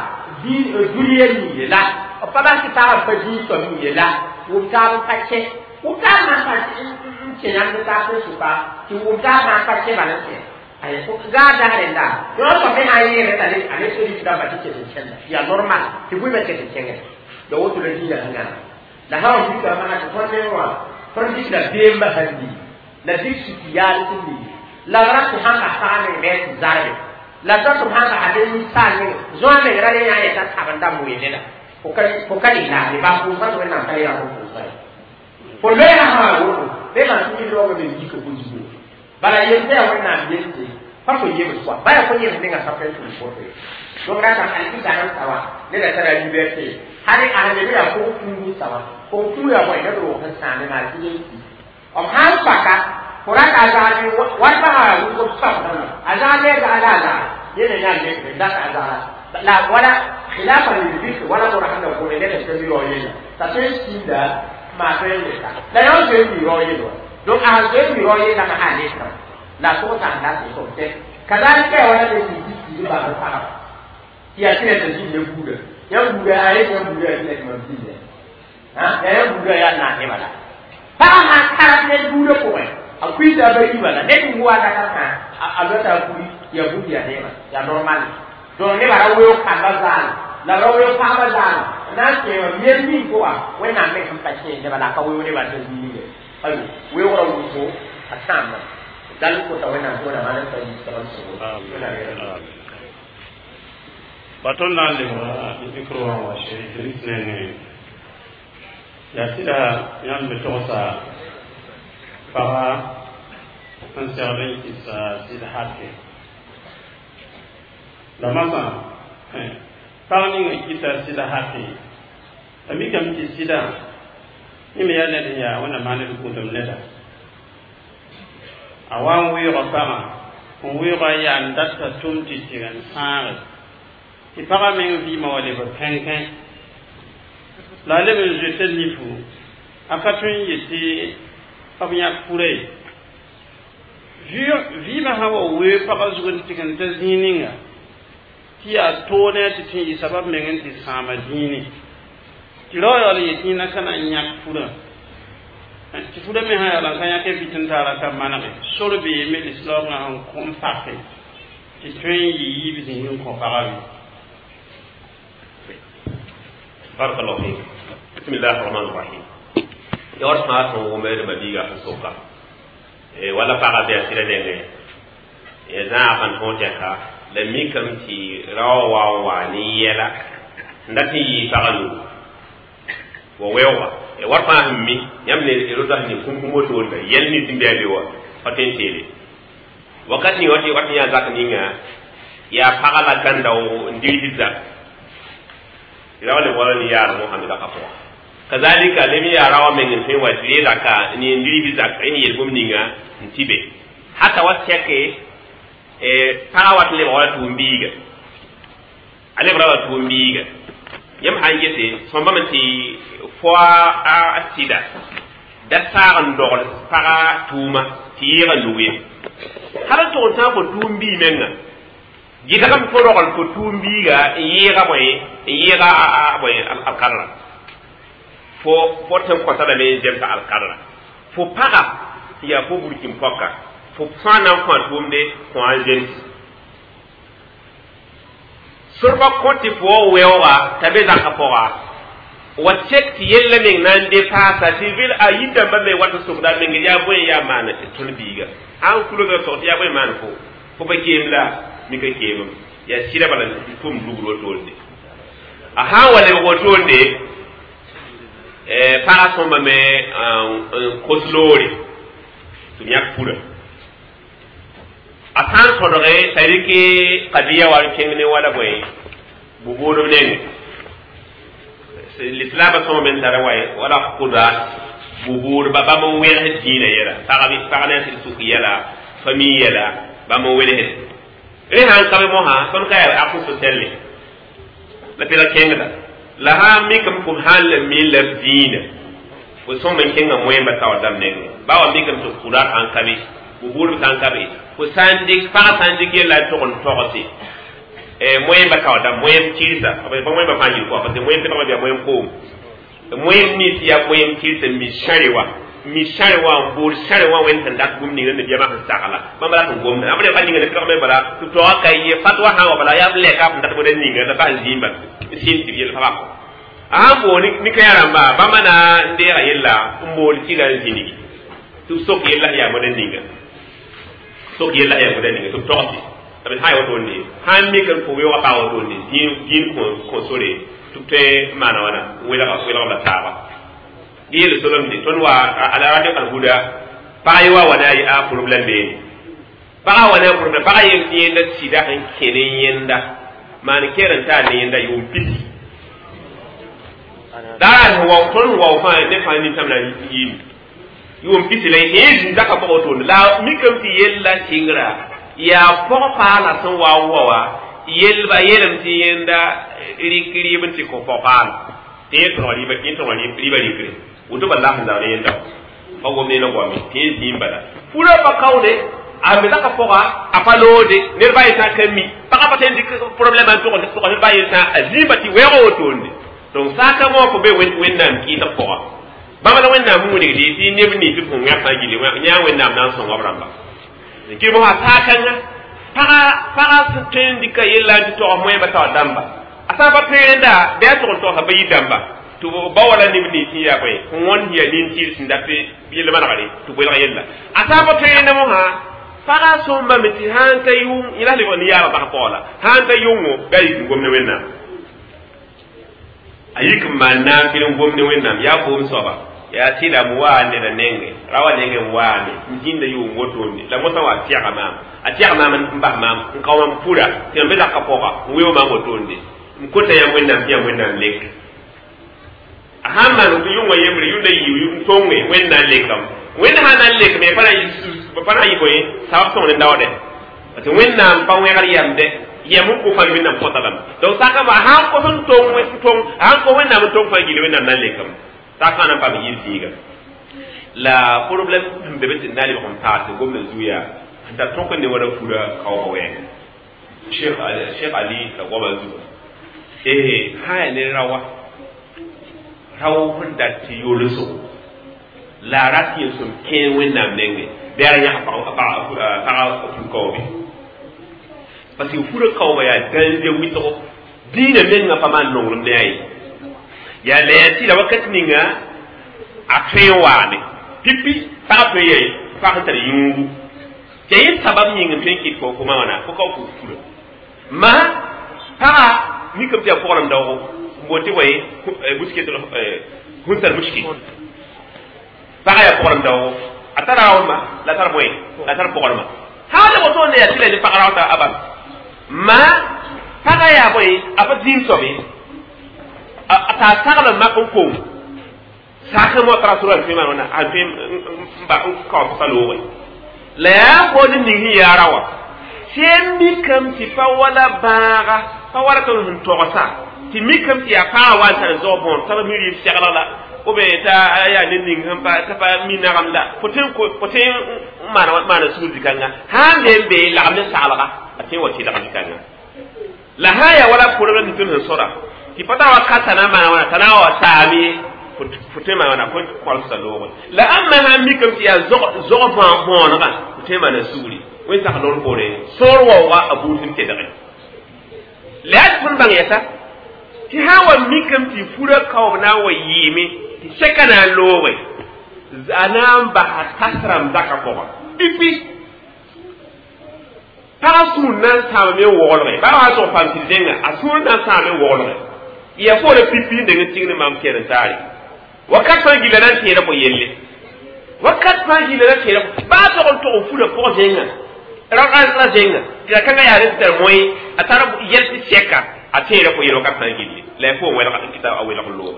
dũniyã ning ye la b pa bas tɩ pagã pa dĩin soab ning ye la wʋm taab n pa kẽ wʋm taab maan pa n kẽ yãmb taab sẽn sʋka tɩ wʋm taab maan pa kẽ bala n kẽ gaa dag rẽnda yõ soab me sã n yẽere t'a a ne sodis rãmba tɩ ket n kẽnda yaa normal tɩ bʋɩmã ket n kẽngẽ la woto la dĩinã sẽn gãna la sã n vika masã tɩ tõnd meng wã tõnd dɩkda beembã sãn lii la dɩk siki yaal sẽn lii la b ra tɩ sãn bas pagã meng bɩ tɩ zarbe la t'a tɩ b sãn basa bɩ ninsaal meng zoã meng ra ne yã yeta sabenda moe neda fo ka lɩlaafɩ ba pʋʋsã tɩ Wẽnnaam ka yã fo pʋʋsã ye fo loeera sã woto bɩ maan tɩ yɩ-raoogã me yika fo zugo bala yel tɩ yaa Wẽnnaam yelle pa fo yebs koa ba yaa fo yebs ninga sã tõe n tʋm woto ye donc rata alkɩ zãnem sawa neda tara liberté hali a leb yaa pʋg kũugu sawa pʋg kũu yaa bõe ned roog sẽn sãame maa tɩ yel ki b sãn paka fo rata a zagl wat pagã yaa wʋsg b soabdame a zagl ne a zagl la a zagl yẽne yãa lekre data a zagla la wala khilafa lil wala mora sẽn da gome ned n mi rao yella t'a tõe n sĩnda maa tõe n leta la yã n zoe n mi rao yell wa donc a sẽn zoe n mi rao yella masã a lekrã la a tʋg sãn dat n sob tɛ kazalika ya wala ne tɩ tɩ bãmb pagã tɩ yaa tɩ tɩ zĩnd ne buudã yãmb buudã a yet yãmb buudã yaa tɩ mam zĩnd yaa yãmb buudã yaa naas ne bala pagã sãn karb ned buudã pʋgẽ a kuita ba yi bala ned n wa dakar sã a lota a kuri yaa bũmb yaa neema yaa normal donc nebã ra weoog kambã zaal la ra weoog pagba zaal n na n kẽema miel ning pʋga Wẽnnaam meng sẽn pa kẽes nebã la a ka weoog nebã t'a zĩig ye ayo weoogrã wʋsgo a sãamda dal kota Wẽnnaam tɩ Wẽnnaam maan n pa yiisg n sõgo. Ba tõnd na n lebga micro wã wa Cheikh Idris nengẽ yaa sɩda yãmb me togsa paga n segd n kɩsa sɩd hake la masã pag ning n kɩta sɩd hake a mikame tɩ sɩdã yẽ me yaa ned n yaa Wẽnnaam maan d gũudum neda a wa n weoogã pagã n weoogã yaa n data tʋm tɩ tɩg n sãage tɩ pagã meng vɩɩmã wa lebg kẽnkẽ la a leb n zoeta nifu a ka tõe n yetɩ b yãk pura ye vɩɩmã sã wa wee pagã zug n tɩg n ta zĩig ninga tɩ yaa toog ne a tɩ tɩ n yɩ sabab meng n tɩ sãama dĩine tɩ rao yaool n yetɩ yẽna ka na n yãk purã tɩ furã me sã yaool n ka yãk vɩt n taara ka manege sor beeme lislaoongã sẽn kõ n pake tɩ tõe n yɩ yiib zĩig n kõ pagã wĩ. بارك الله فيك. بسم الله الرحمن الرحيم. Ya war sã tõog wʋm d mabiiga sẽn soka wala pagã bɩ a sɩda nengẽ ya zãag sẽn tõog tɛka la mikame tɩ rao wa n wa ne yɛla n dat n yɩɩ pagã nugu wa weooga war fãa sẽn mi yãmb ne rota sẽn ning kũm wotoonda yɛl nins n bɩ a be wa pa tõe n teele wakat ning wat wat yã zak ninga yaa pagã la gãnda n digsd zak rawa le wala ni yaar Mohameda ka pʋga kazalika lem yaa rawa meng n tõe n wa tɩ re zaka n n digsd zak n yel bũmb ninga n tɩ be hata wa sɛke pagã wat n lebg wala tʋʋm-biiga a lebra wa tʋʋm-biiga yãmb sã n gese sõmbame tɩ fo a sɩda da saag n dogl pagã tʋʋma tɩ yɩɩgã nug ye hal n tʋg n tãag fo tʋʋm-bii menga Gɩdgame fo rogl fo tʋʋm biiga n yɩɩga bõe n yɩɩga bõe alkadra fo fo tɩ n kõta lame n zemsa alkadra fo paga tɩ yaa fo burkin pɔka fo sã n na n kõ a tʋʋmde kõ a n zems sorba kõ tɩ fo wa weooga t'a be zãka pʋga wa sek tɩ yella meng na n de paasa tɩ vil a yir-dãmbã me wat n sokda a meng yaa bõe yaa maan tõnd biiga sã n kulga sog tɩ yaa bõe maan fo fo pa keem la mika keemem yaa sɩda bala tʋm lugr wotoonde a sã n wa lebg wotoonde pagã sõmbame n kos loore tɩ b yãk pura a sã n sõdge t'a rɩk kadiya wa n kẽng ne wala bõe bu-boodb nengẽ lislaamã sõma me n tara wa wala kudat bu-boodba bãmb n wẽgs dĩinã yɛla pag ne a sɩd sʋk yɛla famille yɛla bãmb n welsd rẽ sãn ka be mosã tõnd ka yaa akʋ so-sɛlle la pɩla kẽngda la sã n mikame fo sãn la mi la dĩinã fo sõm n kẽngã moẽmba taoor dãmb nengẽ ba wa mikame tɩ kudat sãn ka be bu-boodb sãn ka be fo sã n dɩk pagã sã n dɩk yella n tog n togse moẽmba taoor dãmb moẽm tɩrsa pa moẽmba fãa yel kɔa parce que moẽm pẽgma bɩa moẽm koom moẽm nins yaa moẽm tɩrsa mi sãre wa mi sãre wã n bood sãre wã wẽnd sẽn dat bũmb ninga nabiyaamã sẽn sagla bãmb rat n gomda b pa ninga ne pẽgme bala tɩ taoogã ka ye fatwa sã n wa bala yaa b lɛka b dat bõda ninga la bas zĩimba sɩn tɩ b yel fa bako a sãn bood ne kãyã rãmba bãmba na n deega yella n bood tɩla n zĩnigi tɩ b sok yella yaa bõda ninga sok yella yaa bõda ninga tɩ b togse b sã n wotoonde sã n mik n fo weoogã paa wotoonde dĩin kõ sore tɩ b tõe n maana wãna n welg la taaba yel solomde tõnd wa ala radio alhuda pag ye wa wa ne a problème beene pagã wa ne a problème pagã yel tɩ yẽnda sɩda sẽn kẽ ne yẽnda maan kɛɛr n taa ne yẽnda yʋʋm pisi daa sẽn wao tõnd sẽn wao fãa ne fãa nintãm na yiime yʋʋm pisi la yẽ zĩn-daka pʋgã wotone la mikame tɩ yella sɩngra yaa pɔg-paala sẽn wa n wa wã yelba yeelame tɩ yẽnda rɩk rɩɩb n tɩ kõ pɔg-paala tɩ yẽ tõg rɩɩba yẽ tõg rɩɩba rɩkre woto bala sẽn zaoor yẽnda pa gom ne la goame tɩ yẽ zĩig bala purã pa kaoode a me zaka pʋga a pa loode ned ba yetã ka mi pagã pa tõe n dɩk problème n tʋg tʋg ned ba yetã a zĩigba tɩ wɛɛgã wotoonde donc saaka wã fo be wẽnnaam kɩɩsg pʋga bãmb la wẽnnaam wilgd tɩ neb nins b sẽn wẽg fãa gilli yã wẽnnaam na n sõng b rãmba kɩ mosã saakãngã pagã pagã sẽn tõe n dɩka yella n tɩ tog moẽmba taoor dãmba a sã n pa tõe rẽnda bɩ a tʋg n togsa ba yir dãmba tɩ ba wala neb nins sẽn yaa bõe n wõnd yaa nin-tɩɩr sẽn dat yell manegre tɩ welg yella a sã n pa tõe rẽnda mosã pagã sõmbame tɩ sã n ta yʋng yẽ la lebg ne yaabã bas paoog la sã n ta yʋngo bɩ a yik n gom ne wẽnnaam a yik n maan naam fɩl n gom ne wẽnnaam yaa boom soaba yaa tɩla m waa neda nenge ra wa nenge n waame n zĩnda yʋʋm wotoonde la mosã wa tɛga maam a tɛg maam n bas maam n kao mam pura tɩ mam be zaka pʋga n weo maam wotoonde n kota yãmb wẽnnaam tɩ yãmb wẽnnaam lek a sãn maan yʋngã yembre yʋnda yiib n tõnge wẽnd na n lekame wẽnd sã na n lekame pa na pa na n yɩ bõe sabab sõng ne daoodɛ parce que wẽnnaam pa wẽgr yamdɛ yɛm n kʋ fãa wẽnnaam kõta lame donc sakã a sãn kos n tong tong a sãn kos wẽnnaam n tong fãa gilli wẽnnaam na n lekame sakã na n paam yir zĩiga la problème sẽn be be tɩ na lebg n paase gomdã zu yaa sẽn tar tõk n ne wala fura kaooga wɛɛngã Cheikh Cheikh Ali la goama zuga eh sã yaa ne rawa rao sẽn dat tɩ yolsgo la a rat yel-sõm kẽer wẽnnaam nengẽ bɩ a ra yãs pagã fur-kaoobe parce que fura kaooba yaa dãnze wɩsgo dĩinã mengã pa maan nonglem ne a ye yaa la yaa tɩ la wakat ninga a tõe n waame pipi pagã tõe n pag sẽn tar yũugu tɩ yẽ sabab yĩng n tõe n kɩt fo fo ma wãna fo ka fo fura ma pagã mikame tɩ yaa pʋgrem daoogo n boond tɩ bõe muskil hunsar muskil pagã yaa pʋgrem daoogo a tara raoodma la tar bõe la tar pʋgrema sã n le wotoonde yaa tɩ la ne pag raoota a bal ma pagã yaa bõe a pa zĩig soab ye t'a sagl n mak n kong sak n tara sora n tõe maan wãna a tõe n ba n kao pʋsa loogẽ la yaa bood n ning sẽn yaa ra wã sẽn mikame tɩ pa wala bãaga pa wala tõnd sẽn togsa tɩ mikame tɩ yaa pagã wa n tar zao bõor t'a mi rɩɩb seglg la ou bien t'a yaa ned ning sẽn pa t'a pa mi nagem la fo tõe fo tõe n maana maana sugr zĩ-kãnga sã n me n be lagem ne saglga a tõe n wa tɩlg zĩ-kãnga La sã n yaa wala pʋrg n tɩ sẽn sõda tɩ pa ta wa ka t'a na n maana wãna t'a na n wa saame ye fo tõe n maan wãna fo kolsa loogre la ãmba sã n mikame tɩ yaa zog bõonegã fo tõe n maana sugri wẽn-sak loor poore sõor waooga a buud sẽn tedge la yaa tɩ tõnd bãng yɛsa tɩ sã n wa mikame tɩ furã kaoob na n wa yɩɩme tɩ sɛka na n looge a na n basa tas rãmb zakã pʋgã pipi pagã sũur na n sãamame n woglge baa wa tʋg paam tɩ zẽnga a sũur na n sãame n woglge ya fo la pipi n deng n tigd maam kɛr n taare wakat fãa gilla na n tẽeda fo yelle wakat fãa gilla na tẽeda baa tog n tog n fura pʋg zẽnga ra zẽnga tɩ la kãngã yaa rẽ tɩ tar moẽ a tar yɛl tɩ sɛka a tẽeda fo yelle wakat fãa gilli la ya fo n wɛlg n kɩta a welg n loog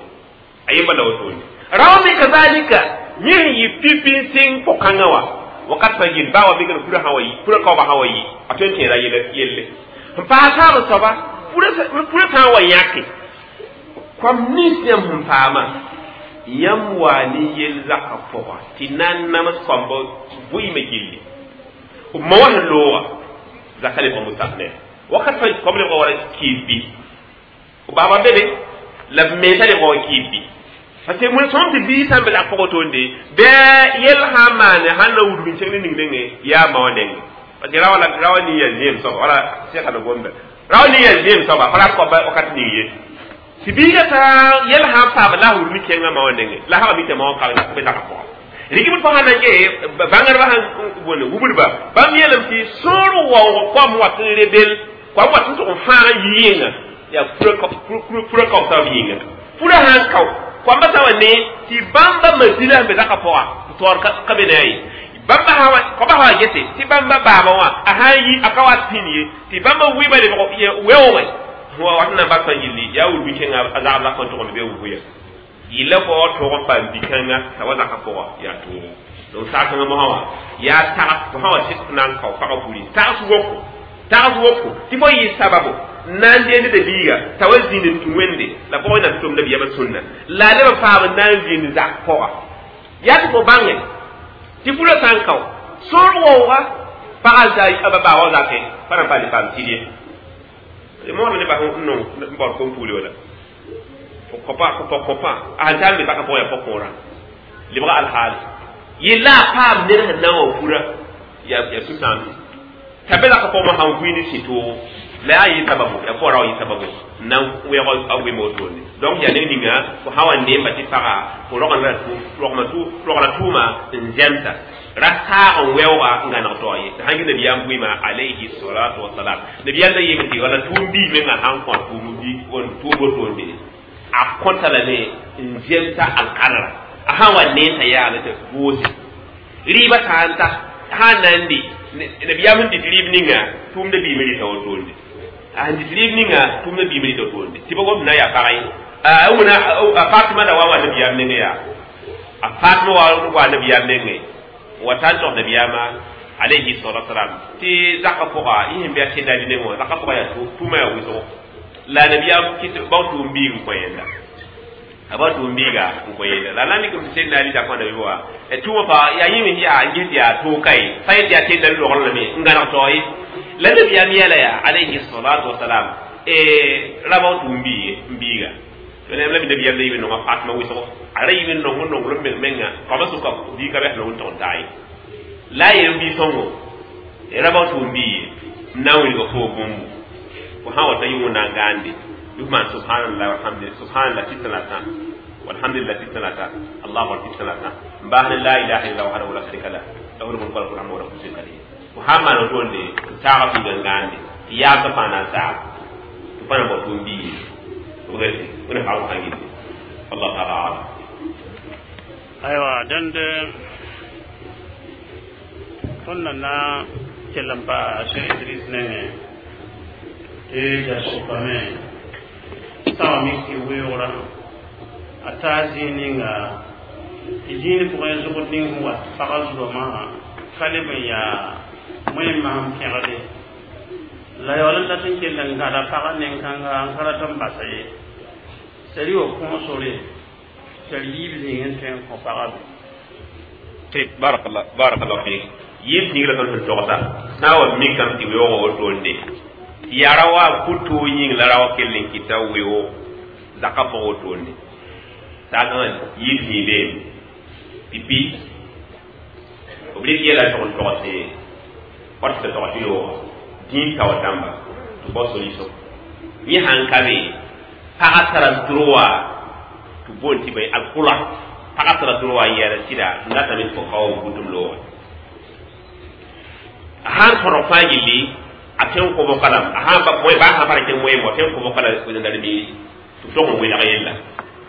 a yemba la wotone rao me kazalika yẽ sẽn yɩ pipi n sɩng pʋg-kãngã wã wakat fãa gill baa wa mikd fura sã wa yi fura kaoobã sã wa yi a tõe n tẽeda yelle n paas taab soaba fura sã n wa yãke koam nins yãmb sẽn paama yãmb waa ne yel zakã pʋga tɩ na n nams koambã vɩɩmã gilli b ma wã sẽn looga zaka lebg mustaqnɛ wakat fãa koam lebga wala kiis bɩ b baaba be be la b mensã lebga wa kiis bɩ parce que mun sõm tɩ biig sã n be zak pʋgã toonde bɩ yel sã n maane sãn na wudg n kẽng ne ning nengẽ yaa ma wã nengẽ parce que rawa la rawa ning yaa zẽem soaba wala sɛka la gomda rawa ning yaa zẽem soaba pa rat koaba wakat ning ye tɩ biigã sã yel sã n paam la a wudg kẽngã ma wã nengẽ la sã wa mi tɩ ma wã ka be zaka pʋgã rɩgb fo sã na n gee bãngdbã sãn wõne wubdba bãmb yeelame tɩ sõor waoog koam wat n rebel koam wat n tʋg n fãag n yɩ yĩnga yaa fura kao taab yĩnga fura sã n kao koamba sã wa ne tɩ bãmba masila sẽn be zakã pʋga taoor ka be ne a ye bãmba sã wa koamba sã wa gese tɩ bãmba baaba wã a sã n yi a ka wat pĩnd ye tɩ bãmba wɩɩba lebg weoogẽ wa wat n na n bas fãa gilli yaa wudg kẽnga a zagb la kõn tʋgend be wʋya yɩla fo tʋg n paam bi-kãnga t'a wa zakã pʋga yaa toogo donc saag-kãngã mosã wã yaa tags fo sã wa sɩk na n kao pagã furi tags woko tags woko tɩ fo yɩ sababo na n deend da biiga t'a wa zĩnd n tũ wẽnde la pʋgẽ na tɩ tʋmda biyamã sũnna la a leb n paam n na n zĩnd zak pʋga yaa tɩ fo bãnge tɩ furã sã n kao sõor waooga pagã a ba baa wa zakẽ pa na n paam paam tɩd ye moodã ne bas n nong n baood kom-puuli wala kõpa kõpa kõpa a sẽn tar me paka pʋgẽ yaa pʋg-kõorã lebga alhaali yella a paam ned sẽn na n wa fura yaa sũ-sãamse t'a be zaka pʋgẽ sãn vɩ ne sɩ-toogo la yaa yɩ sababu yaa fo ra wa yɩ sababu n na n wɛg a wɩm wotone donc yaa ned ninga fo sã wa neemba tɩ paga fo rogla tʋʋma n zɛmsa ra saag n wɛooga n gãneg taoor ye tɩ sãn gɩ nabiyaam bʋɩma alayhi salatu wasalam nabiyaam da yeeme tɩ wala tʋʋm biig menga sãn kõ tʋʋm wotoonde a kõta lame n zemsa alkadra a sãn wa neenta yaala tɩ goose rɩɩbã sã n ta sã n na n di nabiyaam sẽn dɩt rɩɩb ninga tʋʋmda biime rɩta wotoonde a sẽn dɩt rɩɩb ninga tʋʋmda biime rɩta wotoonde tɩ ba gom na yaa pagã ye wẽna a Fatima da wa wa nabiyaam nengẽ yaa a Fatima wa wa nabiyaam nengẽ wa ta n tog nabiyaamã alayhi salatu wasalam tɩ zakã pʋga yẽ sẽn be a sẽnda nengẽ wã zakã pʋga yaa tʋʋma yaa wʋsgo la nabiyaam kɩt bao tʋʋm biig n kõ yẽnda a bao tʋʋm biiga n kõ yẽnda la na mikame tɩ sẽnda ali zakã nabi wa tʋʋmã pa yaa yẽ me yaa n ges yaa tooka ye pa yẽ tɩ yaa sẽnda logr lame n gãneg tao ye la nabiyaam yɛla yaa alayhi salatu wasalam ra bao tʋʋm biig n biiga la me nabiyaam la yɩ nonga Fatima wʋsgo a ra yɩ nong n nonglem meng menga koamã sʋka bii ka bɛs nong n tog n taa ye la a yel n bii sõngo ra bao tʋʋm biig n na n wilga fo bũmbu fo sã wa ta yɩ wẽnnaam gãande bɩ f maan subhanallah walhamdulillah subhanallah tɩ la tã walhamdulillah tɩ la tã allahu akbar tɩ la tã n baas ne la ilaha illallah wahdahu la sharika lah lahu lmulku wa lahu alhamdu wa lahu kulli shay'in qadir fo sã n maan wotoonde n saaga fiiga n gãande tɩ yaabsã fãa na n saag tɩ pa na n bao tʋʋm biig wẽna pag sã n gilli wallahu taala alam aywa dẽnd tõnd na na kell n pa Cheikh Idris nengẽ tɩ ja sʋkame sã wa mik tɩ weoogrã a taa zĩig ninga tɩ zĩig pʋgẽ zʋgd ning sẽn wat pagã zugame ka leb n yaa wẽn masem pẽgde la yaool n dat n kell n gãda pagã nen-kãnga n ka rat n basa ye sari wa kõosore tar yiib zĩig n tõe n kõ pagã be طيب بارك الله بارك الله فيك yiib zĩig la tõnd sẽn togsa sã n wa mikame tɩ weoogã wotoonde Tɩ yaa ra wa fu-toog yĩng la ra wa kell n kɩta weoog zakã pʋg wotone saakã yib zĩig beeme pipi b rɩk yɛla tʋg n togse wat tɩ tog tɩ looga dĩin taoor dãmba tɩ bao solution yẽ sãn ka be pagã tara droit tɩ boond tɩ bõe alkula pagã tara droit n yɛɛda sɩda n datame tɩ fo kao b gũtum looga a sãn tõdg fãa gilli a tõe n kobga lame a sãn bõe baa sãn pa ra kẽng moeem a tõe n kobga la wẽnnaam miiri tɩ b tog n welg yella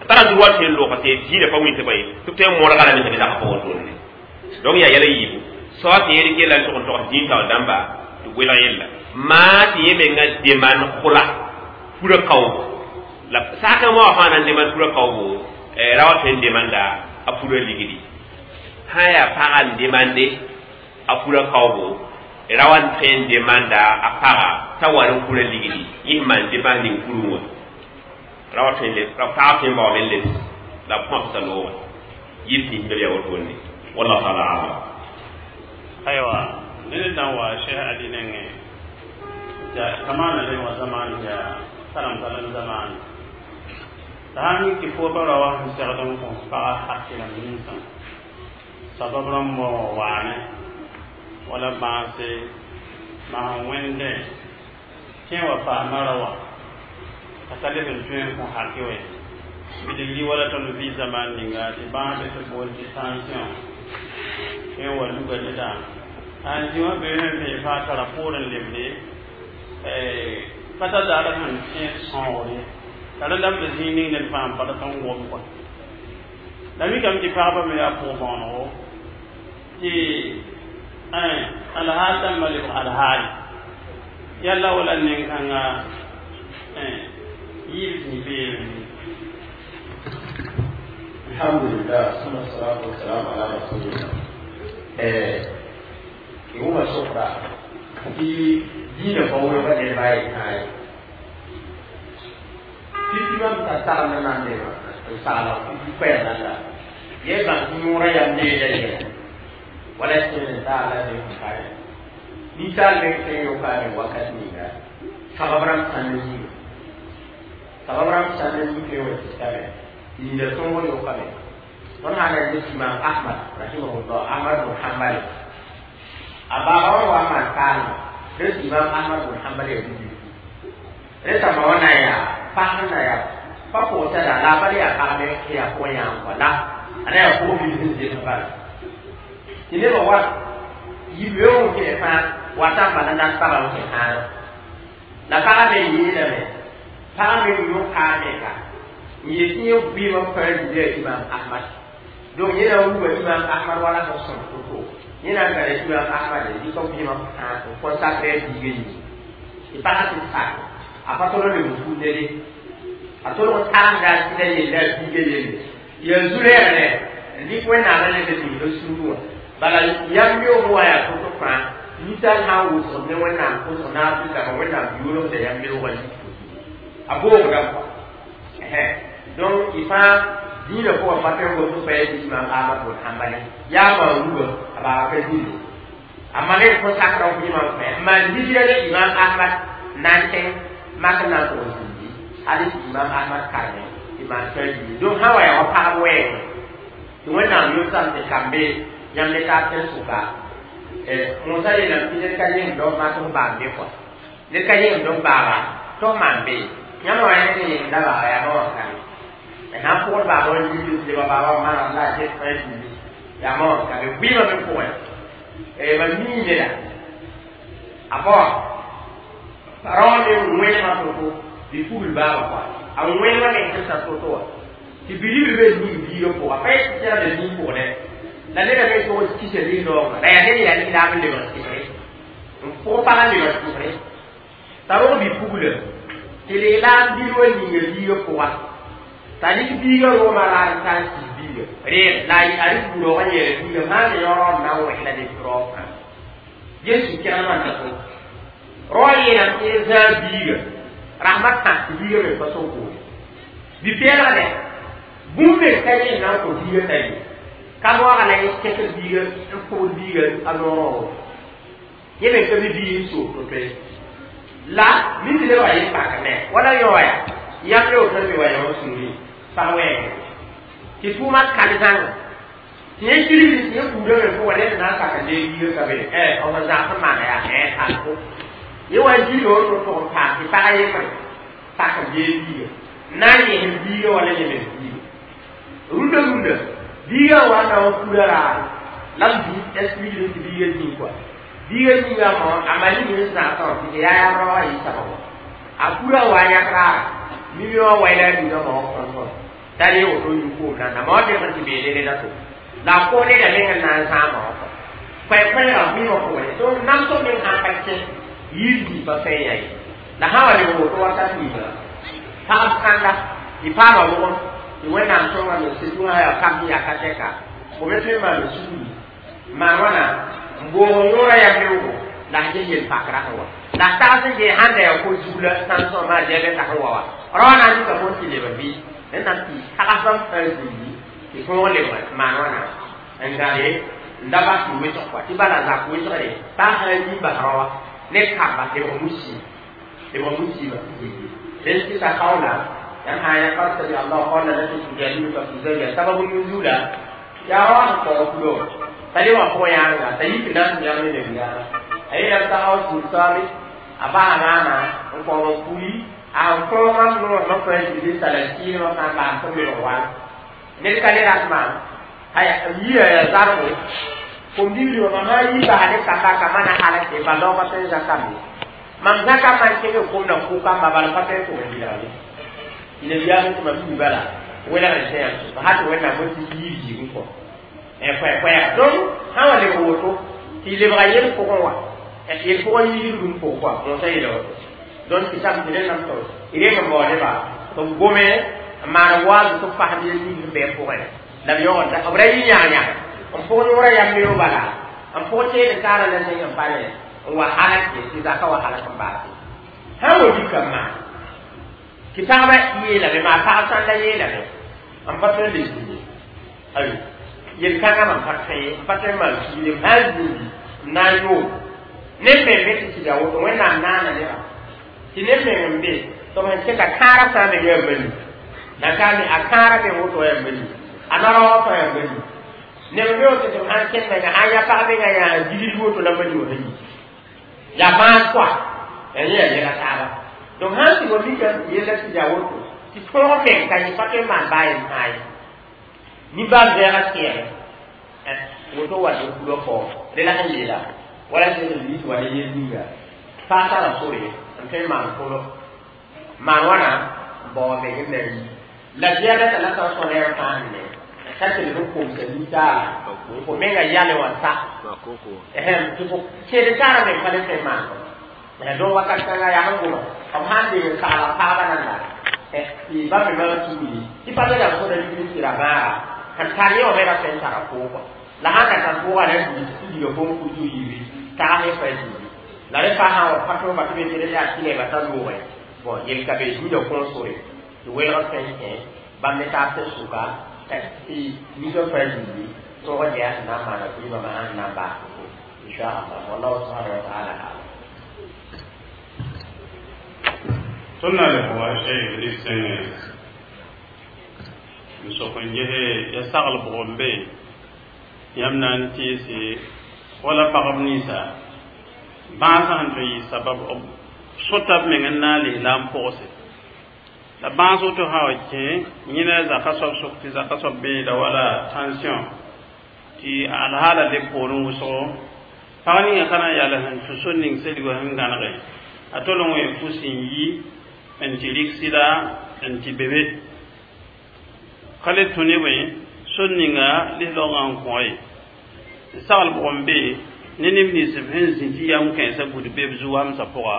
a tara droit tõe n loogã tɩ dĩinã pa wĩntɩ bõe tɩ b tõe n mõrga lame t'a be zagã pʋgẽ wotone donc yaa yɛla yiibu soa tɩ yẽ yella n tʋg n togs dĩin taoor dãmba tɩ welg yella maa tɩ yẽ menga deman kʋla fura kaoogo la sakã wã fãa na n deman fura kaoogo ra wa tõe n demanda a fura ligdi sã yaa pagã n demande a fura kaoogo ra wa n tõe n demanda a paga t'a wa n fura ligdi yẽ sẽn maan dépense ning furẽ wã ra wa tõe n pag tõe n baoome n lebs la b põbsa loogã yib tɩ b yaa wotone wallahu taala alam. Aiwa nene dan wa Sheikh Ali nenge ja zamana le wa zaman ya salam salam zaman ta mi ki fo ba rawa segdem ko pa hakila minsa sabab ram mo wane wala baase ma wende ke wa fa marawa akale ben tuen ko hakiwe bidigi wala ton vi zaman ninga di ba be to bol di tension ke wa luga da an ji wa be be fa tara poren lebre eh pata da ra han ke sonore tara dam be zini ne fam pa ta ngom ko la mi kam ti pa ba me ya po bono ti eh alhal malik alhal yalla wala nin kanga eh yib ni be. Alhamdulillah, suma salatu wassalam ala rasulillah. Eh iwuma sokra ti dina bawo ba ne bai kai ti ti mam ta ta na na ne ma ta la ti pa na la ye ba nyura ya ne ya ye wala se ta la ne kai ni ta le ke yo ka ne wakati ni ga sababram san ni sababram san ni ke wa ti ta ni da ton yo ka ne ton hana ne Imam Ahmad rahimahullah, Ahmad bin Hanbal ababa wa man kan des Imam Ahmad bin Hanbal ya bi reta maona ya pahana ya papo ta da la bari ya ka me ya ko ya ko la ana ya ko bi din de ba ni ba wa yi be o ke fa wa ta ba na ta ba ke ha la ka me yi la me pa me yo ka me ka ni ye bi ma pa di Imam Ahmad donc yẽna wuga Imam Ahmad wala sẽn sõm to-to yẽna n tara Imam Ahmad dɩk b vɩɩmã n consacré biigã yĩnga tɩ pagã tɩ sak a pa tol n leb n fu nede a tolg tagsda sɩda yella a biigã yelle yaa zu-rɛɛg n dɩk wẽnnaam n leb n ning sũurẽ wã bala yam beoog wã yaa to-to fãa ninsaal sã n wʋsgd ne wẽnnaam pʋsg naab tɩ dama wẽnnaam yoolgda yam beoogã yik a boogdame kɔa donc y fãa dĩinã pʋgã pa tõe n gom pa ya tɩ Imam Ahmad bn Hanbal yaa maan ruga a baaba ka zĩndi a maan n kõ sakra f imam fãa n maan hijra ne Imam Ahmad na n kẽng mak n na n tʋg n zĩndi hal tɩ Imam Ahmad karme tɩ maan tã yii donc sã wa yaa wa pagb wɛɛngẽ tɩ wẽnnaam yʋlsame tɩ kambe yãmb ne taab tẽn-sʋka Mosã yeelame tɩ ned ka yẽmd f mak f baam be kɔa ned ka yẽmd f baaba tɩ f maan be yãmb wa yẽ sẽn yẽmda baaba yaa ma wã kame sãn pʋgd baaba n yiib leba baaba maana la a ges fãa zĩndi yaa ma wã kame vɩɩmã me pʋgẽ mam mii neda a pa wã rao me wẽnema to-to bɩ fugl baaba kɔa a wẽnema ne sẽn sa to-to wã tɩ bilibl be ning biigã pʋga pa yet tɩ sẽra be zĩig pʋgdẽ la neda me tog kisa lis-raoongã la yaa ned yaa lislaam n lebg sɩsre n pʋg pagã n lebg sɩsre t'a rog bi-pugla tɩ lislaam bil wa ninga biigã pʋga t'a rɩk biigã rʋʋmã la n tar sɩs biiga reeg la a rɩk buroog n yeela biiga maana yaoor n na n wẽsla ne raoog fãa ges sũ-kẽgemã n ta to rao yeelame tɩ y zãag biiga rahmat sã tɩ biiga me pa sẽn koore bi-peelgdɛ bũmb me ka yẽ na n kõ biiga t'a ye ka moaga la yẽ kẽsd biiga n pʋgd biiga a noorã wã yẽ me ka be biig n soog to-to ye La mi le wa yi pa ne wala yo ya ya le o to mi wa yo suri pa we ti tuma kan zang ti ye kiri ni ye ku de ko wala na ka ka le yi ka be eh o ma za ma na ya eh ta ko ye wa ji yo to to pa ti pa ye ma pa ka le yi na ye bi yo wala ye me bi runda runda bi yo wa na o ku la la bi esprit de bi ye ni quoi bi ye ni ya mo amali ni sa to ti ya ya ro yi sa ko akura wa ya kra mi yo wa ila ni no mo ko ko tari o to yu ko na na mo de ma ti be le la to la ko ne da me na sa mo ko pa pa ya mi mo ko to nam to me ha pa che yi di pa fe ya yi la ha wa le ko to wa ta ti ba ta kan la i pa ma mo ti we na to ma me se tu ha ya ka mi ya ka te ka ko be te ma me su ma wa na mbo yora ya me wo la je ye pa kra wa la ta se je hande ya ko jula san so ma je be ta wa wa ro na ni ka ko ti le ba bi ne na ti ta ka fa fa ji ti ko le ma ma wa na ngare ndaba ti we to kwa ti ba la za ku to re ta ha ni ba ro wa ne ka ba te mo musi te mo musi ba le ti ta kaula yan ha ya ka ta Allah qala la tujadilu ka fi zawja sababu nuzula ya wa ko kulo tali wa ko ya nga tayi na ya ne ne ya ayi ya ta au su sami aba na na ko ko kui a ko ma no no ko ji di sala ti no na ba ko mi wa ne ka le rasma ay yi ya za ko ko mi ri ma ma yi ba ne ka ka ka mana hala ke ba lo ma te za ka mi mam za ka ma ke ko na ku ka ma ba pa te ko ni la ni ne ya ko ma bi ba la wela na se ya ba ha to wela mo ti yi yi ko e kwa kwa donc ha wa le woto ti le bra yel ko wa e il ko yi dum ko quoi on sait le donc si ça me donne encore il est comme bon ba to gome ma wa to fa ni ni be ko la yo da obra yi nya nya on po no ra yam yo bala on po te de kala la ne yam pale wa hala ke si za ka wa hala kan ba ha wo di kam ma kitaba yi la be ma fa san la yi la be on pa te le ni ayi yel kanga man parfait parfait mal il est mal na yo ne me me ti da wo we na na na ne ba ti ne me mbe to man se ka kara sa me ge mbe na ka ni akara me wo to ya mbe anara wo to ya mbe ne me wo to an ken me na aya pa be ga ya jili wo to la mbe wo ni ya ma kwa e ye ye ka ta ba donc han ti wo bi ka ye la ti da wo to ti ko me ka ni pa ke ma ba en ai ni ba vera kere woto wa do kulo ko de la kan lela wala se ni to wala ye dinga pa ta la sore an kai ma ko ma wana bo be ne la dia da la ta so ne ta ne ka te le ko se ni ta ko me ga ya le wa ta eh ti ko che de ta me pa le te ma na do wa ka ta ya han go ma han de ka la pa ba nan la eh ti ba me ma tu ni ti pa le la so de ni ti ra ma kan ta ni o me ra sen ta ra ko la ha ka ta ko wa le ni ti yo ko ku ju yi ta he fa ji la re fa ha wa pa to ba ti be le ya ti le ba ta lo we bon yel ka be ju do ko so re ti we ra sen he ba me ta se su ka ti ni do fa ji ni to wa ya na ma na ku ba ma na ba insha Allah wallahu subhanahu wa ta'ala sunna le wa shay ni n sok n gese ya sagl bʋg n be yãmb na n tɩɩse wala pagb ninsã bãasã sẽn tõe n yɩ sabab b sõta b meng n na n lis la n pʋgse la bãas woto sã wa kẽ yẽna zaka soab sʋk tɩ zaka soab beeda wala tension tɩ alhaala le poorẽ wʋsgo pag ninga ka na n yal sẽn tũ so ning selgo sẽn gãnege a tol n wẽ fus n yi n tɩ rɩk sɩda n tɩ be be ka le tũ ne bõe sor ninga lislaoogã n kõ ye sagl bʋg n be ne neb nins b sẽn zĩ tɩ yam kãensã bud be b zu-wamsã pʋga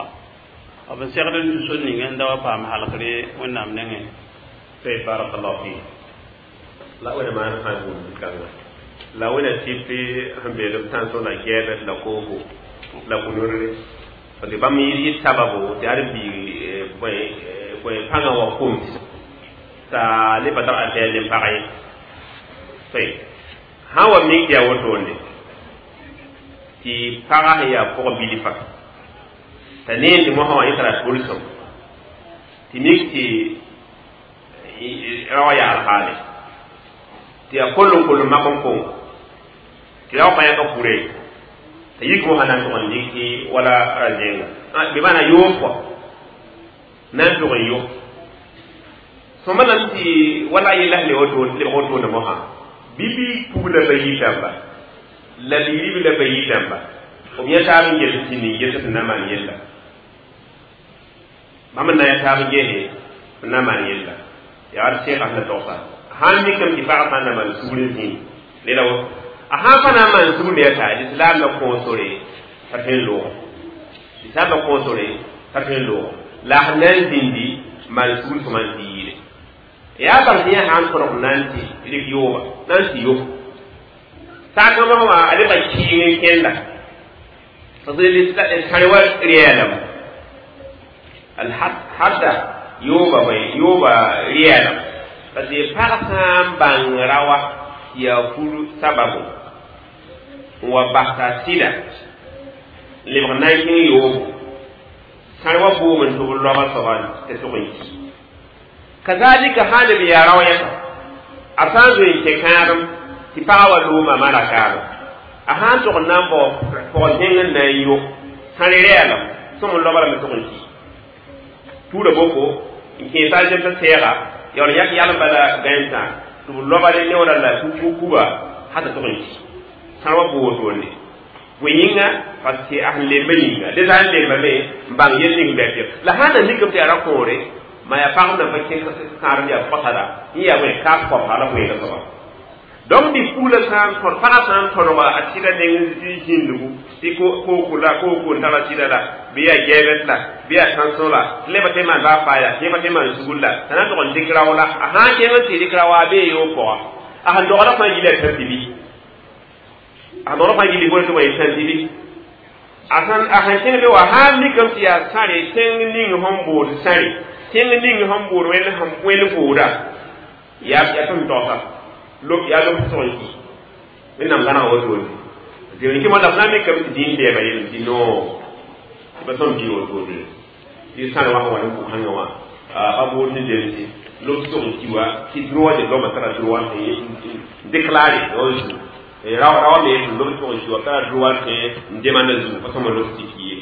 b n segd n tũ sor ninga n da wa paam halgre wẽnnaam nengẽ. Sai barakallahu fi la wẽna maan sã n gũud kãnga la wẽna tɩp sẽn beel b tãnso la gɛɛbd la kooko la kũnurre parce que bãmb yɩ sababo tɩ ad biig bõe pãngã wa koms t'a le pa tar a tɛɛl ne pag ye toy sã wa mik tɩ yaa wotone tɩ pagã sẽn yaa pʋg bilfa T'a neen tɩ mosã wã yẽ tara tʋlsem tɩ mik tɩ rao yaal haale tɩ yaa koll n koll n mak n kong tɩ rao pa yãka fure t'a yik mosã na n tʋg n dɩk wala ra-zẽnga bɩ maana yoob kɔa na n tʋg n yo sõma lame tɩ wala a yella sẽn lebg wotone mosã bɩ bɩ pugla bayi dãmba la liirib la bayi dãmba b yã taab n ges tɩ ning ges tɩ na maan yella bãmb n na yã taab n gese n na maan yella yaa d sɛɛga sẽn la togsa sãn mikame tɩ pagã sã n na maan sugr n zĩnd rela woto a sãn pa na n maan sugr me yaa lislaam la kõo sore t'a tõe n loogo lislaam la kõo sore t'a tõe n loogo la a sẽn na n zĩndi maan sugr sõma n tɩ yɩɩre yaa bãng tɩ yẽ sã n tõdg na n tɩ rɩk yooba na n tɩ yo saakã mosã wã a lebga kɩɩng n kẽnda sãre wa rɛɛlem hadda yooba yooba rɛɛlem parce que pag sã n bãng rawa tɩ yaa fur sababu n wa bas t'a sɩda lebg na n kẽng yoobo sãr wa boom n tʋb loaba soaba tɩ tʋg n ki kazalika sã leb yaa rao yɛsa a sã n zoe n kẽ kãadem tɩ pagã wa looma mara kaadem a sã n tʋg n na n bao pɔgɔ zẽng n na n yo sãre rɛɛlem sõm n loaba lame tʋg n ki tuura boko n kẽesa a zemsã sɛɛga yaool yak yalem bala gãensã tɩ b loabale neoora la kuba sã t'a tʋg n ki sãr wa boo wotone bõe yĩnga parce que a sẽn lemba yĩnga dẽ sã n lembame n bãng yel ning bɩ la sã n na mikame tɩ yaa ra-kõore ma yaa pagb nan pa kẽ kãadem yaa kosada yẽ yaa bõe kaas kɔpsa la wẽega soaba donc dɩ pugla sã n tõd pagã sã n tõdga a sɩda neng zĩndgu tɩ kooko la kooko n tara sɩda la bɩ yaa gɛɛbɛs la bɩ yaa tãnsõ la tɩ leba tɩ maan baa faaya yẽba tɩ maan sugr la t'a na n tʋg n dɩk rao la a sã n kẽng n tɩ dɩk rao a bee yoog pʋga a sẽn dogda fãa yila tã tibi a sẽn dogda fãa yili bõe tɩ wa yɩ tã tibi a sẽn a sẽn kẽng be wa sã n mikame tɩ yaa sãre tẽng ning sẽn bood sãre tẽng ning sẽn bood wẽnd sẽn wẽnd vooda yaa yaa tõnd togsa lob yaa lob tʋg n ki wẽnnaam gãnega wotone tɩ kɩ moa la mikame tɩ dĩin lɛɛba yelem tɩ no tɩ pa tõnd bɩ wotone tɩ sãr wã sẽn wa ne bʋ-kãngã wã pa bood ne zemse lob tʋg n ki wa tɩ droit de l'homme tara droit n déclaré o zu rawa me sẽn lob tʋg n ki wa tara droit tɩ n demanda zugu pa sõma lob tɩ ki ye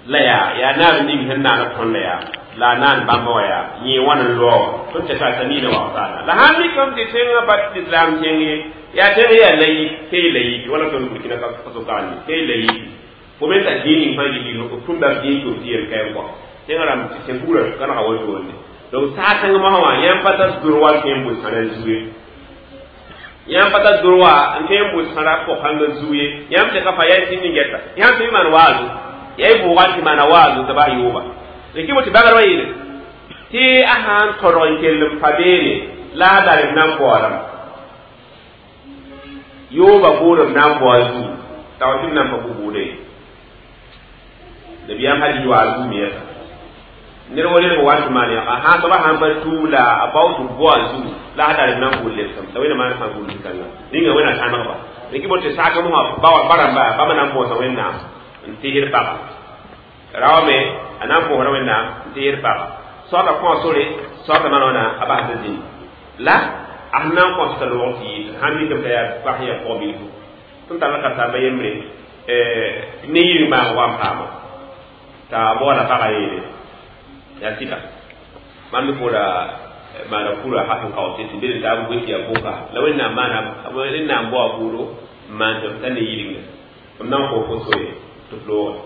la yaa yaa naab ning sẽn naana tõnd la yaa la a naan bãmba wa yaa yẽ wãn n loa tõnd tɩ ta miina wa saana la sãn mikame tɩ tẽngã pa lislaam tẽng ye yaa tẽng yaa laïc key laïc wala tõnd Burkina Faso kaane key laïc fo me t'a dĩin ning fãa yɩ tʋmda dĩin tʋm tɩ yel kaɩ kɔ tẽngã rãmb tẽn bugrã gãnega wotone donc saag-kãng mosã wã yãmb pa tar droit tõe n bʋ sãrã zu ye yãmb pa tar droit n tõe n bʋ sãrã pʋg-kãngã zu ye yãmb tɩ ka fa yaa tɩ ning-gɛta yãmb tɩ maan waazu yaa y bʋʋga tɩ maana waazu t'a bas yooba d kɩ tɩ bagr wã yeele tɩ a sã n tõdg n kell n pa beene la a darem na n baoodame yooba boodem na n bao a zuu t'a wa tɩ b na n pa bʋ bʋʋda ye nabiyaam hal yi waa zuu me yɛsa ned wa relg wa tɩ maan yãga sã soaba sãn pa tuub la a bao tɩ bao a zuu la a darem na n gʋl lebsem la wẽnna maan sã n gʋl zĩ-kãngã rĩnga wẽnna tãnegba d kɩ bot tɩ saak mosã ba rãmba bãmba na n põosa wẽnnaam n teesd paga raoame a na n põosda wẽnnaam n teesd paga soaba kõ sore soaba maan wãna a basd zĩnd la a sẽn na n kõs t'a loog tɩ yɩɩ sãn mikame t'a yaa pag sẽn yaa pɔg-bilfu tõnd tara ka-saamba yembre ne yir maag wa n paama t'a baoola pagã yeele yaa sɩda mam me foola maana kura ha sẽn kao tɩ tɩ bed n taab goe tɩ yaa boka la wẽnnaam maana wẽnnaam bao a buudo n maan tɩ b ta ne yɩlenga b na n kõ fo sore tɩ f looge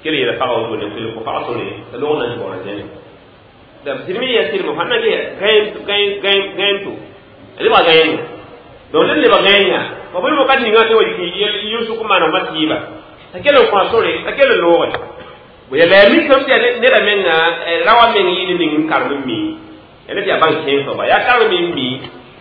kell yeela pagã wotone kell kõ pagã sore t'a loog na n baoora zẽne la sɩdme yaa sɩdme fãa na gãem to lebga gãenga donc ned lebga gãenga fa bõe wakat ninga tɩ wa yʋsʋk n maana ma tɩɩba t'a kell n kõ a sore t'a kell n looge ya la mikame tɩ yaa neda menga rawa meng yɩ ne ning n karem n mi yaa ned yaa bãng kẽen soaba yaa karem n mi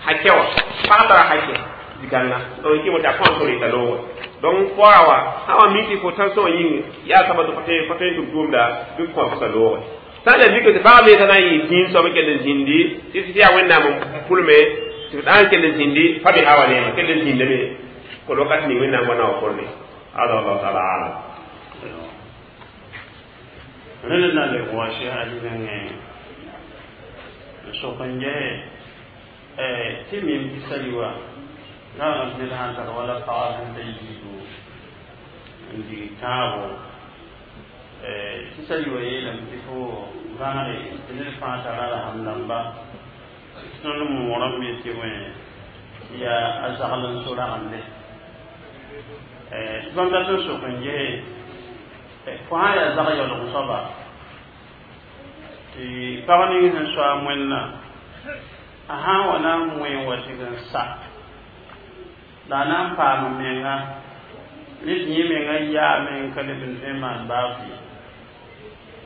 hakɛ wã pag tara hakɛ zĩ-kãnga donc kɩ tɩ a kõ a sore t'a looge donc fora wa sã wa mi tɩ fo tãnsõngã yĩng yaa saba tɩ fa tõe n tʋm tʋʋmda bɩ kõ fo t'a looge sã n la mikame tɩ pagã me t'a na n yɩ dĩin soab n kell n zĩndi tɩ tɩ yaa wẽnnaam n pʋlme tɩ d n kell n zĩndi fa be hawa neema kell n zĩndame kol wakat ning wẽnnaam wa na wa korne hada wallahu taala alam. Rẽnd na le wa Cheikh Ali nengẽ n sok n ges tɩ mim tɩ sali wa la ned sãn tar wala pagã sẽn ta yiibu n dig tãabo tɩ sali wa yeelame tɩ fo vãagre tɩ ned fãa tara la sãm dãmba tõnd moorame tɩ bõe yaa a zagl n so ragende tɩ bãmb dat n sok n ges fo sã n yaa zag yaoolg soaba tɩ pag ning sẽn soa a moẽnna a sã n wa na n moe wa tɩg n sa la a na n paam menga ne tɩ yẽ menga yaame n ka leb n tõe n maan baaf ye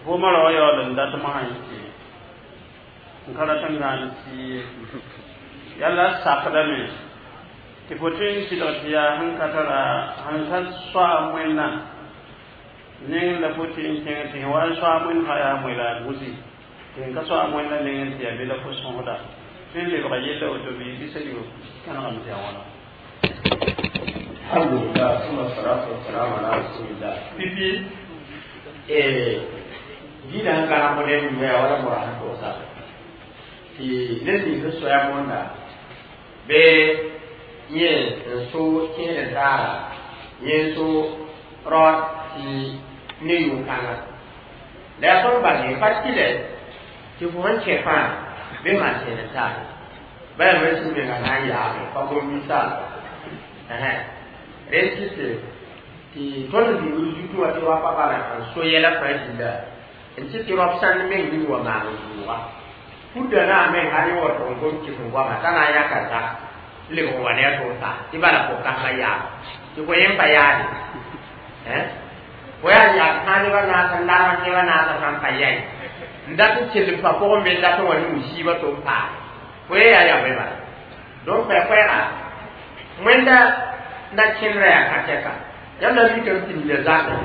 vʋʋmã ra wa yaool n dat mosã tɩ n ka rat n gãan sii ye yala a sakdame tɩ fo tõe n sɩdg tɩ yaa sẽn ka tara sẽn ka soa a moẽnna neng la fo tɩ n kẽng tɩ wa n soa a moẽnd fãa yaa moe la a gusi tɩ n ka soa a moẽnda nengẽ tɩ yaa be la fo sõsda tõe n lebga yella woto bɩ bisa yo kãnegame tɩ yaa wãna. Alhamdulillah, summa salatu wassalamu ala rasulillah. Pipi. Eh, dina hankala mo ne mi ya wala mo ran ko sa ti ne ni so ya monda be ye so kene dara ye so ro ti ne yu kana la so ba ne partile ti fu han che fa be ma che ta ba ya me su me na ya pa ko mi sa eh resiste tɩ tõnd zĩigr zutu wã tɩ wa pa bala n so yɛla fãa dĩnda n tɩ tɩ rab sãnd meng ning wa maan n vʋʋga pudda na meng hal wa tʋg n kom kɩs n goama t'a na n yãka zak lebg n wa ne a tʋg ta tɩ bala fo kasma yaab tɩ fo yẽ pa yaade fo yaa yaab sã nebã naas n larg nebã naasã sãn pa yɛi n dat n kell n pa pʋgẽ me n dat n wa ne musiiba tɩ n paase fo yẽ yaa yaoe bala donc koɛ-koɛɛga wẽnda na kẽndrã yaa ka-tɛka yãmb na mikame tɩ nina zakẽ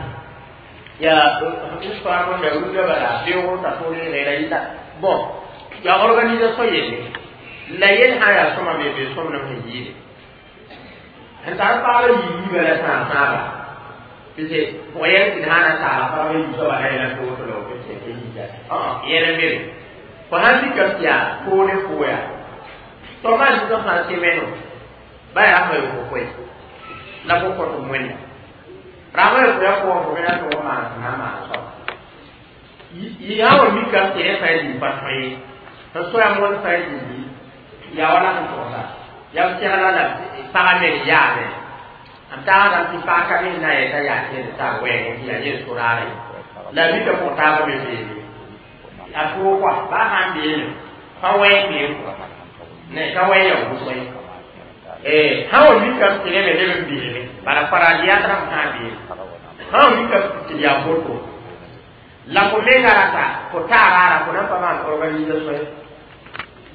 ya histoire mo ya runda bala beogo ta tore re yita bon ya organisation yelle la yel ha ya soma be be somna he yile han tar pa la yi bala sa sa ba pise ko yel tin hana ta la pa be yi so bala la ko to lo ko te yi ja ah yele mere ko han ti ka ya ko ne ko ya to ma ji to ha se meno ba ya ko ko ko la ko ko to mwenda rama ya ko ko ko na to ma na ma so yi ya wa mi ka te fa yi pa fa yi to so ya mo fa yi ya wala ko to sa ya ti ala la pa me ya me anta ga ti pa ka mi na ya ta ya te ta we ni ya ye so ra re la mi ka ko ta ba me be ya ko kwa ba han bi ne pa we ni ne ka we ya ko so eh hawo mi ka te me le bi ne bara fara ya tra ha bi hawo mi ka te ya foto la ko me ngara ko ta rara ko na pa ma organisation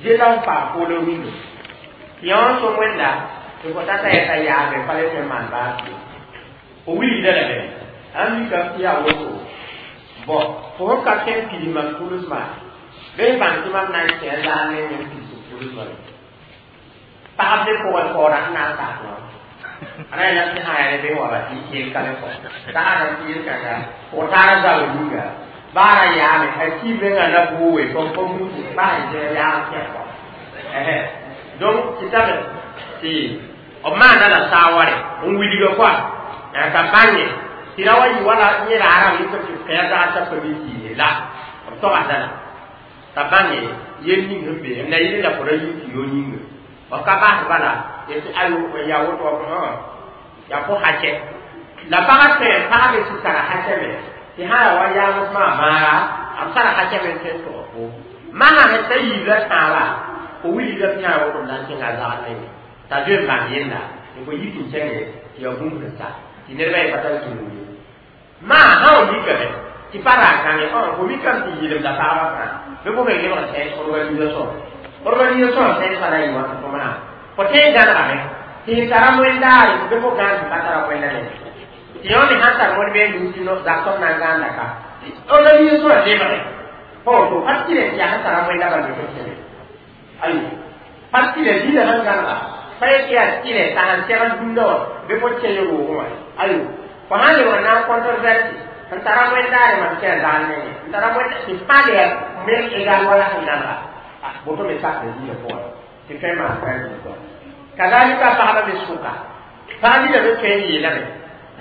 je la pa ko le windo yon so mwenda ko ko tata ya ta ya me pa le te man ba o wi de la be an mi ka ti ya wo ko bo ko ka ken ki ma kulus ma be ban ti ma na ke la ne ne ki kulus ma pagb ne pʋgẽ paoora sẽn na n sak wã a na yɛla tɩ sã yaa ne bɩ wa ba tɩ yel ka ne kɔ taara tɩ yel kãnga fo taara zao yĩnga baara yaame a ki menga na buuwe fo fo mutu ba n yaa kɛ kɔ donc tɩ tame tɩ b maana la saaware n wilga koa ka bãnge tɩ ra wa yɩ wala yẽ raara yɩ tɩ kɛɛ zag t'a pa mi kiine la b togsda la t'a bãnge yel ning sẽn be n na yɩl la fo ra yĩng tɩ yo yĩnga b ka bas bala tɩ ayo ya woto ya fo hacɛ la pagã tõe n pagbe sɩ tara hacɛ me tɩ sã ya wa yaams maa maara b tara hacɛ me n tõe n tog fo masã sẽn ta yiibla tãaba fo wilgda tɩ yã woto n na n kẽnga zagd nenge t'a zoe n bãng yella tɩ fo yik n kẽnge tɩ ya bũmb sẽn sa tɩ nedbã ye pa tar zũnug ye maa sã wa mikame tɩ pa ra kãnge fo mikame tɩ yɩlemda pagba fãa bɩ fo me lebg sẽn organisation organisation sẽn pa na yɩ wã tɩ fo maa fo tõe n gãnegame tɩ n tara wẽndaare bɩ fo gãan tɩ pa tara wẽnda ne tɩ yõ me sãn tar wẽnd bee nusi no zaktom na n gãanda ka organisation lebge fo woto parti le tɩ yaa sẽn tara wẽnda bal bɩ fo kẽme ayo parti le dĩnã sẽn gãnega pa yetɩ yaa tɩlɛ t'a sãn segl dũnna wã bɩ fo kẽ roogẽ wã ayo fo sãn lebg n na n controverse n tara wẽndaare mam kẽ zaal nengẽ n tara wẽnd tɩ fãa le me egal wala sẽn nanega boto me sak ne zĩigã pʋgẽ tɩ tõe n maan tãn kɔa kazalika pagba me sʋka pag nina me tõe n yeelame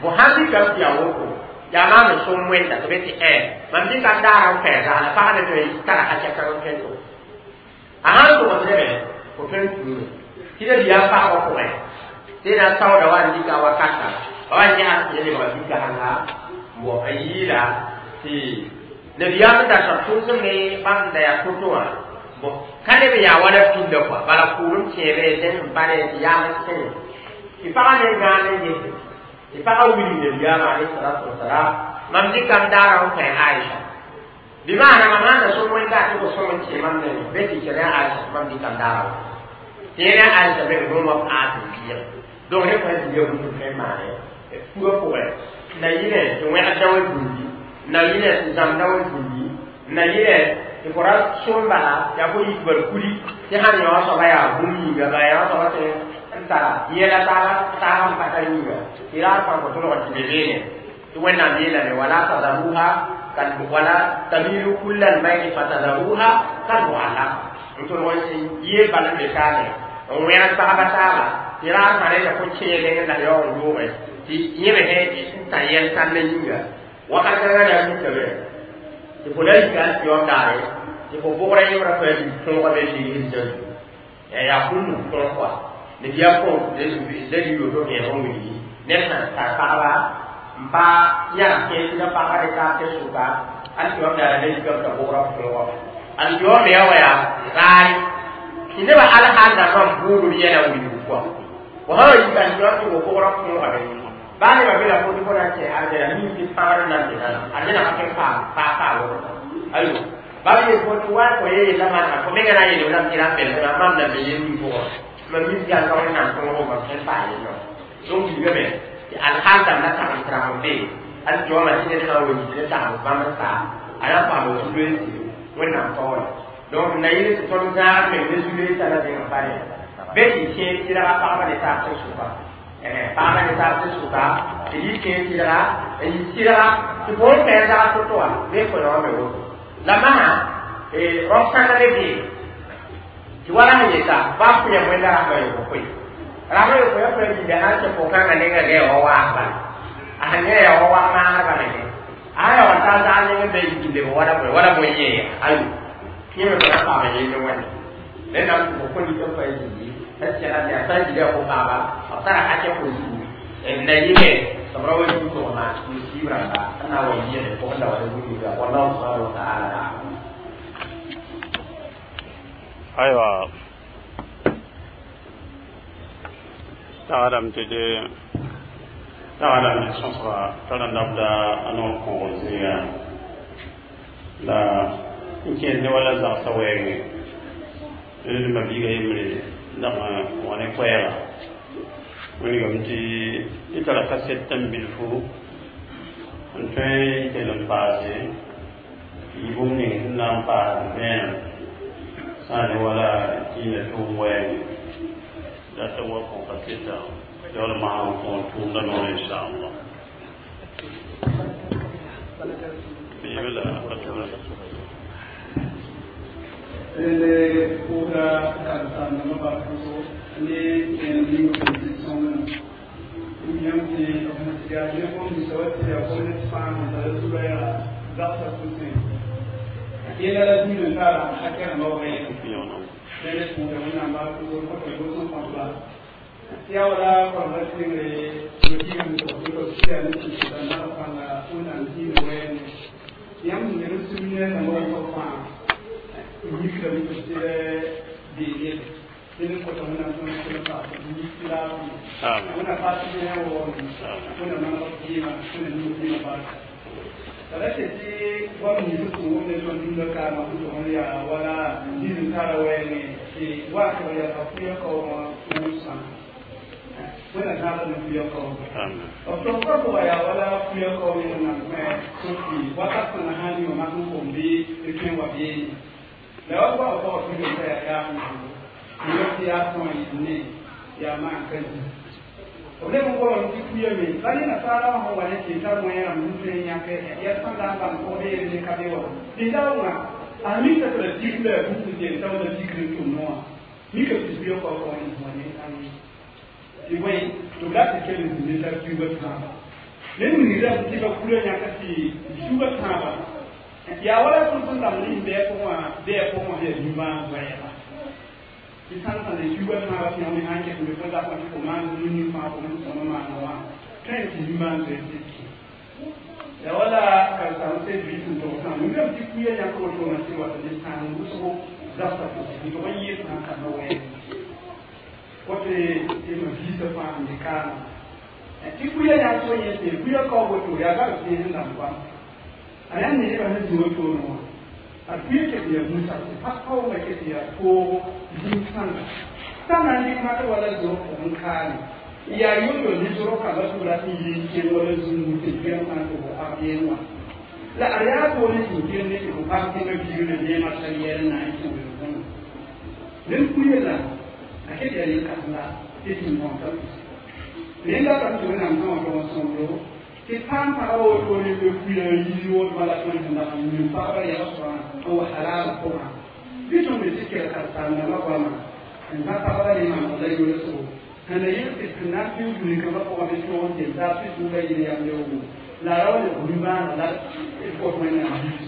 fo sãn dɩka n yaa woto yaa maam n sõm wẽnda tɩ be tɩ ɛ mam dɩka n daara n kõ zagla pag ne tõe n tara ka-kɛkã n tõe n tʋg a sãn tʋgsdame fo tõe n tuume tɩ la biya pagba pʋgẽ tɩ na saooda wa n dɩka wakata ba wa n yãs tɩ lebga dɩka-sãnga bon n yɩɩla tɩ nabiyaam n datã tʋʋsem ne bãmb da yaa to-to wã bon ka leb n yaa wala pĩnda kɔa bala kʋʋlem kẽebe sẽn sẽn pa ne tɩ yaam n sẽne tɩ pagã ne gãan n gese tɩ pagã wilg nabiyaam alayhi salatu wasalam mam dɩkam daara n kõ Aisha bɩ maana mam sãn da sõm wẽnda tɩ fo sõm n kẽ mam nengẽ be tɩ kẽne Aisha mam dɩkam daara wa tɩ yẽne Aisha me rõomã paas n biig donc ne fãa zĩiga bũmb tõe n maane fugã pʋgẽ na yɩnɛ tɩ wẽgd wã zĩndi na yɩnɛ tɩ zãmda wã zĩndi na yɩnɛ tɩ fo ra sõm bala yaa fo yik bal kuli tɩ sãn yã soaba yaa bũmb yĩnga bala yã soaba sẽn n tara yẽla taaba taaba n pa tar yĩnga tɩ raar fãa fo tõlg tɩ be beene tɩ Wẽnnaam yeelame wala tadaruha wala tamilu kulla almayli fatadaruha kalmuallaq n tõlg n yeel bal n be kaame n wẽgd pagba taaba tɩ raar fãa reta fo kẽeleng la yaoog n yooge tɩ yẽ me n tã yɛl kãndã yĩnga wakat kãngã na n mikame tɩ fo la yika n tɩ daare tɩ fo bʋgra yẽmbrã fo yaa tõoga me ligd zã yaa bũmb tõog kɔa ne yaa fo la li yoto vẽeg n wilgi ned sãn tar pagba n pa yãg kẽes la pagba ne taab tɩ sʋka alkiyoom daara la yikame t'a bʋgra tõoga alkiyoom me yaa wa yaa raare tɩ nebã alhaal dãmbã n buudb yɛla wilgu kɔa fo sã wa yika alkiyoom tɩ fo bʋgra tõogame baa nebã be la fo tɩ fo na n kẽ arjɛna mi tɩ pãgr n nan be arjɛna ka tõe n paam paa paa woto ayo bab yel fo tɩ wa fo ye yella maana fo menga na n yeel lam tɩ ra n belsma mam na be yel ning pʋgẽ mam mi tɩ yaa ka Wẽnnaam tõogo mam tõe n paa yellã donc wilgame tɩ alhaal dãmb la tagem tɩrag n be alkiyooma tɩ ned sã n wa yik ne tagem bãmb n saa a na n paam zu-loeensɩ Wẽnnaam taoore donc na yɩl tɩ tõnd zãag meng ne zu-loeensã la zẽng n pa ne be tɩ kẽer tɩrga pagba ne taab tɩ sʋka pagba ne taab tɩ sʋka tɩ yɩ kẽer tɩrga n yɩ tɩrga tɩ fo n fɛɛ zag to-to wã bee fo yã me woto la masã rao kãngã le bee tɩ wala sẽn yeta baa pʋyã wẽnda rasmã yooko koe rasmã yooko ya fo yĩnga sãn kẽ fo-kãngã nengã gɛ wa waas bala a sẽn yã yaa wa waas maasr bala ne a sã ya wa taa zag neng n be yik leb wala bõe wala bõe yẽ ayo yẽ me fo na paam yell ne wẽnde rẽnnaam tɩ fo kõ lik n pa zĩndi sẽn segd yaa sã n gilã fo paaba b tara hakɛ fo zugu na yɩme tɩ b ra wa yũ togma musiib rãmba n na n wa yɩɩge pʋgẽ la wa ne bũmb yĩnga wallahu subhanahu wa ta'ala a'lam. Aywa tagadame tɩ de tagadame tɩ sõsga tara labda a noor kõogr zĩiga la n kẽes ne wala zagsã wɛɛngẽ d mabiiga yembre dag n wa ne koɛɛga wilgame tɩ d tara kaset tãmb bilfu n tõe n kell n paase yɩ bũmb ning sẽn na n paas vẽenem sã n ne wala dĩinã tʋʋm wɛɛngẽ la t'a wa kõ kaseta yaool masã n kõ tʋʋmda noor inchallah la Rende pʋʋsda karen-saamdãmbã bark ne kẽem ning tɩ sõngna yãmb tɩ yaa ne bũmb ninsã wa tɩ yaa gomnet fãa sẽn tara zuga yaa zagsã pʋsẽ yẽla la dũni n tara hakɛ rãmbã wɛɛga rẽnd pʋʋsda Wẽnnaam bark kõta doos n kõtba tɩ yaa wala koramba tẽngre yogigame tɩ yaa ne tɩ nag pãnga Wẽnnaam dĩinã wɛɛngẽ yãmb sẽn ne sũur ne rãmbã wʋsg fãa yikdame tɩ beene tɩ kota Wẽnnaam tõnd tõnd paas yik laafɩ Wẽnnaam paas ne waoome Wẽnnaam maneg kɩɩma Wẽnnaam ning kɩɩma barka la ra tɩ tɩ goam nins sẽn wʋm ne tõnd dũnna kaamã sẽn tʋg n yaa wala diis n tara wɛɛngẽ tɩ wa tɩ b yaa pʋyã kaoogã wʋsã Wẽnnaam zãada ne pʋyã kaoogã b tʋg pa pʋga yaa wala pʋyã kaoog Wẽnnaam kõ sẽn wakat kãngã sãn yõ mak n kom bɩ tɩ tõe n wa beene la wa goam pʋgã pʋyã t'a yaa yaam yõ tɩ yaa tõe n ne yaa maan ka zĩ B leb n goamame tɩ kuyame la ne nasaara wã sẽn wa ne tɩ tar wẽerame sẽn tõe n yãk yɛl sẽn na n bãng pʋgd yel ne ka be wa tɩ daoongã a mika tɩ la tik la yaa bũmb sẽn tao la tikr n tʋm wã mika tɩ zuya kao kao ne wã ne tɩ bõe tɩ b la tɩ kell n zĩnd tar tuuba tãaba ned wilgra tɩ ba kura yãka tɩ tuuba tãaba yaa wala tõnd sẽn dãmb ne bɩa pʋgẽ wã bɩa pʋgẽ wã yaa nimbãan zoɛɛga tɩ sãn sã ne tuuba tãaba tɩ yãmb sãn ket n be fo zakã tɩ fo maan nu fãa fo sõma maana wã tõe tɩ nimbãan zoɛɛg tɩ kẽ ya wala karsam sai bi tun to kan mun ga ti kuya ya ko to na cewa da sàn wʋsgo zabta tɩ tɩ yɩ sã n kãna wɛɛg wote tɩ ma viisã fãa n de kaana tɩ kuya yaa so yẽ tɩ kuya kao woto yaa gab tẽes n dãmb goam a yaa nebã sẽn zĩ wotone wã a kuya ket n yaa mũsa tɩ pa kaoongã ket n yaa toogo zĩig-sãnga sã na n dɩk makr wala zorg pʋgẽ kaane yaa yʋl ne zorg kãngã sʋgra sẽn yɩ n kẽng wala zũngu tɩ kuyã sã n tʋg pag yeng wã la ad yaa toore sẽn kell ne tɩ fo pag tẽngã biigr la neemã tar yɛl n na n kẽ welgẽ ned kuya la a ket yaa yel-kãsenga tɩ sẽn bõn rẽnda ka tɩ wẽnnaam sã wã tog n sõmdo tɩ paam pagã wotone be kuya yii wot bala tõe sẽn dag n yĩn pagba yɛg soabã n wa halaal pʋgã bɩ tõnd be tɩ kell karsaamdãmbã goama n zã pagba ne maaneg la yolsgo sẽn la yel tɩ sẽn na n pɩʋ dũni-kãmbã pʋgã bɩ tõog n tel taab tɩ sũurã yel yam yaoogo la a ra wa le nimbãaneg la d kõt wẽnnaam biis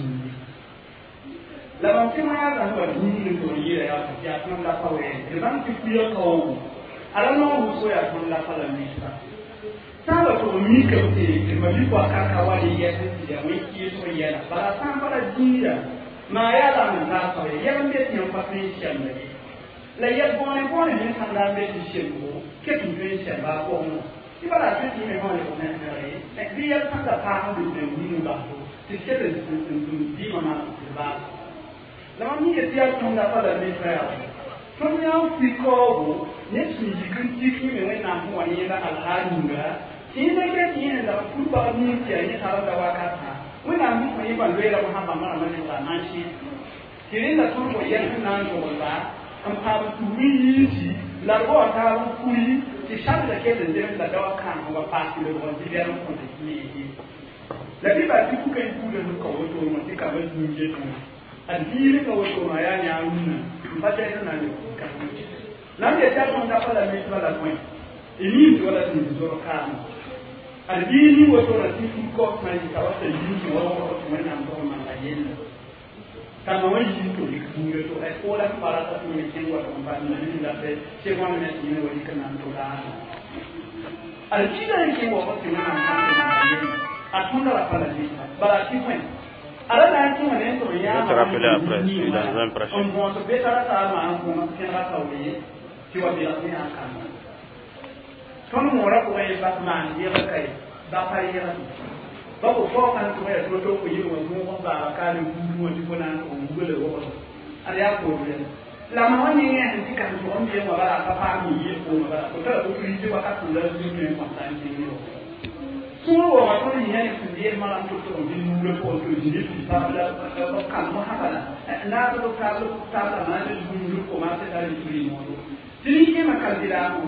la mam tɩ wã zãs wa dũni n tog n yɩɩra yaa tɩ yaa tõnd la pa wɛɛn d bãng tɩ kuya kaoogo a ra noog wʋsgo yaa tõnd la pa la misra sã n wa tʋg n mikame tɩ d ma-bi-poaka ka wa ne yɛs tɩ yaa wẽn-kɩɩsg yɛla bala sã n pa la dĩida maa yaa la n zaas pa yɛl n be tɩ yãmb pa tõe n sɛmda ye la yɛl bõone bõone me sãn la n be tɩ semgo ket n tõe n sɛmba a pʋgẽ wã tɩ bala a tõe tɩ yẽ me sã lebg nẽsnegre bɩ yɛl sãn da paas n be tɩ wĩnu baso tɩ ket n dĩimã maan tɩ baas la mam yẽ tɩ yaa tõnd la pa la misra yaa tõnd yaa n pʋɩ kaoogo ned sẽn yik n tik yẽ me wẽnnaam sẽn wa yẽeda alhaal yĩnga tɩ yẽnda ket yẽ la pur pag nin tɩ yaa yẽ tarda wakatã wẽnnaam sẽn kõ yẽ ban loeera sã bãmba rãmbã lebga n sẽ tɩ rẽnda tõnd fo yɛl sẽn na n dogelba n paam tuub n yiisi la d bao taab n kuri tɩ sabda ket n zemd la daoã kãang wa paas tɩ lebg n zɩ-bɛl n kõte kɩ la bɩ bal tɩ kuka y buudã sẽn ka wotone wã tɩ kamba zũum yetẽ wã ad biir ka wotone wã yaa yãa rũnnã n pa tɛs n na n leb la m yetɩ a tõnd pa la misbã la bõe y miim tɩ wala sẽn zorg kaame ad biir ning wotone tɩ fur kaob sã n yɩta wa t'a yiim wa wʋgd tɩ wẽnnaam tog n manga yella t'a ma wã yiim tɩ rɩk buudã to fo la sẽn pa rata tɩ me kẽng wa tɩ n pa na ne la tɩ wãn me tɩ yẽ wa yik n na n tʋ laana ad biirã n kẽng wa tɩ wẽnnaam sã n tɩ manga yella a tõnda ra pa la misbã bala tɩ bõe ala na n kẽ wã ne n tɩ Je vais te rappeler après, je suis dans un prêche. n bõos be tara taa maan kõ kẽnega taoore ye tɩ wa belg ne yaa kãnga tõnd moorã pʋgẽ ye bas maan yɛgr ka ye ba pa yɛgr ba fo fao sãn tʋg yaa to-to fo yel wã zũug n baaba kaale buud wã tɩ fo na n tʋg n wugla wogdo ad yaa koor la ma wã nengẽ sẽn tɩ kãn tʋg n beẽ wã bala pa paam yɩ yel poorẽ bala fo tara autorité wakat sẽn la zũg tõe n kõta n kẽng ne sũur waoogã tõnd yĩyã ne sẽn yeel marã n tʋg tʋg n bɩ nuurã pʋgẽ tɩ zĩnd tɩ taab la b kãn mosã bala naab b taab b taab la maan zũur commencé tar n turi moodo tɩ nin-kẽemã kalbiraamõ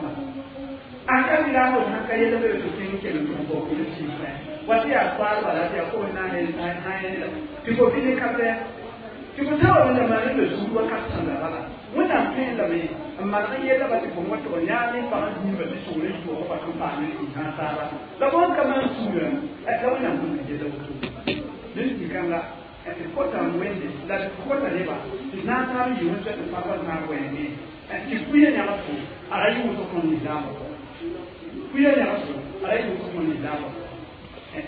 a kalbiraamõ sãn ka yɛl b tɩ kẽng kell n tʋg n bao kɩl sɩɩsẽ wa tɩ yaa soaal bala tɩ yaa koos na n yẽla tɩ fo bɩ ne ka bɛ tɩ fo sã wa wẽnda maan la zuur wakat sãnda bala wẽnnaam tõe lame n maneg n yella ba tɩ fo wã tʋg n yãa ne pag n zĩiba tɩ sogr n tʋʋg ba tɩ n paam n sã taaba la bõn ka maan sũurã la wẽnnaam sẽn ka yella woto ned tɩ-kãnga d kota n wẽnde la d kota nebã tɩ na n taab n yɩ wẽn tɩ pagba zãag wɛɛngẽ tɩ kuya yãg fo a ra yʋʋs tõnd lislaambã kuya yãg fo a ra yʋʋs tõnd lislaambã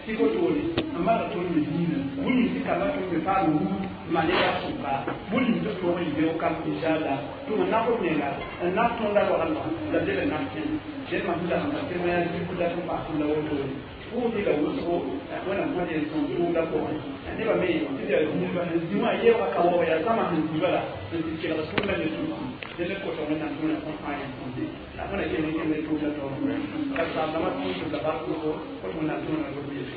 tɩ wotone n maneg tõnd me diinã bũmb tɩ kamba tõnd me paam wuu ma ne ba sʋka bũmb tɩ tõog n yɩ beoog kam inshallah tɩ m naf b menga n naf tõnda roagl wã la b leb n naf kẽnd ded mam sẽn dag n tɩ wã yaa zĩku la tɩ paas la wotone pʋʋsɩ la wʋsgo wẽnnaam sã yel sõm tʋʋmda pʋgẽ nebã me tɩ yaa zĩiba sẽn zĩ wã yeoogã ka waoog yaa zãma sẽn zĩ bala n tɩ kelg tʋʋmda ne tũusi dẽ ne kota wẽnnaam tõna sõn fãa yẽn sõmde la wẽna kell n kẽnd tʋʋmda taoor ka saamdãmã tũus la bark wʋsgo kot wẽnnaam tõna lob yel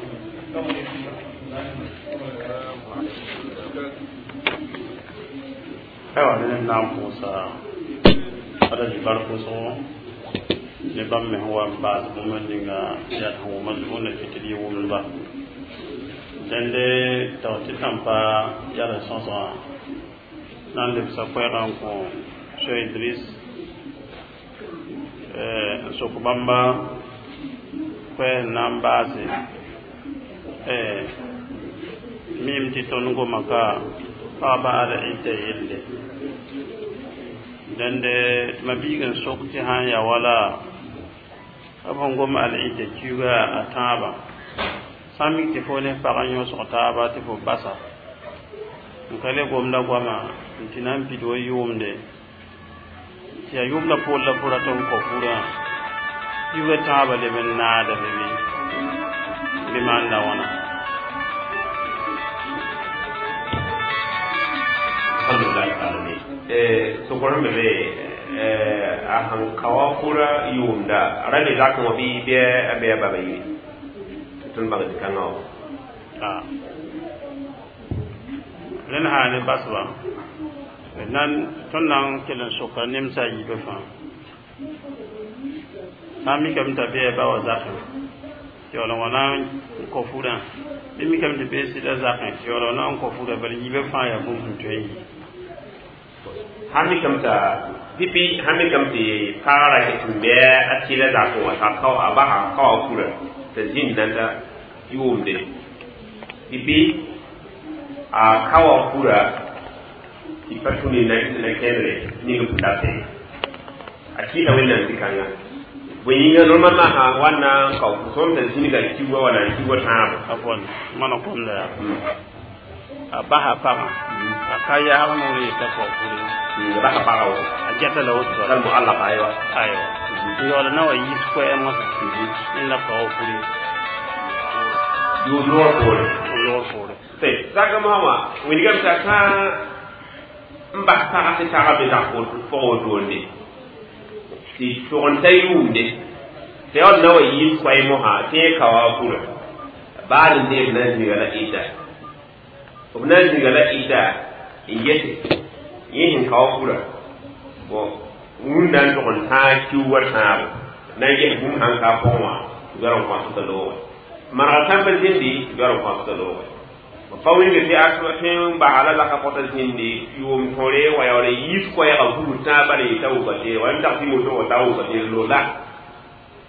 Ayiwa ne na n pʋʋsa alhaji bark wʋsgo Ne bãmb me sẽn wa n baas bũmb ninga yaa sẽn wʋma zugu na kɩ tɩ d yɩ wʋmdba dẽnde tag tɩ tãmpa yala sõsgã na n lebsa koɛɛgã n kõ Cheikh Idris n sok bãmba koɛɛs n na n baase miime tɩ tõnd goma ka pagba al idda yelle dẽnde tɩ ma biig n sok tɩ sã n yaa wala b sẽn gom al idda kiuga a tãabã sã n mik tɩ fo ne pag n yõsg taaba tɩ fo basa n ka le gomda goama n tɩ na n pid wa yʋʋmde tɩ yaa yʋʋmda poor la fo rat n kõ furã kiuga tãabã leb n naadame bɩ bɩ maanda wãna. Alhamdulillah alamin eh sokor me be eh a han kawa kura yunda rale zaka mo bi be be baba yi tun ba kan no a ren ha ne basba nan tõnd na n kell n soka nemsa a yiibã fãa sã n mikame t'a bɩ ba wa zakẽ tɩ yaool n wa na n kõ furã bɩ mikame tɩ bee sɩda zakẽ tɩ yaool n na n kõ furã bala yiibã fãa yaa bũmb sẽn tõe n yi. Hami kamta pipi hami kamti para ke tumbe a tila za ko ta ka a ba ha ka kura ta jin nan ta yumde pipi a kawa kura ti patuni na na kendre ni ko ta te a kila wannan tikanga bonyinga normalement ha wannan ka ku son ta jin ga kiwa wala kiwa ta afwan mana kom da a baha pagã a ka yaag noor yeta kõ furi ba ha paga wo a geta la woto kal mu'allaq aywa aywa yaool na wa yiis koɛɛm wã n la kao furi yu noor poore loor poore te zaka mama winigam ta ka n bas pagã tɩ taga be zag pʋgã wotoonde tɩ tʋg n ta yʋʋmde tɩ yaool na wa yiis koɛɛ mosã tɩ yẽ ka wa fura baad n deeb na n zĩiga la ɩda b na n zĩiga la ɩda n yete yẽ sẽn ka wa fura bon wũnda n tʋg n tãag kiu wa tãabo na n ges bũmb sãn ka a pʋgẽ wã tɩ b n kõsda loogẽ manega tãmba zĩndi tɩ b n kõsda loogẽ pa wilg tɩ a tõe n basa la laka pɔta zĩndi yʋʋm tõre wa yaool n yiis koɛɛgã vugr tãag bala yeta wuka teere wa n tag tɩ moto wa ta wuka teere loola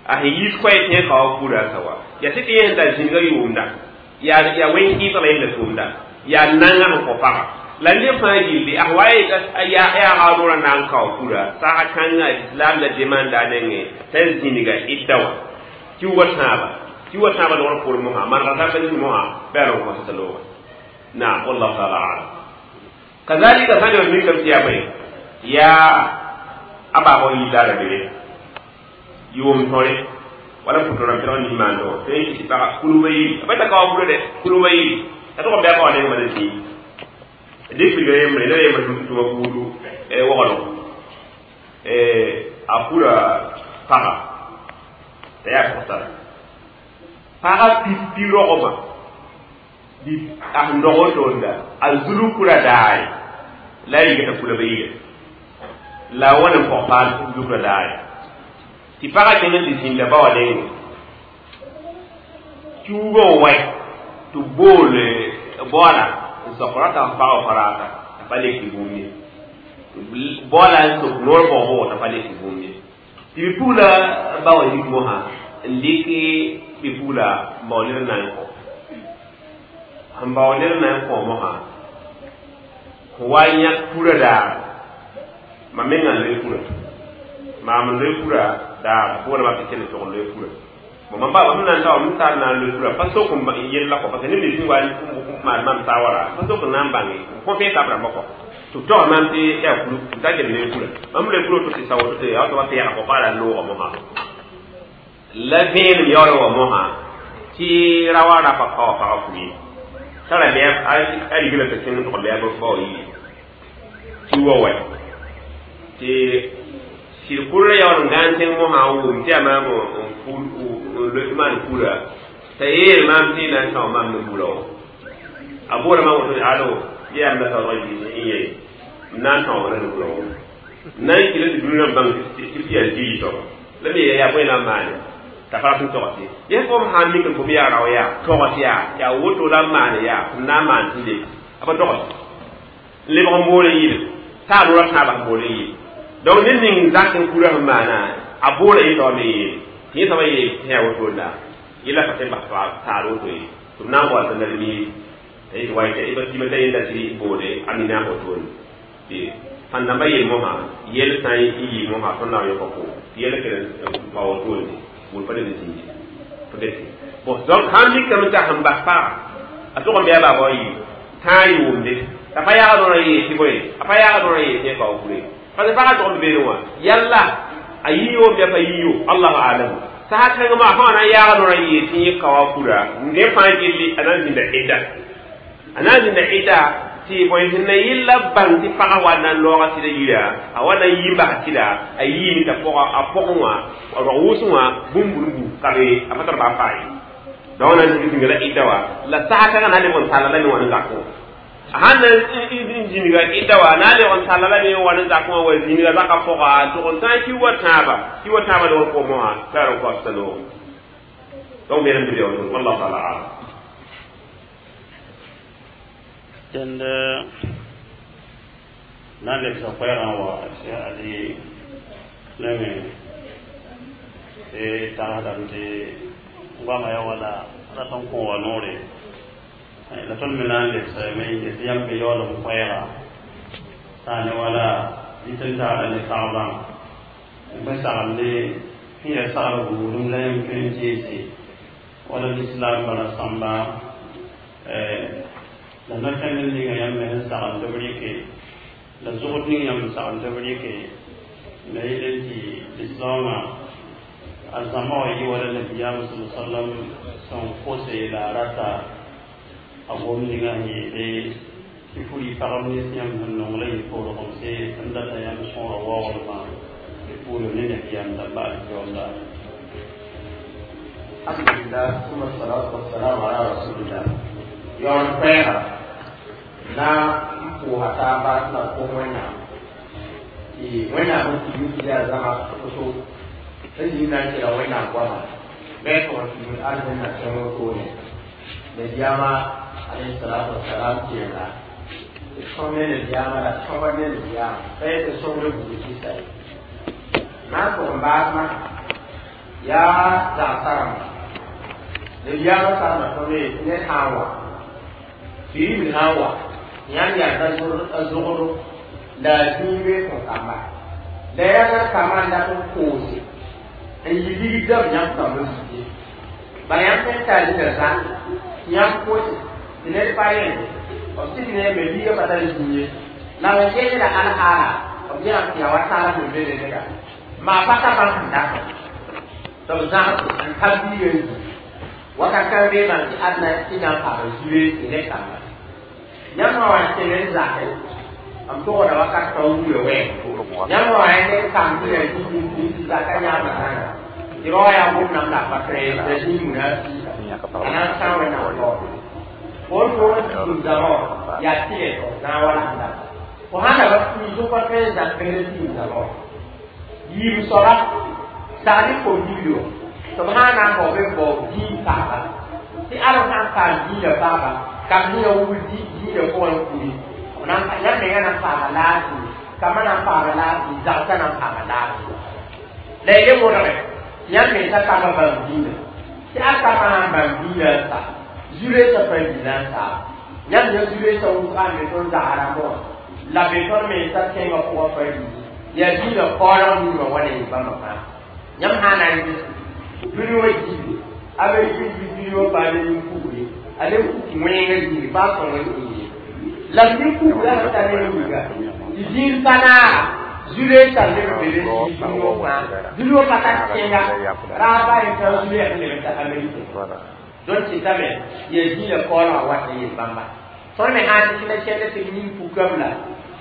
a sẽn yiis koɛɛ tẽ ka wa fura sa wa yaa tɩ tɩ yẽ sẽn tar zĩnigã yʋʋmda yaa yaa wẽn-kɩɩsg la yẽnda tʋʋmda yaa nanga sẽn kõ paga la neb fãa gilli a wa yaa a na n kao fura saga kãngã islam la demanda a nengẽ t'a zĩniga ɩda wã tɩ wa tãaba tɩ wa tãaba logr poor mosã manega tãmba zĩig mosã bɩ a n kõsda loogẽ naam wallahu taala alam kazalika sã n mikame tɩ yaa bõe yaa a baabg yilla ra bere yʋʋm tõre wala pʋtõrã pẽg nin-maando tõe n kɩ tɩ paga kulba yiri a pa ta ka wa fura dɛ kulba yiri a tʋg n bɩ a ka wa neng mala zĩig dɩk pilga yembre la yembr tʋma buudu woglg a pura paga t'a yaa pʋgtara paga pipi rogma a sẽn dog wotoonda a zulg kura daare la a yigta kula ba yiga la a wãn n pɔg paal zulgra daare tɩ pagã kẽng n tɩ zĩnda ba wa nengẽ kiugã n wae tɩ bool baoola n sok rata f pagã faraata t'a pa lek tɩ bũmb ye baoola n sok noor bɔg-bʋgɔ t'a pa lek tɩ bũmb ye tɩ bi-pugla ba wa yik mosã n dɩk bi-pugla n bao ned n na n kõ sẽn bao ned n na n kõ mosã sẽn wa n yãk purã daar mam mengã n loe purã maam n loe purã daar pʋʋrã tɩ kell tʋg n loe purã bon mam ba mam na n ta mam tar na n loe purã pa sok n yella kɔ parce que neb nins wa n maan mam saawara pa sok n na n bãnge n kõ fẽe tab rãmbã kɔ tɩ b tog mam tɩ yaa kulu n ta gel loe purã mam loe purã to tɩ sa woto tɩ yaa tɩ wa pɛɛga kɔ pa la n loogã mosã la vẽenem yaool wa mosã tɩ ra wa rapa ka wa pagã fui tara bɩ a rigla tɩ kẽng tʋg bɩ a b fao yi tɩ wa wa tɩ sɩd kʋrã yaool n gãan tẽng mosã n wʋm tɩ yaa maam n maan kura t'a yeel maam tɩ na n tão maam ne bura wã a boora maam woto alo yam la taoog n ye n na n tão wã ne bura wã n na n kɩla tɩ dũniyã bãng tɩ yaa zii soaba La me yaa bõe na n maane t'a pa rat n tog tɩ ges fo m sã n mik n tʋm yaa rao yaa tog tɩ yaa yaa woto la n maane yaa m na n maan tɩ le a pa tog n lebg n bool n yɩl t'a a noorã tãabã sẽn bool n yɩl donc ned ning zak n kura sẽn maana a boola yẽ taoor me yeele tɩ yẽ soaba yeel tɩ yaa woto la yẽla pa tõe n bas taar woto ye tɩ b na n wa tɩ ned miiri tɩ ta yenda tɩ boode a mina wotone tɩ sãn dãmba yel mosã yɛl sã n yɩ mosã tõnd na n yõka ko tɩ yɛl kell n pa wotone wʋl pa ned n zĩndi pa get bon donc sãn mikame t'a sẽn bas paga a tʋg n bɩ a baaba wã yɩ tãa yʋʋmde t'a pa yaagd rã yee tɩ bõe a pa yaagd rã yee tɩ yẽ kao kure parce que pagã tʋg n beene wã yalla a yiyo n bɩ a pa yiyo allahu alam saha kãngã maa fãa na n yaagd rã yee tɩ yẽ kaoa kura ne fãa gilli a na n zĩnda ɩda a na n zĩnda ɩda tɩ bõe sẽn na yɩlla bãng tɩ pagã wa na n looga tɩda yira a wa na n yi n bas tɩda a yiime t'a pɔga a pɔgẽ wã a rog wʋsẽ wã bũmb burumbu ka be a pa tar baa paa ye donc na n zĩnga la ɩda wã la saha kãngã na n lebg n talla la me wã n zakẽ a sãn na n zĩniga ɩda wã na n lebg n talla la me wã n zakẽ wã wa zĩniga zaka pɔga n tʋg n tãag ki wa tãaba ki wa tãaba lebg n kʋ mosã la ra n koasta noogo donc me rãmb bɩ wallahu taala alam dẽnd na n lebsa koɛɛgã wa ade nengẽ tɩ tagsdame tɩ goamã ya wala rat n kõ wa noore la tõnd me na n lebsame yetɩ yãmb be yaoolem koɛɛga sã ne wala dɩt n taada ne sagbã bõe sagende sẽn yaa sagr buudum la yãmb tõe n zeese wala lislaam bala sãmba la no-kẽnd ninga yãmb me sẽn sagend tɩ b rɩke la zʋgd ning yãmb n sagend tɩ b rɩke la yel tɩ lislaamã a zãma wã yɩ wala nabiyaam sa sallam sẽn kose la a rata a gom ninga sẽn yeele tɩ furi pagb nins yãmb sẽn nong la yɩ poorgemse n data yãmb sõora waoodmã tɩ puulem ne nabiyaam dãmba alkiyoonda Alhamdulillah, thumma salatu wassalam ala rasulillah. Yaool koɛɛga na n pʋʋsa taaba tɩ la kos Wẽnnaam tɩ Wẽnnaam n tigim tɩ yaa zãma woto n zĩig na n kela Wẽnnaam goama bɩ tʋg n tigim arzẽnna kẽng wotone nabiyaamã alayhi salatu wassalam keenga tɩ sõm ne nabiyaamã la sõba ne nabiyaamã pa yetɩ sõmd buud kɩsa ye na n tʋg n baas masã yaa zagsã rãmba nabiyaamã sarma tõnd ye tɩ ned sã n wa biribl sã n wa yãmb yaa a zogdo la a zĩig bee fõ kamba la yaa la kambã n dat n koose n yɩ ligd dãmb yãmb kambã zug ye bala yãmb tõe n tar zĩnda zak tɩ yãmb kose tɩ ned pa yẽnde b sɩd ne me biigã pa tar zĩig ye la b gẽeda alhaala b yãmb tɩ yaa wa taala sẽn be ne neda maa pa ka bãmb sẽn datã tɩ b zãgs n ta biigã n zĩ wakat kãng bee bãmb tɩ adna tɩ na n paam zure tɩ ne kamba yãmb wã wa kẽng n zake n togda wakat pa wura wɛɛg yãmb wã wa ned kam tɩ la tɩ zaka yãamba sãnga tɩ ba wa yaa gomdame la pa tõe la zĩig na a na n sã Wẽnnaam taoor fo n tʋg n tɩ zãma wã yaa tɩlɛ na n wala sẽn data fo sãn da ba piis pa tõe n zak bẽnd tɩ zãma wã yiib soaba sagl y kom-billi wã tɩ b sã n na n bao be bao dĩig paaba tɩ alem sã n paam dĩinã paaba kam ninga wubl dĩinã pʋgẽ n kuri yãmb menga na n paama laafɩ kambã na n paama laafɩ zagsã na n paama laafɩ la y le wʋlgẽ yãmb mensa kambã bãmb dĩinã tɩ a kambã sã n bãmb dĩinã n sa zu-reesã pa dĩinã n saaba yãmb yã zu-reesã wʋsga n be tõnd zaga rãmbã wã la be tõnd mensa kẽngã pʋgã pa dĩinã yaa dĩinã kaoolg ninga wa ne bãmba fãa yãmb sã n na n ges dũni wã diibe amerik dũni wã paam nin-kugre a ne kuk wẽngã zĩig pa sõng n ĩige la b nin-kugrã sẽn ta ne wiiga tɩ zĩig pa naaga zu-reesã leb n be be dũni wã fãa dũni wã pa tar kẽnga raab a yen tã zu-reeg n leb n ta amerik donc tɩtame yaa zĩigã kaoolgã wat n yel bãmba tõnd me sã n tɩ la kẽnd tɩ b nin-pukame la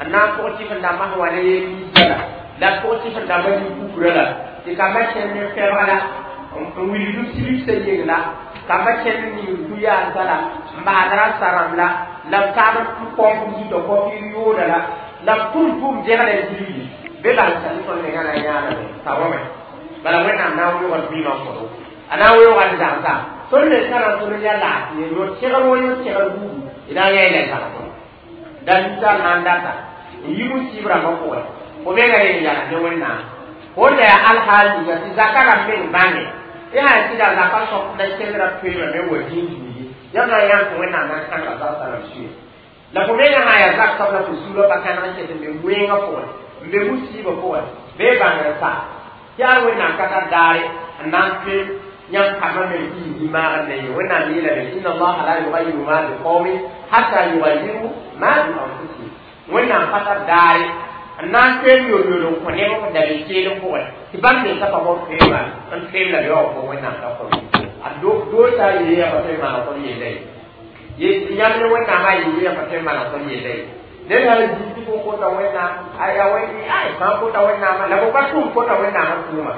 n na n pʋg tɩf n dãmbã sẽn wa ne ninsã la la b pʋg tɩf n dãmbã nin-pukrã la tɩ kambã kẽnd ne fɛbg la n wilgd b sibsã yeng la kambã kẽnd n ning ku-yaalsã la n baasd rã la la b taab n põmp zutã kɔpɩ yooda la la b tʋm tʋʋm dẽgda zĩigi be bal tɩ tõnd mengã na n yãaname t'a wame Bala wẽnnaam na n weoogd vɩɩmã n kõdo a na n weooga n zagsa tõnd me sã na n tõnd yaa laafɩ yõ segr wã yõ segr buudu d na n yã la zagsẽ da ninsaal sã n data n yi musiib rãmbã pʋgẽ fo menga reng yala ne wẽnnaam fo da yaa alhaal ninga tɩ zaka rãmb meng bãnge tɩ sã sɩda zaka sõk la kẽndrã toeemame wa dĩin zuigi yãmb na n yãm tɩ wẽnnaam na n kãnega zagsã rãmb sũyẽ la fo menga sã yaa zak soab la fo suurã pa kãneg n ket n be wẽngã pʋgẽ n be musiibã pʋgẽ bee bãngr sa tɩ yaa wẽnnaam ka tar daare n na n toeem yãmb kambã meng tɩ yɩ zĩ-maagr ne ye wẽnnaam yeelame inna allaha la yugayiru ma biqaumin hatta yugayiru ma bi anfusihim wẽnnaam pa tar daare n na n toeem yoor-yoor n kõ neb f dabe keelem pʋgẽ tɩ bãmb mensa pa bõn toeema n toeem la be wã fo wẽnnaam ka kõ a doosa yeeya pa tõe n maana tõnd yella ye ye yãmb ne wẽnnaamã yeeya pa tõe n maana tõnd yella ye ned sã n zĩ tɩ fo kota wẽnnaam aya wẽn ay fãa kota wẽnnaamã la fo pa tʋm kota wẽnnaamã tʋʋma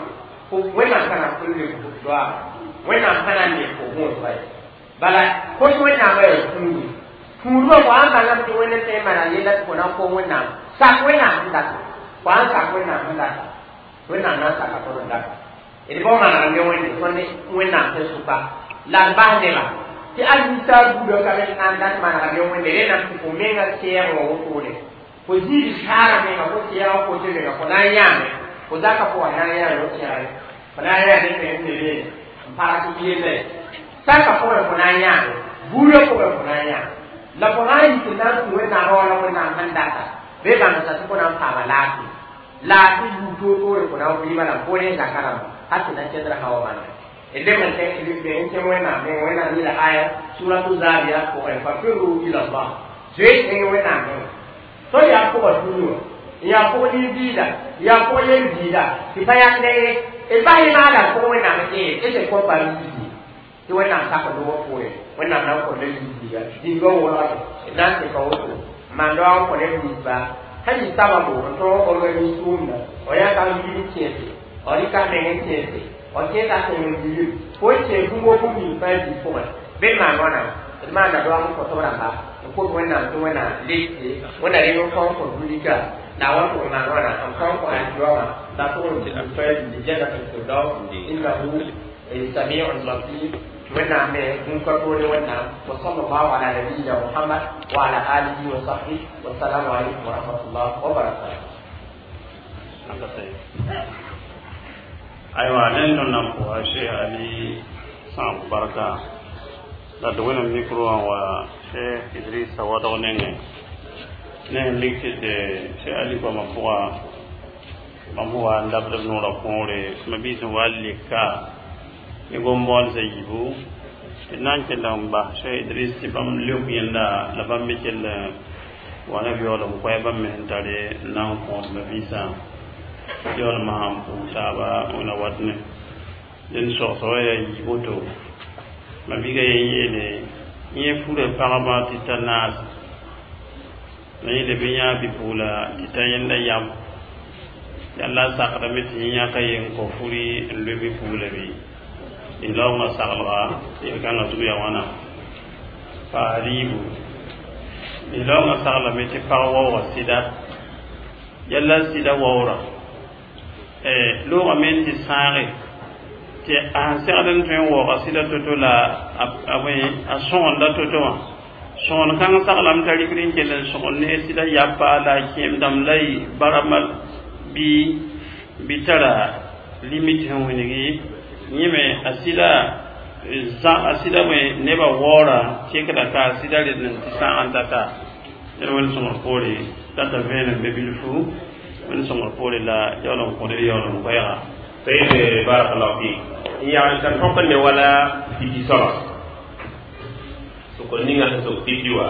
fo wẽnnaam ka na n pʋl leb fo doaama wẽnnaam ka na n leb fo gõosga ye bala kos wẽnnaamã yaa tũudu tũudbã fo sãn bãngame tɩ wẽnd n tõe n maana yella tɩ fo na n kom wẽnnaam sak wẽnnaam sẽn data fo sãn sak wẽnnaam sẽn data wẽnnaam na n saka tõnd n data d bao manegr ne wẽnde tõnd wẽnnaam sẽn sʋka la d bas neba tɩ al ninsaal buudã ka me na n dat manegr ne wẽnde rẽndame tɩ fo menga sɛɛg wã wotone fo ziid saara menga fo sɛɛgã kote menga fo na n yãame fo zaka fo wa na n yãame fo sɛgre fo na n yãa ne meng ne beene n pag tɩ yella ye saka pʋgẽ fo na n yãame buudã pʋgẽ fo na n yãame la fo sã n yi tɩ na n tũ wẽnnaamã wala wẽnnaam sẽn data bee bãngsa tɩ fo na n paama laafɩ laafɩ yuu toor-toore fo na n vɩɩmã la fo ne zaka rãmba hal tɩ na kẽndr sã wa bãnga d leb n n kẽ wẽnnaam meng wẽnnaam yeela aya suratu zariyat pʋgẽ fafiru ila llah zoe kẽng wẽnnaam menga tõnd yaa pʋgã tũnu wã n yaa pʋg nin-biida n yaa pʋg yel-biida tɩ pa yãkda ye d bas y maala pʋg wẽnnaam n ee d sẽn kõ pa yiisi tɩ wẽnnaam sak noogã poorẽ wẽnnaam na n kõnda yiisiiga dĩnga wʋlgame d na n tɩka woto n maan daoog n kõ neb ninsba sẽn yɩ sababo n tõog organise tʋʋmda f yãka n yib n kẽese f rɩka meng n kẽese f kẽesa sẽng n bilem fo n kẽes bũmb bũmb ning fãa zĩ pʋgẽ bɩ d maan wãna d maanda daoog n kõ tɩ b rãmba n kot wẽnnaam tɩ wẽnna letse wẽnna reng n kõn kõ dũnika la a wa tʋg n maan wãna n kõn kõ alkiyoamã la tʋg n fãa zĩndi jannatul firdaus innahu samiun basir wẽnnaam me bũn-ka toore wẽnnaam wa sallallahu ala nabiyina muhammad wa ala alihi wa sahbihi wassalamu alaikum wa rahmatullah wa barakatuh Ayiwa ne tõnd na n pʋga Cheikh Ali sãab barka la d wẽnem micro wã wa Cheikh Idrissa wadg nengẽ ne sẽn mik tɩ tɩ Cheikh Ali goamã pʋga bãmb sẽn wa n dabd b noorã kõore ma-biis sẽn wa n leka ne gom-moalsã yiibu tɩ d na n kell n bas Cheikh Idriss tɩ bãmb leok yẽnda la bãmb me kell wa ne yaool n koɛ bãmb me sẽn tare n na n kõod ma-biisã yaoolmã sãn pʋʋs taaba wẽna wat ne dẽnd sogsg wã yaa yiib woto ma-biigã yen yeele yẽ fura pagba tɩ ta naas la yẽ leb n yãa bi-pugla tɩ ta yẽnda yam yalla a sakdame tɩ yẽ yãka yen kõ furi n loe bi-pugla bɩ laoongã saglga yel-kãngã zug yaa wãna paas riibu laoongã saglame tɩ pag waooga sɩda yalla sɩda waoora loogame n tɩ sãage tɩ a sẽn segd n tõe n waooga sɩda to-to la a sõgenda to-to wã sõgen kãng saglame t'a rikd n kell n sõgen ne sɩda yapa la a kẽemdãmb la y barama bɩ bɩ tara limit sẽn wilgi yẽ me a sɩda a sɩda me nebã waoora kekda ka a sɩda red n tɩ sãag n tata ned wẽnd sõngr poore tata vẽenem be bilfu wẽnd sõngr poore la yaool n kõd d yaool n koɛɛga طيب بارك الله فيك يعني كان حكم ولا في صلاة sokor ninga sẽn sok pipi wa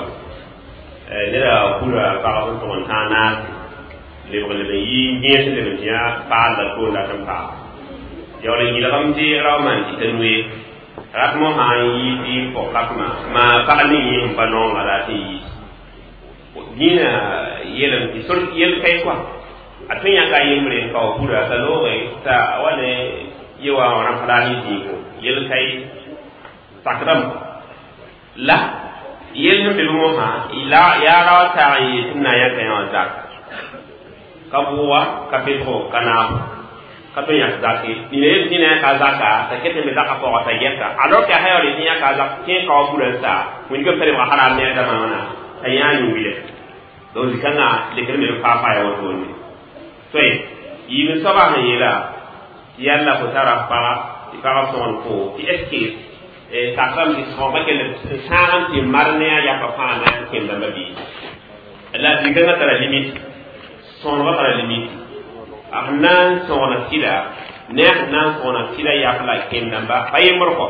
neda kura pagb n tʋg n tãag naase lebg leb n yi yẽes leb n tɩ yã paal la toor dat n paam yaool n yɩlgame tɩ rao maan dɩta noe rat mo sã n yi tɩ pʋg-katmã maa pag ning yẽ sẽn pa noonga la tɩ n yiis dĩinã yeelame tɩ sor yel kae koa a tõe yãka a yembre n kao kura t'a looge t'a wa ne ye wa wã rãmp raar yẽ zĩigo yel kae sakdame la yel sẽn be be mosã la yaa rao taag n yeel tɩ b na n yãka yã wã zak ka bʋʋga ka bɩlgo ka naabo Ka tõe n yãk zak ye nina yel tɩ na yãka zaka t'a ket n be zaka pʋgã t'a gɛta alors que a sã yaool tɩ yãka zak kẽ kao burã n sa wĩndgame t'a lebga haram ne a dãmã wãna t'a yãa yũ-wɩlɛ donc zĩ-kãngã lekr me b faa-faa ya wotone tõe yiib n soabã sẽn yeela tɩ yalla fo tara paga tɩ pagã sõgen fo tɩ est ce que sakrame tɩ sõgba kell n sãag n tɩ mar ne a yapa fãa na n kẽem dãmba bii la zĩ-kãngã tara limite sõgenba tara limite a sẽn na n sõgna sɩda ne a sẽn na n sõgna sɩda yap la kẽem dãmba pa yembr kɔ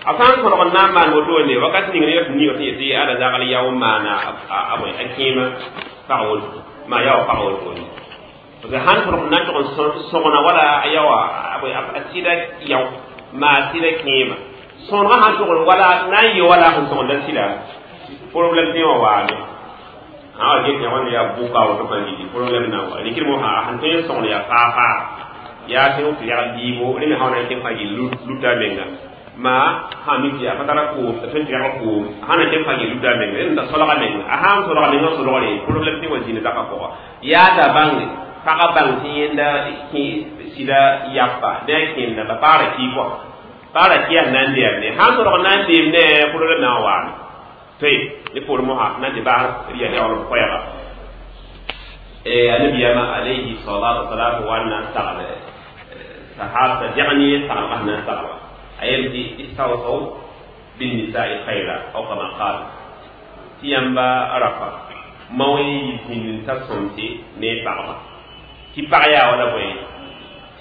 a sã n sõlg n na n maan wotone wakat ning ne tɩ niig tɩ yetɩ ada zagl yao n maana a bõe a kẽema pag woto maa yao pag wotone parce que sãn tõrg n na n tʋg n sõgna wala a yaoa a sɩda yao maa sɩda kẽema sõnegã sãn tʋgd wala na n yɩ wala sẽn sõgenda sɩda problème tẽ wã waame sã wa get yã wãnd yaa bʋka woto fãa gilli problème na wa rɩkd mosã sẽn tõe n sõgn yaa faa-faa yaa tẽ tɩ yagl biibo rẽ me sã wa na n kẽ fãa gill luta a menga maa sã mi tɩ yaa pa tara koom t'a tõe n tɩ yagl koom sã na kẽ fãa gill luta a menga rẽ da solga menga a sã n solga menga solgre problème tẽ wa zĩnd zakã pʋga yaa da bãnge pagã bãng tɩ yẽnda sɩda yapa ne a kẽenda ba pagra ki kɔ pagra ki yaa na n deemne sãn solg na n deem ne problème na n waame toy ne poor mosa na n tɩ baas ya yaool b koɛɛga annabiyama alayhi salatu wasalam wa n na n sagl sahab t'a dẽg ne saglgã sẽn na n saglga a yel tɩ istawsaw binnisai khayra aw kama qal tɩ yãmba rapa mao y zĩnd n ta sõmse ne pagba tɩ pag yaa wala bõe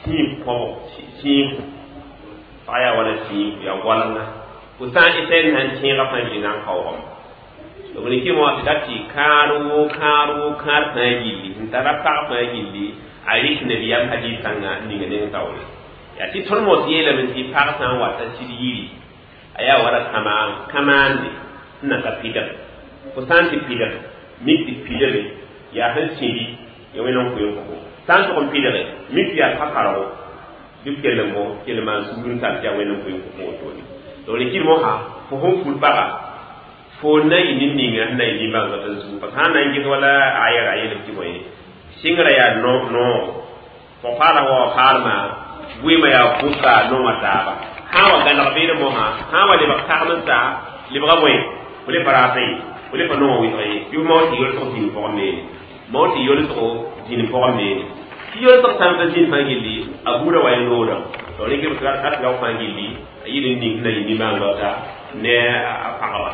sĩig kõbg sĩig pag yaa wala sĩig yaa goalnga fo sã n ɩta n na n tẽegã fãa gilli na n kaoogame donc ne kɩ wã tɩ dat tɩ kãad woo kãad woo kãad fãa gilli sẽn tara pag fãa gilli a rɩk nabiyaam hadis kãngã ninga neng taoore yaa tɩ tõnd mos yeelame tɩ pag sã n wata sɩd yiri a yaa wala kamaang kamaande sẽn na ka pidg fo sã n tɩ pidg mik tɩ pidge yaa sẽn sĩdi ya wẽnd n koe n kõ sã n tʋg n pidge mik tɩ yaa pa-kargo bɩ b kell n bõ kell maan sugr n tar tɩ yaa wẽnd n koe n kõ wotone donc ne kɩd mosã fo sẽn ful paga fo na yɩ ne ninga sẽn na yɩ nimbãanegã tɩ zugu parce que sã n na n ges wala ayɛra a yeelb tɩ bõe sɩngrã yaa noogo pʋg-paala wa wa paalmã bʋɩɩmã yaa bʋka nongã taaba sã n wa gãneg beed mosã sã n wa lebg tagem n sa lebga bõe fo le pa raata ye fo le pa nongã wɩsg ye bɩ mao tɩ yolsg zĩnd pʋgẽ beene mao tɩ yolsgo zĩnd pʋgẽ beene tɩ yolsg sã n pa zĩnd fãa gilli a buudã wa y noodã donc rẽk b rat rao fãa gilli a yɩl n ning sẽn na yɩ nimbãanegã ta ne a pagba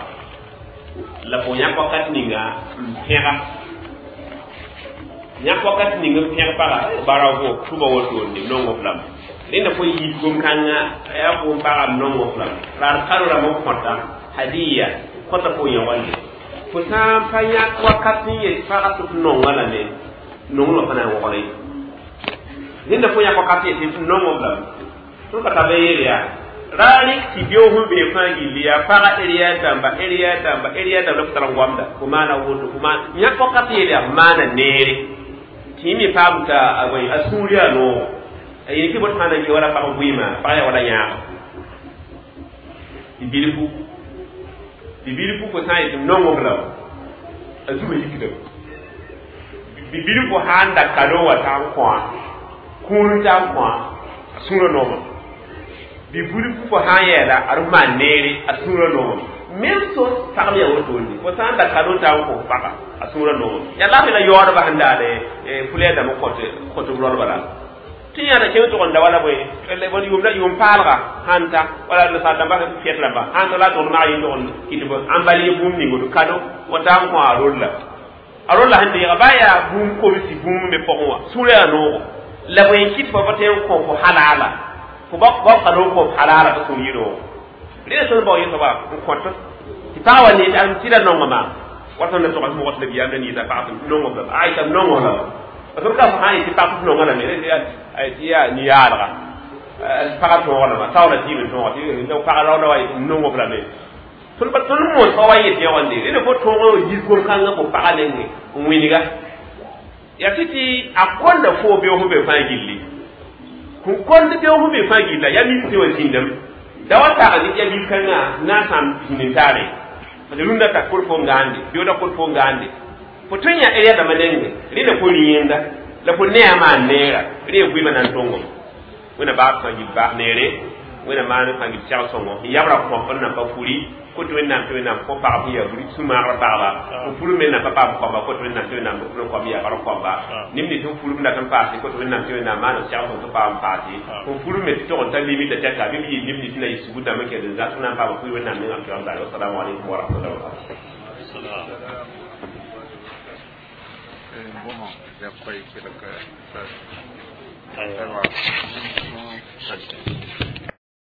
la fo yãk wakat ninga n pẽga yãk wakat ning n pẽg paga bravo tʋba wotone nongo f lame rẽnda fo yit gom-kãngã yaa fo n pagam nongo f lame la d kado rãmb n kõta hadiya kõta fo yõgande fo sã n pa yãk wakat n yet pagã tɩ f nonga lame nonglmã pa na n wogre rẽnda fo yãk wakat n yet tɩ f nongo f lame tõnd ka tab yeel yaa ra rɩk tɩ beoog sẽn bee fãa gilli yaa paga eriya dãmba eriya dãmba eriya dãmba la f tar n goamda fo maana woto fo maan yãk wakat yeel yaa f maana neere tɩ yẽ me paam t'a a sũur yaa noogo a yel tɩ bot sã na n ke wala pag vɩɩmã pag yaa wala yãaga tɩ bilfu tɩ bilfu fo sã n yetɩ nongo f lame a zugã yikdame bi bilfu sã n da kado wa t'a n kõa kũur t'a n kõa a sũurã noomame bi bilfu fo sã n yɛɛla a d maan neere a sũurã noomame même chose pag me yaa wotone fo sã n da kado t'a n kõ paga a sũurã noomame yaa laafɩ la yaoodbã sẽn daade fulɛɛ dãmb kõt kõt b ralba la tɩ yãada kẽng tʋg n da wala bõe yʋʋmda yʋʋm paalga sãn ta wala nasaar dãmba fɛt rãmba sãn ta la a tʋgd mag yẽ tʋg n kɩt b ãn bal yẽ bũmb ning woto kado wa ta n kõ a rolla a rolla sẽn deega baa yaa bũmb kobsi bũmb me pʋgẽ wã sũurã yaa noogo la bõe n kɩt fo pa tõe n kõ fo halaala fo ba kado n kõ f halaala tɩ sũur yɩ noogo rẽna tõnd bao yẽ soaba n kõt tɩ pag wa ne n tɩra nongã maam wa tõnd na tʋga sẽn wagat nabiyaam la niisa pag tɩ nongo f lame aita m nongo lame parce que ka fo sã n yetɩ pag tɩ f nonga lame tɩ yaa ni-yaalga pagã tõog lama taoola tɩɩm n tõoga tɩ pagã raooda wa n nongo f lame tõnd pa tõnd moos pa wa yet yõgande rẽna fo tõog yis gom-kãngã fo pagã nenge n wĩnga yaa tɩ tɩ a kõnda foo beoog sẽn be fãa gilli sẽn kõnd beoog sẽn be fãa gilla yaa bil tɩ wa zĩndame da wa tagd yaa bil-kãngã na n sãam zĩnd n taare parce que rũndã ta kor fo n gaande beooda kor fo n gaande fo tõe n yã area dãmbã nenge rẽnda fo rĩ yẽnda La fo ne a maan neera rẽ vɩɩmã na n tõngem wẽna baas sã yib baas neere wẽna maan sã yib segl sõngo n yabra kõp n nan pa furi kot wẽnnaam tɩ wẽnnaam kõ pagb sẽn yaa buri sũ-maagrã pagba f fur me nan pa paam koamba kot wẽnnaam tɩ wẽnnaam f koam yaa bark koamba neb nins sẽn furb dat n paase kot wẽnnaam tɩ wẽnnaam maan b segl sõng tɩ paam paase f fur me tɩ tog n ta limita tɛka bɩ b yɩ neb nins na yɩ sugr dãmb n kɛd n zãs na n paam fur wẽnnaam nengam tɩ wãm wassalamu alaikum wa rahmatullahi wa barakatuh. Bon, ya koy ki la ka. Aywa. Aywa.